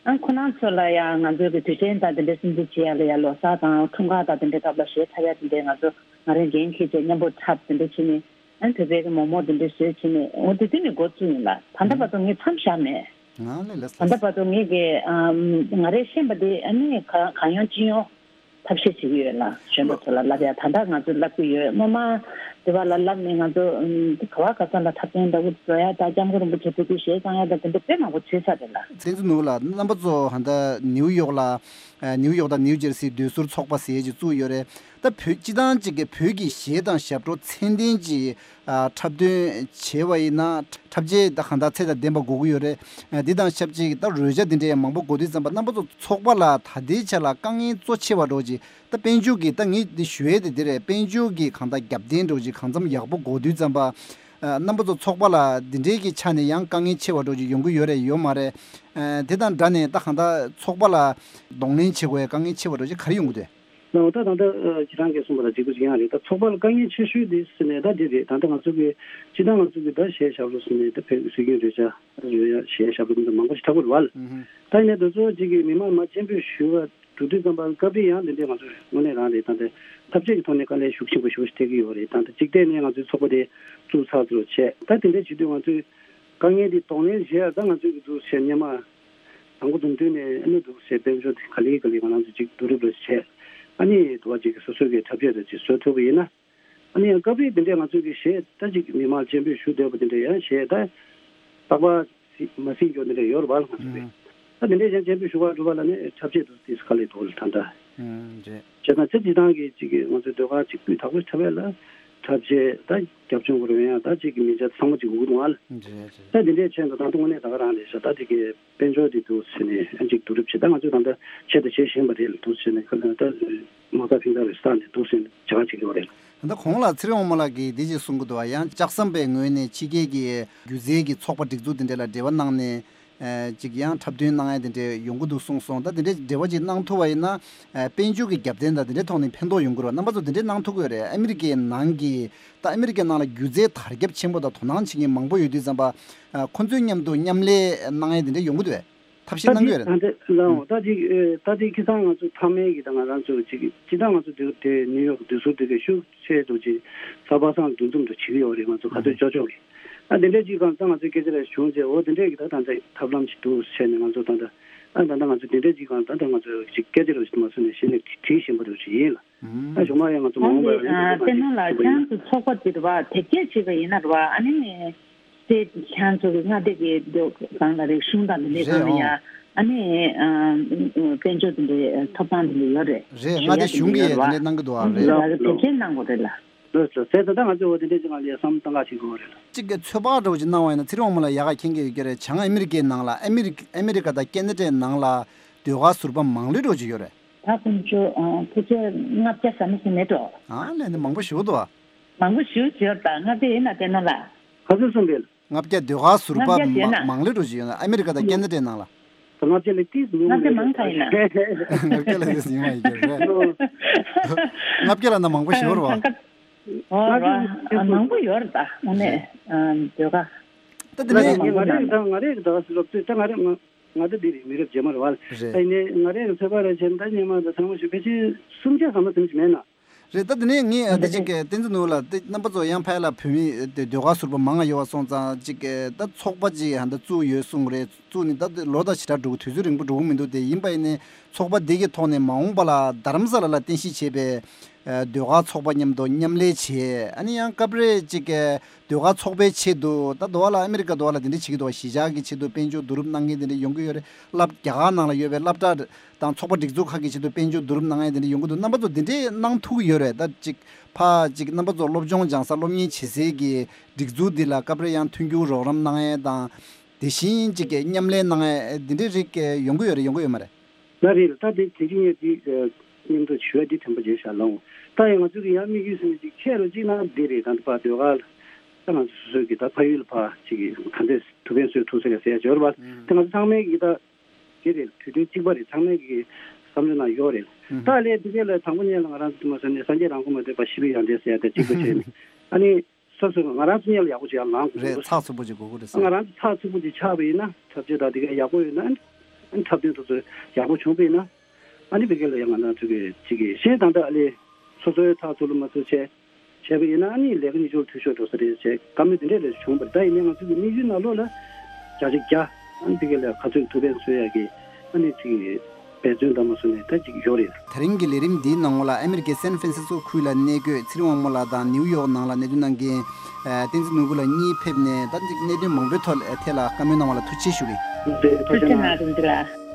ཨ་ཁོ་རང་ཚོ་ལ་ཡང་ང་ཚོའི་གི་དུས་ཆེན་དང་དེ་འདྲ་སྲུང་བརྩི་བྱེད་ཡ་ལ་ཡ་ལོ་གསར་དང་འཁྲུངས་སྐར་དང་དེ་འདྲའི་སྐབས་ལ་གཞས་འཁྲབ་ཡ་དེ་འདྲའི་ང་ཚོ་ང་རང་འགན་འཁྱེར་བྱས་མཉམ་པོ་འཁྲབ་དེ་འདྲ་བྱས་ནས་ཨ་ནི་བོད་པའི་གི་མོག་མོག་དེ་འདྲ་བཟོས་བྱས་ནས་འོ་དེ་དུས་ནས་འགོ་བཙུགས་ཡིན་ལ། ད་ལྟ་བར་དུ་ངས་མཚམས་བཞག་མེད། ང་ལས་ལས་ད་ལྟ་བར་དུ་ངས་གི་ང་རས་ཤེས་པ་དེ་ཨ་ནི་གང་གང་ཡོང་ཅི་ཡོང་ཐབས་ཤེས་བྱེད་ཀྱི་ཡོད་ལ། གཞོན་པ་ཚོ་ལ་བསླབ་ཡ་ད་ལྟ་ང་ཚོས་བསླབ་ཀྱི་ཡོད། སྔོན་མ་དེ་བ་ལ་བསླབ་ནས་ང་ཚོ་ག་བ་ག་ས་ལ་འཁྲབ་སྟོན་འདྲ་བོ་བཟོ་ཡ་དང་སྐྱབས་མགོན་རིན་པོ་ཆེ་ཕེབས་དུས་གཞས་བཏང་ཡ་དང་དེ་འདྲ་དཔེ་མང་པོ་བྱས་ཚར་རེད་ལ། བསྟན་འཛིན་ནོར་བུ་ལགས། རྣམ་པ་ཚོ་ཧ་ད་ནིའུ་ཡོག་ལ་ནིའུ་ཡོག་དང་ནིའུ་ཇར་སི་བསྡུས་གསོལ་ཚོགས་པ་ཟེར་ཅིག་བཙུགས་ཡོད་རེད། ད་བོད་སྤྱི་བཏང་ཅིག་གི་བོད་ཀྱི་གཞས་དང་ཞབས་བྲོ་ཚད་ལྡན་ཅིག་འཁྲབ་སྟོན་བྱས་པ་ཡིན་ན་འཁྲབ་ཆས་ད་གང་ལྟར་ཚད་དང་ལྡན་པ་དགོས་ཀྱི་ཡོད་རེད། འདི་དང་ཆབས་ཅིག་ད་རོལ་ཆ་འདི་འདྲའི་མང་པོ་དགོས་དུས་ཙམ་པ་རྣམ་པ་ཚོ་ཚོགས་པ་ལ་ད་ལྟའི་ཆ་ལ་དཀའ་ངལ་གཙོ་ཆེ་བ་འདྲ་ཅིག་ད་དཔལ་འབྱོར་གྱི་ད་ངས་འདི་ཞུ་ཡས་དེ་འདི་རེད། དཔལ་འབྱོར་གྱི་གང་ལྟར་རྒྱབ་རྟེན་འདྲ་ཅིག་གང་འཚམ་ཡག་པོ་དགོས་དུས་ཙམ་པ་རྣམ་པ་ཚོ་ཚོགས་པ་ལ་འདི་འདྲའི་གི་ཆ་ནས་ཡང་དཀའ་ངལ་ཆེ་བ་འདྲ་ཅིག་ཡོང་གི་ཡོད་རེད་ཡོད་མ་རེད། དེ་དང་འདྲ་ནས་ད་གང་ལྟར་ཚོགས་པ་ལ་གདོང་ལེན་བྱེད་དགོས་ཡ་དཀའ་ངལ་ཆེ་བ་འདྲ་ཅིག་ག་རེ་ཡོང་གི་འདུག་ལགས་འོ་ད་ད་ལྟ་ཁྱེད་རང་གིས་གསུངས་པ་ལ་གཅིག་པ་གཅིག་རྐྱང་རེད། ད་ཚོགས་པ་ལ་དཀའ་ངལ་ཆེ་ཤོས་དེ་ཟེར་ནས་ད་འདི་རེད། ད་ལྟ་ང་ཚོ་གི་སྤྱི་བཏང་ང་ཚོ་གི་ད་གཞས་ཞབས་བྲོ་ཟེར་ནས་ད་བོད་ཀྱི་སྲོལ་རྒྱུན་རོལ་ཆ་རོལ་ཡ་གཞས་ཞབས་བྲོ་མི་འདྲ་མང་པོ་ཞིག་འཁྲབ་ཀྱི་རེད་བ། ད་ཡིན་ནའི་དེ་ཚོ་གཅིག་གི་མི་མང་མ་སྤྱན་འབུལ་ཞུ་བ་འགྲོ་དུས་ཙམ་པ་སྐབས་རེ་ཡང་འདི་འདྲའི་ང་ཚོ་དངོས་གནས་རང་རེད། ད་ལྟ་འཐབ་ཇུས་ཀྱི་ཐོག་ནས་དཀའ་ལས་ཤུགས་ཆེན་པོ་ཞེ་པོ་ཞིག་འཕྲད་ཀྱི་ཡོད་རེད། ད་ལྟ་གཅིག་ཐད་ནས་ང་ཚོའི་ཚོགས་པ་དེ་བཙུགས་ཚར་ཚུལ་བྱས། ད་དེ་འདྲའི་བྱེད་དུས་ང་ཚོས་དཀའ་ངལ་འདི་གདོང་ལེན་བྱས། ད་ང་ཚོས་ཀྱི་འདུག་བྱས་སྔོན་མ། དང་པོ་དུམ་དུ་ནས་ཨ་ནི་འདུག་ཟེར། དཔལ་འབྱོར་དེ་ག་ལེ་ག་ལེ་ང་རང་ཚོ་ཅིག་བསྡུ་རུབ་རེ་བྱས། ཨ་ནི་དུ་བ་ཅིག་སོ་སོའི་གི་འཁྲབ་ཆས་རེ་ཅིག་བཟོ་ཐུབ་པ་ཡིན་ན། ཨ་ནི་ཡང་སྐབས་རེ་དེ་འདྲའི་ང་ཚོའི་གི་གཞས་ད་ཅིག་མི་མང་སྤྱན་འབུལ་ཞུ་འདོད་པ་དེ་འདྲ་ཡང་གཞས་ད་རྟག་པར་སི་མ་སྲིད་འགྱོ་དེ་འདྲ་ཡོད་རེད་བ་ལ། ང་ཚོ་གི་ད་དེ་འདྲའི་ཡང་སྤྱན་འབུལ་ཞུ་བར་འགྲོ་བ་ལ་ནི་འཁྲབ་ཆས་འདུག་དེ་ག་ལེ་འདུག་ལ་ད་ལྟ། ཨུམ། རེད། བྱས་ཙང་ཚེ་སྤྱི་བཏང་གི་ཅིག་གི་ང་ཚོའི་ཟློས་གར་ཅིག་སྤུས་དག་པོ་འཁྲབ་ཡས་ལ་འཁྲབ་ཆས་ད་རྒྱབ་ལྗོངས་ཀྱི་རོལ་དབྱངས་ད་ཅིག་གི་མི་ཆ་ཚང་མ་ཅིག་དགོས་ཀྱི་འདུག་ཨ་ལ། རེད་རེད། ད་དེ་འདྲའི་ཆེད་དུ་ད་དུང་དངོས་གནས་ད་ག་རང་རེད་ཤག་ད་དེ་གི་དཔལ་འབྱོར་དེ་འདུག་ཟེར་ནས་ཨ་ཅིག་བསྡུ་རུབ་བྱེད། ད་ང་ཚོས་ད་ལྟ་ཆེད་དུ་བྱེད་བཞིན་པ་རེད་ལ་འདུག་ཟེར་ནས་ཁ་ལ་ད་མ་རྩ་ཕན་ཐོགས་རེད་ས་ནས་འདུག་ཟེར་ནས་བྱ་བ་བྱེད་ཀྱི་ཡོད་རེད། ད་གོང་ལ་ཚེ་རིང་དབང་མོ་ལགས་ཀྱིས་འདི་ཅིག་གསུང་གི་འདུག་བ། ཡང་ལྕགས་ཟམ་པའི་ངོས་ནས་ཕྱི་རྒྱལ་གྱི་སྒྱུ་རྩལ་གྱི་ཚོགས་པ་སྒྲིག་འཛུགས་དེ་འདྲ་ལ་འབྲེལ་བ་གནང་ནས། ཨེ་ཅིག་ཡང་འཁྲབ་སྟོན་གནང་ཡ་དེ་འདྲས་ཡོང་གི་འདུག་གསུངས་སོང་། ད་དེ་འདྲས་འབྲེལ་བ་ཅིག་གནང་ཐུབ་པ་ཡིན་ན། ཨེ་དཔལ་འབྱོར་གྱི་རྒྱབ་རྟེན་དང་དེ་འདྲས་ཐོག་ནས་ཕན་ཐོགས་ཡོང་གི་རེད་བ། རྣམ་པ་ཚོ་དེ་འདྲས་གནང་ཐུབ་ཀྱི་ཡོད་རེད། ཨ་མི་རི་ཀའི་ནང་གི་ད་ཨ་མི་རི་ཀའི་ནང་ལ་སྒྱུ་རྩལ་དར་ཁྱབ་ཆེན་པོ་དང་དོ་སྣང་བྱེད་མཁན་མང་པོ་ཡོད་དུས་ཙམ་པ། ཨ་ཁོ་ཚོའི་མཉམ་དུ་མཉམ་ལས་གནང་ཡ་དེ་འདྲས་ཡོང་གི་འདུག་བས། ཐབས་ཤེས་ད་གནང་གི་ཡོད་རེད། ད་ལྟ་ལའོ་ད་ཅིག་ཨེ་ད་ཅིག་ཁ་སང་ང་ཚོ་ཚང་མའི་གི་ད་ང་རང་ཚོ་ཅིག་ཅི་ད་ང་ཚོ་དེ་དེ་ནིའུ་ཡོག་དུས་ཚོད་དེ་ག་ཤུགས་ཆེ་འདུག་ཅིག་ས་པ་སངས་འདུ་འཛོམས་འདུ་བྱེད་ཀྱི་ཡོད་རེད། ང་ཚོ་ག་ཚོད་ལྕོག་ལྕོག་གི་ཨ་དེ་འདྲས་ཅིག་གང་ལྟར་ང་ཚོའི་སྐད་ཆ་རེ་བྱུང་རྗེས་འོ་དེ་འདྲས་གི་ད་ད་ལྟ་ཐབས་ལམ་ཞིག་འདུག་བྱས་ནས་ང་ཚོ་ད་ལྟ་ཨ་ད་ལྟ་ང་ཚོ་དེ་འདྲས་ཅིག་གང་ད་ལྟ་ང་ཚོ་ཅིག་སྐད་ཆ་རེ་ཞིག་མ་སོང་ནས་གཞི་ནས་དྲིས་བཞིན་པ་རེ་ཞིག་ཡིན་ལ། ཨ་གཞུག་མ་ཡང་ང་ཚོ་མ་འོངས་པར་ཡང་ཨ་དེ་ནང་ལ་ཁྱེད་རང་ཚོ་ཚོགས་པ་དེ་རེད་བ་དེབ་སྐྱེལ་བྱས་པ་ཡིན་ན་རེད་བ། ཨ་ནི་སྟེ་ཁྱེད་རང་ཚོ་གི་མངའ་སྡེ་གི་སྒང་ལ་རིག་གཞུང་དང་དེ་འདྲའི་སྒང་ལ་ཡ་ཨ་ནི་དཔལ་འབྱོར་དེ་འདྲའི་ཐོབ་ཐང་དེ་འདྲ་ཡོད་རེད། རེད། མངའ་སྡེ་གཞུང་གིས་དེ་འདྲའི་གནང་གི་འདུག་ཨ། རེད། དེབ་སྐྱེལ་གནང་དགོས་རེད་ལ། ལགས་སོ། ད་ད་ང་ཚོས་འོ་དེ་འདྲའི་ཅིག་ལ་བསམ་བློ་གཏང་ག་བྱེད་དགོས་རེད་ལ། གཅིག་གི་ཚོད་དཔག་འདྲ་བོ་ཅིག་གནང་བ་ཡིན་ན་ཚེ་རིང་དབང་མོ་ལགས་ཡག་ག་མཁྱེན་གྱི་ཡོད་ཀྱི་རེད། བྱང་ཨ་མི་རི་ཀའི་ནང་ལ་ཨ་མི་རི་ཨ་མི་རི་ཀ་དང་ཁེ་ན་ཌའི་ནང་ལ་ཟློས་གར་ཟུར་པ་མང་ལོས་འདྲ་བོ་ཅིག་ཡོད་རེད། ད་ཁོང་ཚོ་ཕལ་ཆེར་ལྔ་བརྒྱ་ཟ་མ་ཟིན་མེད་འགྲོ། ཨ་ལས་ནི་མང་པོ་ཞིག་འདུག་ཨ། མང་པོ་ཞིག་ཡོད་ད་ལྔ་བརྒྱ་ཡིན་ན་དེ་ནང་ལ། ག་ཚོད་གསུངས་པས། ལྔ་བརྒྱ་ཟློས་གར་ཟུར་པ་ལྔ་བརྒྱ་ཟེར་ན། མང་ལོས་འགྲོ་ཞིག་ཡོད་ན་ཨ་མི་རི་ཀ་དང་ཁེ་ན་ཌའི་ནང་ལ། ལྔ་བརྒྱ་ལས་ཏིས་ཉུང་ལྔ་བརྒྱ་མང་ཙམ་ཡིན་ན། ལྔ་བརྒྱ་ལས་ཏིས་ཉུང་བ་ཡིན་གྱི་རེད། ལྔ་བརྒྱ་ལ་ན་མང་པོ་ཞིག་ཡོད་རེད་བ། ཨོ་ར་མང་པོ་ཡོད་རེད་ད་དངོས་གནས་ཟློས་གར། ད་དེ་ནས་ང་རེ་ད་ང་རེ་ད་སུ་རབ་ད་ང་རེ་ང་ང་ད་འདི་རེད། མི་རབས་རྗེས་མ་རེད་བ། རེད། ད་ཡིན་ནའི་ང་རེ་ཚོད་པ་རེ་བྱས་ན་ད་སྔོན་མ་ད་ཚང་མ་ཞིག་ཕལ་ཆེར་སུམ་བརྒྱ་ཟ་མ་ཟིན་གྱི་མེད་ན། རེད། ད་དེ་ནས་ངས་ད་ཅིག་གི་བསྟན་འཛིན་ནོར་བུ་ལགས་དེ་རྣམ་པ་ཚོ་ཡང་ཕ་ཡ་ལ་བོད་མི་དེ་ཟློས་གར་ཟུར་པ་མང་ང་ཡོད་པ་སོང་ཙང་ཅིག་གི་ད་ཚོགས་པ་ཅིག་ཧ་ད་བཙུགས་ཡོད་གསུངས་རེད། བཙུགས་ནས་ད་ལོ་ད་ཞེ་དྲག་འགྲོ་གི་དུས་ཚོད་རིང་པོ་འགྲོ་གི་མི་འདུག་དེ་ཡིན་པ་ཡིན་ནའི་ ཚོགས་པ་འདི་གི་ཐོག་ནས་མ་འོངས་པ་ལ་རྡ་རམ་ས་ལ་ལ་རྟེན་གཞི་བྱས་པའི་ཨ་ཟློས་གར་ཚོགས་པ་མཉམ་དུ་མཉམ་ལས་བྱས། ཨ་ནི་ཡང་སྐབས་རེ་ཅིག་གི་ཟློས་གར་ཚོགས་པའི་ཆེད་དུ་ད་འདི་བ་ལ་ཨ་མི་རི་ཀ་འདི་བ་ལ་འདི་འདྲ་བྱེད་ཀྱི་འདུག་བ། གཞིས་ཆགས་ཀྱི་ཆེད་དུ་དཔལ་འབྱོར་བསྡུ་རུབ་གནང་མཁན་འདི་འདྲ་ཡོང་གི་ཡོད་རེད། སློབ་རྒྱ་གར་ནང་ལ་ཡོད་པའི་སློབ་གྲྭ་དང་ཚོགས་པ་སྒྲིག་འཛུགས་ཁག་གི་ཆེད་དུ་དཔལ་འབྱོར་བསྡུ་རུབ་གནང་མཁན་འདི་འདྲ་ཡོང་གི་འདུག་རྣམ་པ་ཚོ་འདི་འདྲས་གནང་ཐུབ་ཀྱི་ཡོད་རེད། ད་ཅིག་ཕ་ཅིག་རྣམ་པ་ཚོ་སློབ་སྦྱོང་སྦྱང་ས་སློབ་གཉེར་བྱེད་སའི་གི་སྒྲིག་འཛུགས་འདི་ལ་སྐབས་རེ་ཡང་མཐུན་འགྱུར་རོགས་རམ་གནང་ཡས་དང་། དེ་བཞིན་ཅིག་གི་མཉམ་ལས་གནང་ཡས་འདི་འདྲའི་རིགས་ཡོང་གི་ཡོད་རེད། ཡོང་གི་ཡོད་མ་རེད། ལགས་རེད། ད་དེ་དེ་རིང་ངས་འདི་མཉམ་དུ་ཞུ་ཡ་འདི་དྲན་པ་བརྗེད་བཞག་ལགས། ད་ཡང་ང་ཚོ་གི་ཡང་དམིགས་ཡུལ་ཟེར་ན་ཅིག་ཁྱེད་རང་གཅིག་ན་འདི་རེད། ད་ལྟ་ཕར་ཟློས་གར་ད་ང་ཚོ་སོ་སོའི་གི་ད་ཕ་ཡུལ་ལ་ཕར་ཅིག་ག་འདྲས་ཐུགས་ཕན་གསོས་ཐུབ་ཟེར་ཟེར་ཡ་ཡོད་རེད་པ། དེ་ང་ཚོ་ཚང་མའི་གི་ད་དེ་རེད། དུས་སྟོན་གཅིག་པ་རེད། ཚང་མའི་གི་བསམ་བློའི་ནང་ཡོད་རེད། ད་ལས་འདི་གས་ལ་དང་པོ་ཉིད་ལ་ང་རང་ཚོ་མ་ཟེར་ནས་སངས་རྒྱས་རང་མགོན་མ་ཐོན་པ་ཤི་བའི་ཡང་འདྲེ་ཟེར་ཡ་དེ་གཅིག་པ་བྱས་ནས། ཨ་ནི། སོ་སོ་ང་རང་ཚོ་གཉིས་ལ་ཡག་པོ་ཅིག་ཡར་ལངས་དགོས་རེད། འདུག་ཚགས་ཚུད་པོ་ཅིག་དགོས་ཀྱི་རེད་ཟེར། ང་རང་ཚོ་ཚགས་ཚུད་པོ་ཅིག་ཆགས་པ་ཡིན་ན་འཁྲབ་ཆས་དང་དེ་ག་ཡག་པོ་ཡོད་ན། ཨ་ནི་འཁྲབ་སྟོན་དེ་ཚོ་ཡག་པོ་བྱུང་པ་ཡིན་ན། ཨ་ནི་བི་གེ་ལ་ཡང་ང་རང་ཚོ་གི་ཅིག་གི་གཞན་དང་འདྲ་ཨ་ལས་སོ་སོའི་ཚགས་ཚུད་ལ་མ་ཚུད་བྱས་བྱས་པ་ཡིན་ན། ཨ་ནི་ལས་ཀ་ཉིད་ཆུང་འཐུས་ཤོར་འགྲོ་ས་རེད་བྱས་བཀའ་མོལ་དེ་འདྲས་ལས་བྱུང་བ་རེད། ད་ཡིན་ནའི་ང་ཚོ་གི་དམིགས་ཡུལ་ནང་ལོགས་ལ་བརྒྱ་ཆ་བརྒྱ་ཨ་ནི་བི་གེ་ལ་ག་ཚོད་ཐུགས་ཕན་གསོས་ཡག་གི་ཨ་ནི་ཅིག་གི་འབད་བརྩོན་དང་མ་སོང་ནས་ད་ཅིག་ཡོད་རེད། དེ་རིང་གི་ལས་རིམ་འདིའི་ནང་ལ་ཨ་མེ་རི་ཀའི་སན་ཧྥ་རན་སིས་ཀོ་ཁུལ་ལ་གནས་འཁོད་ཚེ་རིང་དབང་མོ་ལགས་དང་ནིའུ་ཡོག་ནང་ལ་གནས་སྡོད་གནང་མཁན་བསྟན་འཛིན་ནོར་བུ་ལགས་གཉིས་ཕེབས་ནས་ད་ཅིག་གནད་དོན་མང་པོའི་ཐོག་ཐད་ལ་བཀའ་མོལ་གནང་བ་ལ་ཐུགས་རྗེ་ཆེ་ཞུ་གི། ཐུགས་རྗེ་གནང་། རིན་པོ་ཆེ་ལགས།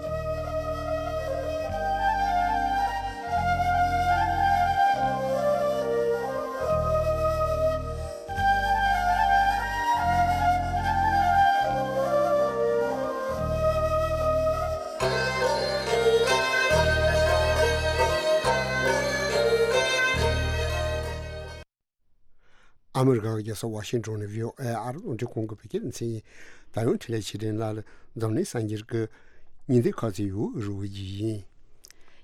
ཨ་མི་རི་ཀ་གི་རྒྱལ་ས་ཝ་ཤིང་ཊོན་ནས་བྷི་ཨོ་ཨེ་ཨ་རི་རླུང་འཕྲིན་ཁང་གི་བོད་སྐད་སྡེ་ཚན་ཡིན། ད་ཡང་འཕྲིན་ལས་ཆེ་འབྲིང་ལགས་ལ་འཛམ་གླིང་གསར་འགྱུར་གྱི་ཉིན་དེ་ཁ་ཚིག་ཡོད་རུ་བ་ཡིན།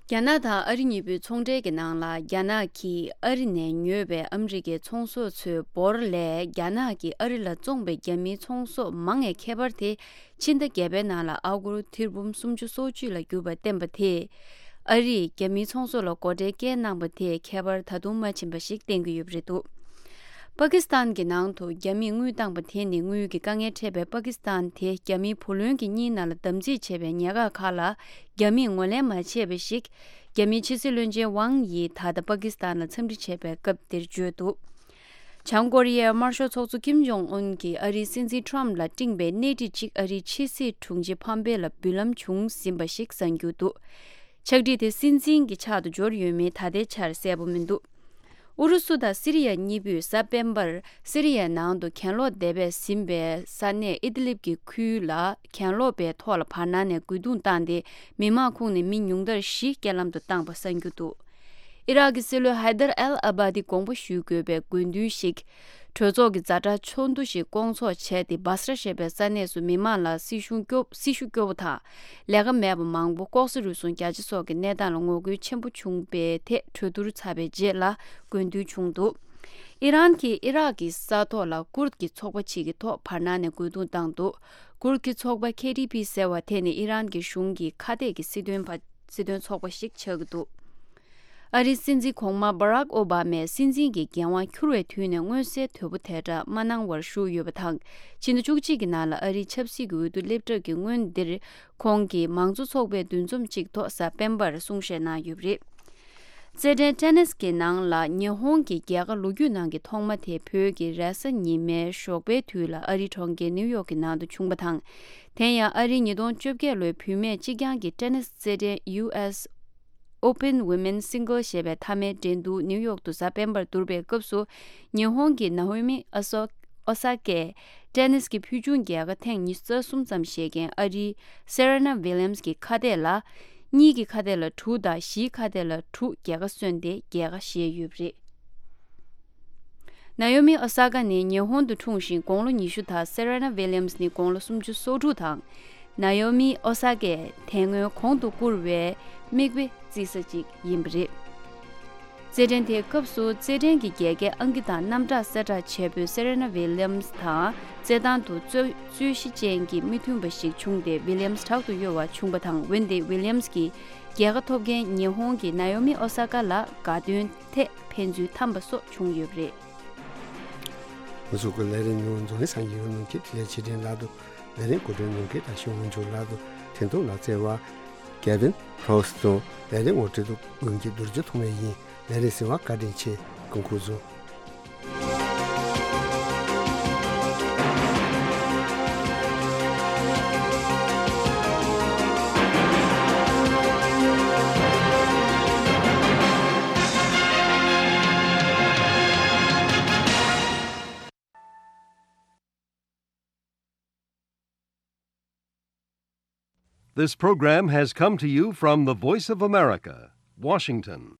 རྒྱ་ནག་དང་ཨ་རི་གཉིས་པོའི་ཚོང་འབྲེལ་གྱི་ནང་ལ་རྒྱ་ནག་གིས་ཨ་རི་ནས་ཉོས་པའི་ཨ་མི་རི་ཀའི་ཚོང་ཟོག་ཚོའི་འབོར་ལས་རྒྱ་ནག་གིས་ཨ་རི་ལ་བཙོངས་པའི་རྒྱ་མིའི་ཚོང་ཟོག་མང་བའི་ཁྱད་པར་དེ་ཕྱི་ཟླ་བརྒྱད་པའི་ནང་ལ་ཨ་སྒོར་ཐེར་འབུམ་སུམ་ཅུ་སོ་བཅུ་ལ་གྱུར་པ་བསྟན་པ་དེས་ཨ་རིས་རྒྱ་མིའི་ཚོང་ཟོག་ལ་སྒོ་ཁྲལ་བཀལ་གནང་པ་དེས་ཁྱད་པར་ད་དུང་མ་ཕྱིན་པ་ཞིག་བསྟན་གྱི་ཡོད་པ་རེད་འདུག་པ་ཀི་སི་ཐན་གྱི་ནང་དུ་རྒྱ་མིས་དངུལ་བཏང་པ་དེ་ནི་དངུལ་གྱི་དཀའ་ངལ་འཕྲད་པའི་པ་ཀི་སི་ཐན་དེ་རྒྱ་མིའི་བུ་ལོན་གྱི་གཉིས་ནང་ལ་དམ་ཚིག་བྱས་པའི་ཉེན་ཁ་ཁག་ལ་རྒྱ་མིས་ངོས་ལེན་མ་བྱས་པ་ཞིག་རྒྱ་མིའི་ཕྱི་སྲིད་བློན་ཆེན་ཝང་ཡིས་ད་ལྟ་པ་ཀི་སི་ཐན་ལ་འཚམས་འདྲི་བྱས་པའི་སྐབས་དེར་བརྗོད་འདུག་བྱང་ཀོ་རི་ཡའི་དམར་ཤོག་ཚོགས་གཙོ་ཀིམ་ཇོང་ཨུན་གྱིས་ཨ་རིའི་སྲིད་འཛིན་ཁྲོམ་ལ་སྤྲིངས་པའི་སྣེ་ཁྲིད་ཅིག་ཨ་རིའི་ཕྱི་སྲིད་དྲུང་ཆེ་ཕམ་པེ་ལ་འབུལ་ལམ་བྱུང་ཟིན་པ་ཞིག་གསན་རྒྱུ་འདུག་ཕྱག་བྲིས་དེ་སྲིད་འཛིན་གྱི་ཕྱག་ཏུ་འབྱོར་ཡོད་མེད་ད་ལྟའི་ཆར་གསལ་པོ་མི་འདུག་ཨུ་རུ་སུ་དང་སི་རི་ཡ་གཉིས་པོས་གཟའ་སྤེན་པར་སི་རི་ཡའི་ནང་དུ་གྱེན་ལོག་སྡེ་བས་ཟིན་པའི་ས་གནས་ཨི་དི་ལིབ་ཀྱི་ཁུལ་ལ་གྱེན་ལོག་པའི་ཐོག་ལ་བར་སྣང་ནས་རྒོལ་རྡུང་བཏང་སྟེ་མི་མང་ཁོངས་ནས་མི་ཉུང་མཐར་བཞི་རྐྱེན་ལམ་དུ་བཏང་པ་གསན་རྒྱུ་འདུག་ཨི་རག་གི་སྲིད་བློན་ཧའི་དར་ཨལ་ཨ་བྷ་དི་དགོངས་པ་ཞུ་དགོས་པའི་དགོས་འདུན་ཞིག་གྲོས་ཚོགས་ཀྱི་ཛ་དྲག་ཚོགས་འདུ་ཞིག་བསྐོང་ཚོགས་བྱས་ཏེ་སྦ་སྲ་ཞེས་པའི་ས་གནས་སུ་མི་མང་ལ་སྲི་ཞུ་སྐྱོ་སྲི་ཞུ་སྐྱོ་བོ་དང་ལས་ཀ་མེད་པ་མང་པོ་ལྐོག་ཟ་རུལ་སུངས་རྒྱ་ཆེ་སོགས་ཀྱི་གནས་སྟངས་ལ་ངོ་རྒོལ་ཆེན་པོ་བྱུང་བའི་ཐད་གྲོས་བསྡུར་ཚར་བའི་རྗེས་ལ་དགོས་འདུན་བྱུང་འདུག་ཨི་རན་གྱིས་ཨི་རག་གི་ས་ཐོག་ལ་ཀུར་དཀྱི་ཚོགས་པ་ཅིག་གི་ཐོག་བར་སྣང་ནས་རྒོལ་རྡུང་བཏང་འདུག་ཀུར་དཀྱི་ཚོགས་པ་ཁེ་ཏི་པི་ཟེར་བ་དེ་ནི་ཨི་རན་གྱི་གཞུང་གི་ཁ་གཏད་ཀྱི་སྲིད་དོན་པ་སྲིད་དོན་ཚོགས་པ་ཞིག་ཆགས་ཀྱི་འདུག་ཨ་རིའི་སྲིད་འཛིན་གོང་མ་སྦ་རག་ཨོ་བྷ་མས་སྲིད་འཛིན་གྱི་འགན་དབང་འཁྱུར་བའི་དུས་ནས་མངོན་གསལ་དོད་པོ་དེ་འདྲ་མ་གནང་བར་བཞུགས་ཡོད་པ་དང་། ཕྱི་ཟླ་བཅུ་གཅིག་གི་ནང་ལ་ཨ་རིའི་ཆབ་སྲིད་ཀྱི་འོས་བསྡུ་སླེབས་གྲབས་ཀྱི་སྔོན་འདིར་ཁོང་གིས་མང་གཙོ་ཚོགས་པའི་འདུ་འཛོམས་གཅིག་ཐོག་གཟའ་སྤེན་པར་གསུང་བཤད་གནང་ཡོད་པ་རེད། རྩེད་འགྲན་ཊེ་ནིས་ཀྱི་ནང་ལ་ཉི་ཧོང་གི་རྒྱལ་ཁ་ལོ་རྒྱུས་ནང་གི་ཐོག་མ་དེ་བོད་ཀྱི་རེས་གཟའ་ཉི་མའི་ཞོགས་པའི་དུས་ལ་ཨ་རིའི་གྲོང་ཁྱེར་ནིའུ་ཡོག་གི་ནང་དུ་བྱུང་བ་དང་། དེ་ཡང་ཨ་རིའི་ཉིས་སྟོང་བཅོ་བརྒྱད་ལོའི་བུད་མེད་གཅིག་རྐྱང་གི་ཊེ་ནིས་རྩེད་འགྲན་ཡུ་ཨེས་Open Women's Singles ཞེས་པའི་མཐའ་མའི་འགྲན་བསྡུར་ནིའུ་ཡོག་ཏུ་གཟའ་སྤེན་པར་བསྡུར་བའི་སྐབས་སུ་ཉི་ཧོང་གི་ནཱ་ཡོ་མི་ཨོ་སོ་ཨོ་ས་ཀས་ཊེ་ནིས་ཀྱི་ཕུལ་བྱུང་རྒྱལ་ཁ་ཐེངས་ཉི་ཤུ་རྩ་གསུམ་ཙམ་བཞེས་མཁན་ཨ་རིའི་སེ་རེ་ན་ཝི་ལི་ཡམ་སི་གི་ཁ་གཏད་ལ་གཉིས་ཀྱི་ཁ་གཏད་ལ་དྲུག་དང་བཞིའི་ཁ་གཏད་ལ་དྲུག་རྒྱལ་ཁ་སོན་ཏེ་རྒྱལ་ཁ་བཞེས་ཡོད་པ་རེད། ནཱ་ཡོ་མི་ཨོ་ས་ཀ་ནི་ཉི་ཧོང་དུ་འཁྲུངས་ཤིང་དགུང་ལོ་ཉི་ཤུ་དང་སེ་རེ་ན་ཝི་ལི་ཡམ་སི་ནི་དགུང་ལོ་སུམ་ཅུ་སོ་དྲུག་དང་། ནཱ་ཡོ་མི་ཨོ་ས་ཀས་དེ་སྔོན་གོང་དུ་བཀུར་བའི་མིག་དཔེ་བརྩི་ས་ཅིག་ཡིན་པ་རེད། རྩེད་འགྲན་དེའི་སྐབས་སུ་རྩེད་འགྲན་གྱི་རྒྱལ་ཁའི་ཨང་ཀི་དང་རྣམ་གྲངས་གསལ་བསྒྲགས་བྱས་པའི་སེ་རེ་ན་ཝི་ལི་ཡམ་སི་དང་རྩེད་ཐང་དུ་རྩོད་རྩོད་གཞི་ཅན་གྱི་མི་མཐུན་པ་ཞིག་བྱུང་སྟེ་ཝི་ལི་ཡམ་སི་དྲག་ཏུ་གཡོ་བ་བྱུང་བ་དང་། འོན་ཏེ་ཝི་ལི་ཡམ་སི་གིས་རྒྱལ་ཁ་ཐོབ་མཁན་ཉི་ཧོང་གི་ནཱ་ཡོ་མི་ཨོ་ས་ཀ་ལ་དགའ་སྟོན་ཐད་ཕན་ཚུན་འཐམས་པ་སོགས་བྱུང་ཡོད་པ་རེད། ང་ཚོ་གི་ལས་རིམ་ནང་འཛམ་གླིང་གསར་འགྱུར་ནང་གི་དེ་ལས་ཆེ་འབྲིང་ལགས་དང་ལས་རིམ་གོ་སྒྲིག་གནང་མཁན་དང་ཤེས་དབང་ཕྱུག་ལགས་དང་འཕྲིན་ཐོག་ལ་བརྩེ་བ། Kevin Rose དང་ལས་རིམ་ངོ་སྤྲོད་དུ་ངོས་ཀྱི་རྡོ་རྗེ་ཐོགས་མེད་ཡིན། ལས་རིམ་གསན་པར་བཀའ་དྲིན་ཆེ། སྐུ་ཁམས་བཟང་། This program has come to you from the Voice of America, Washington.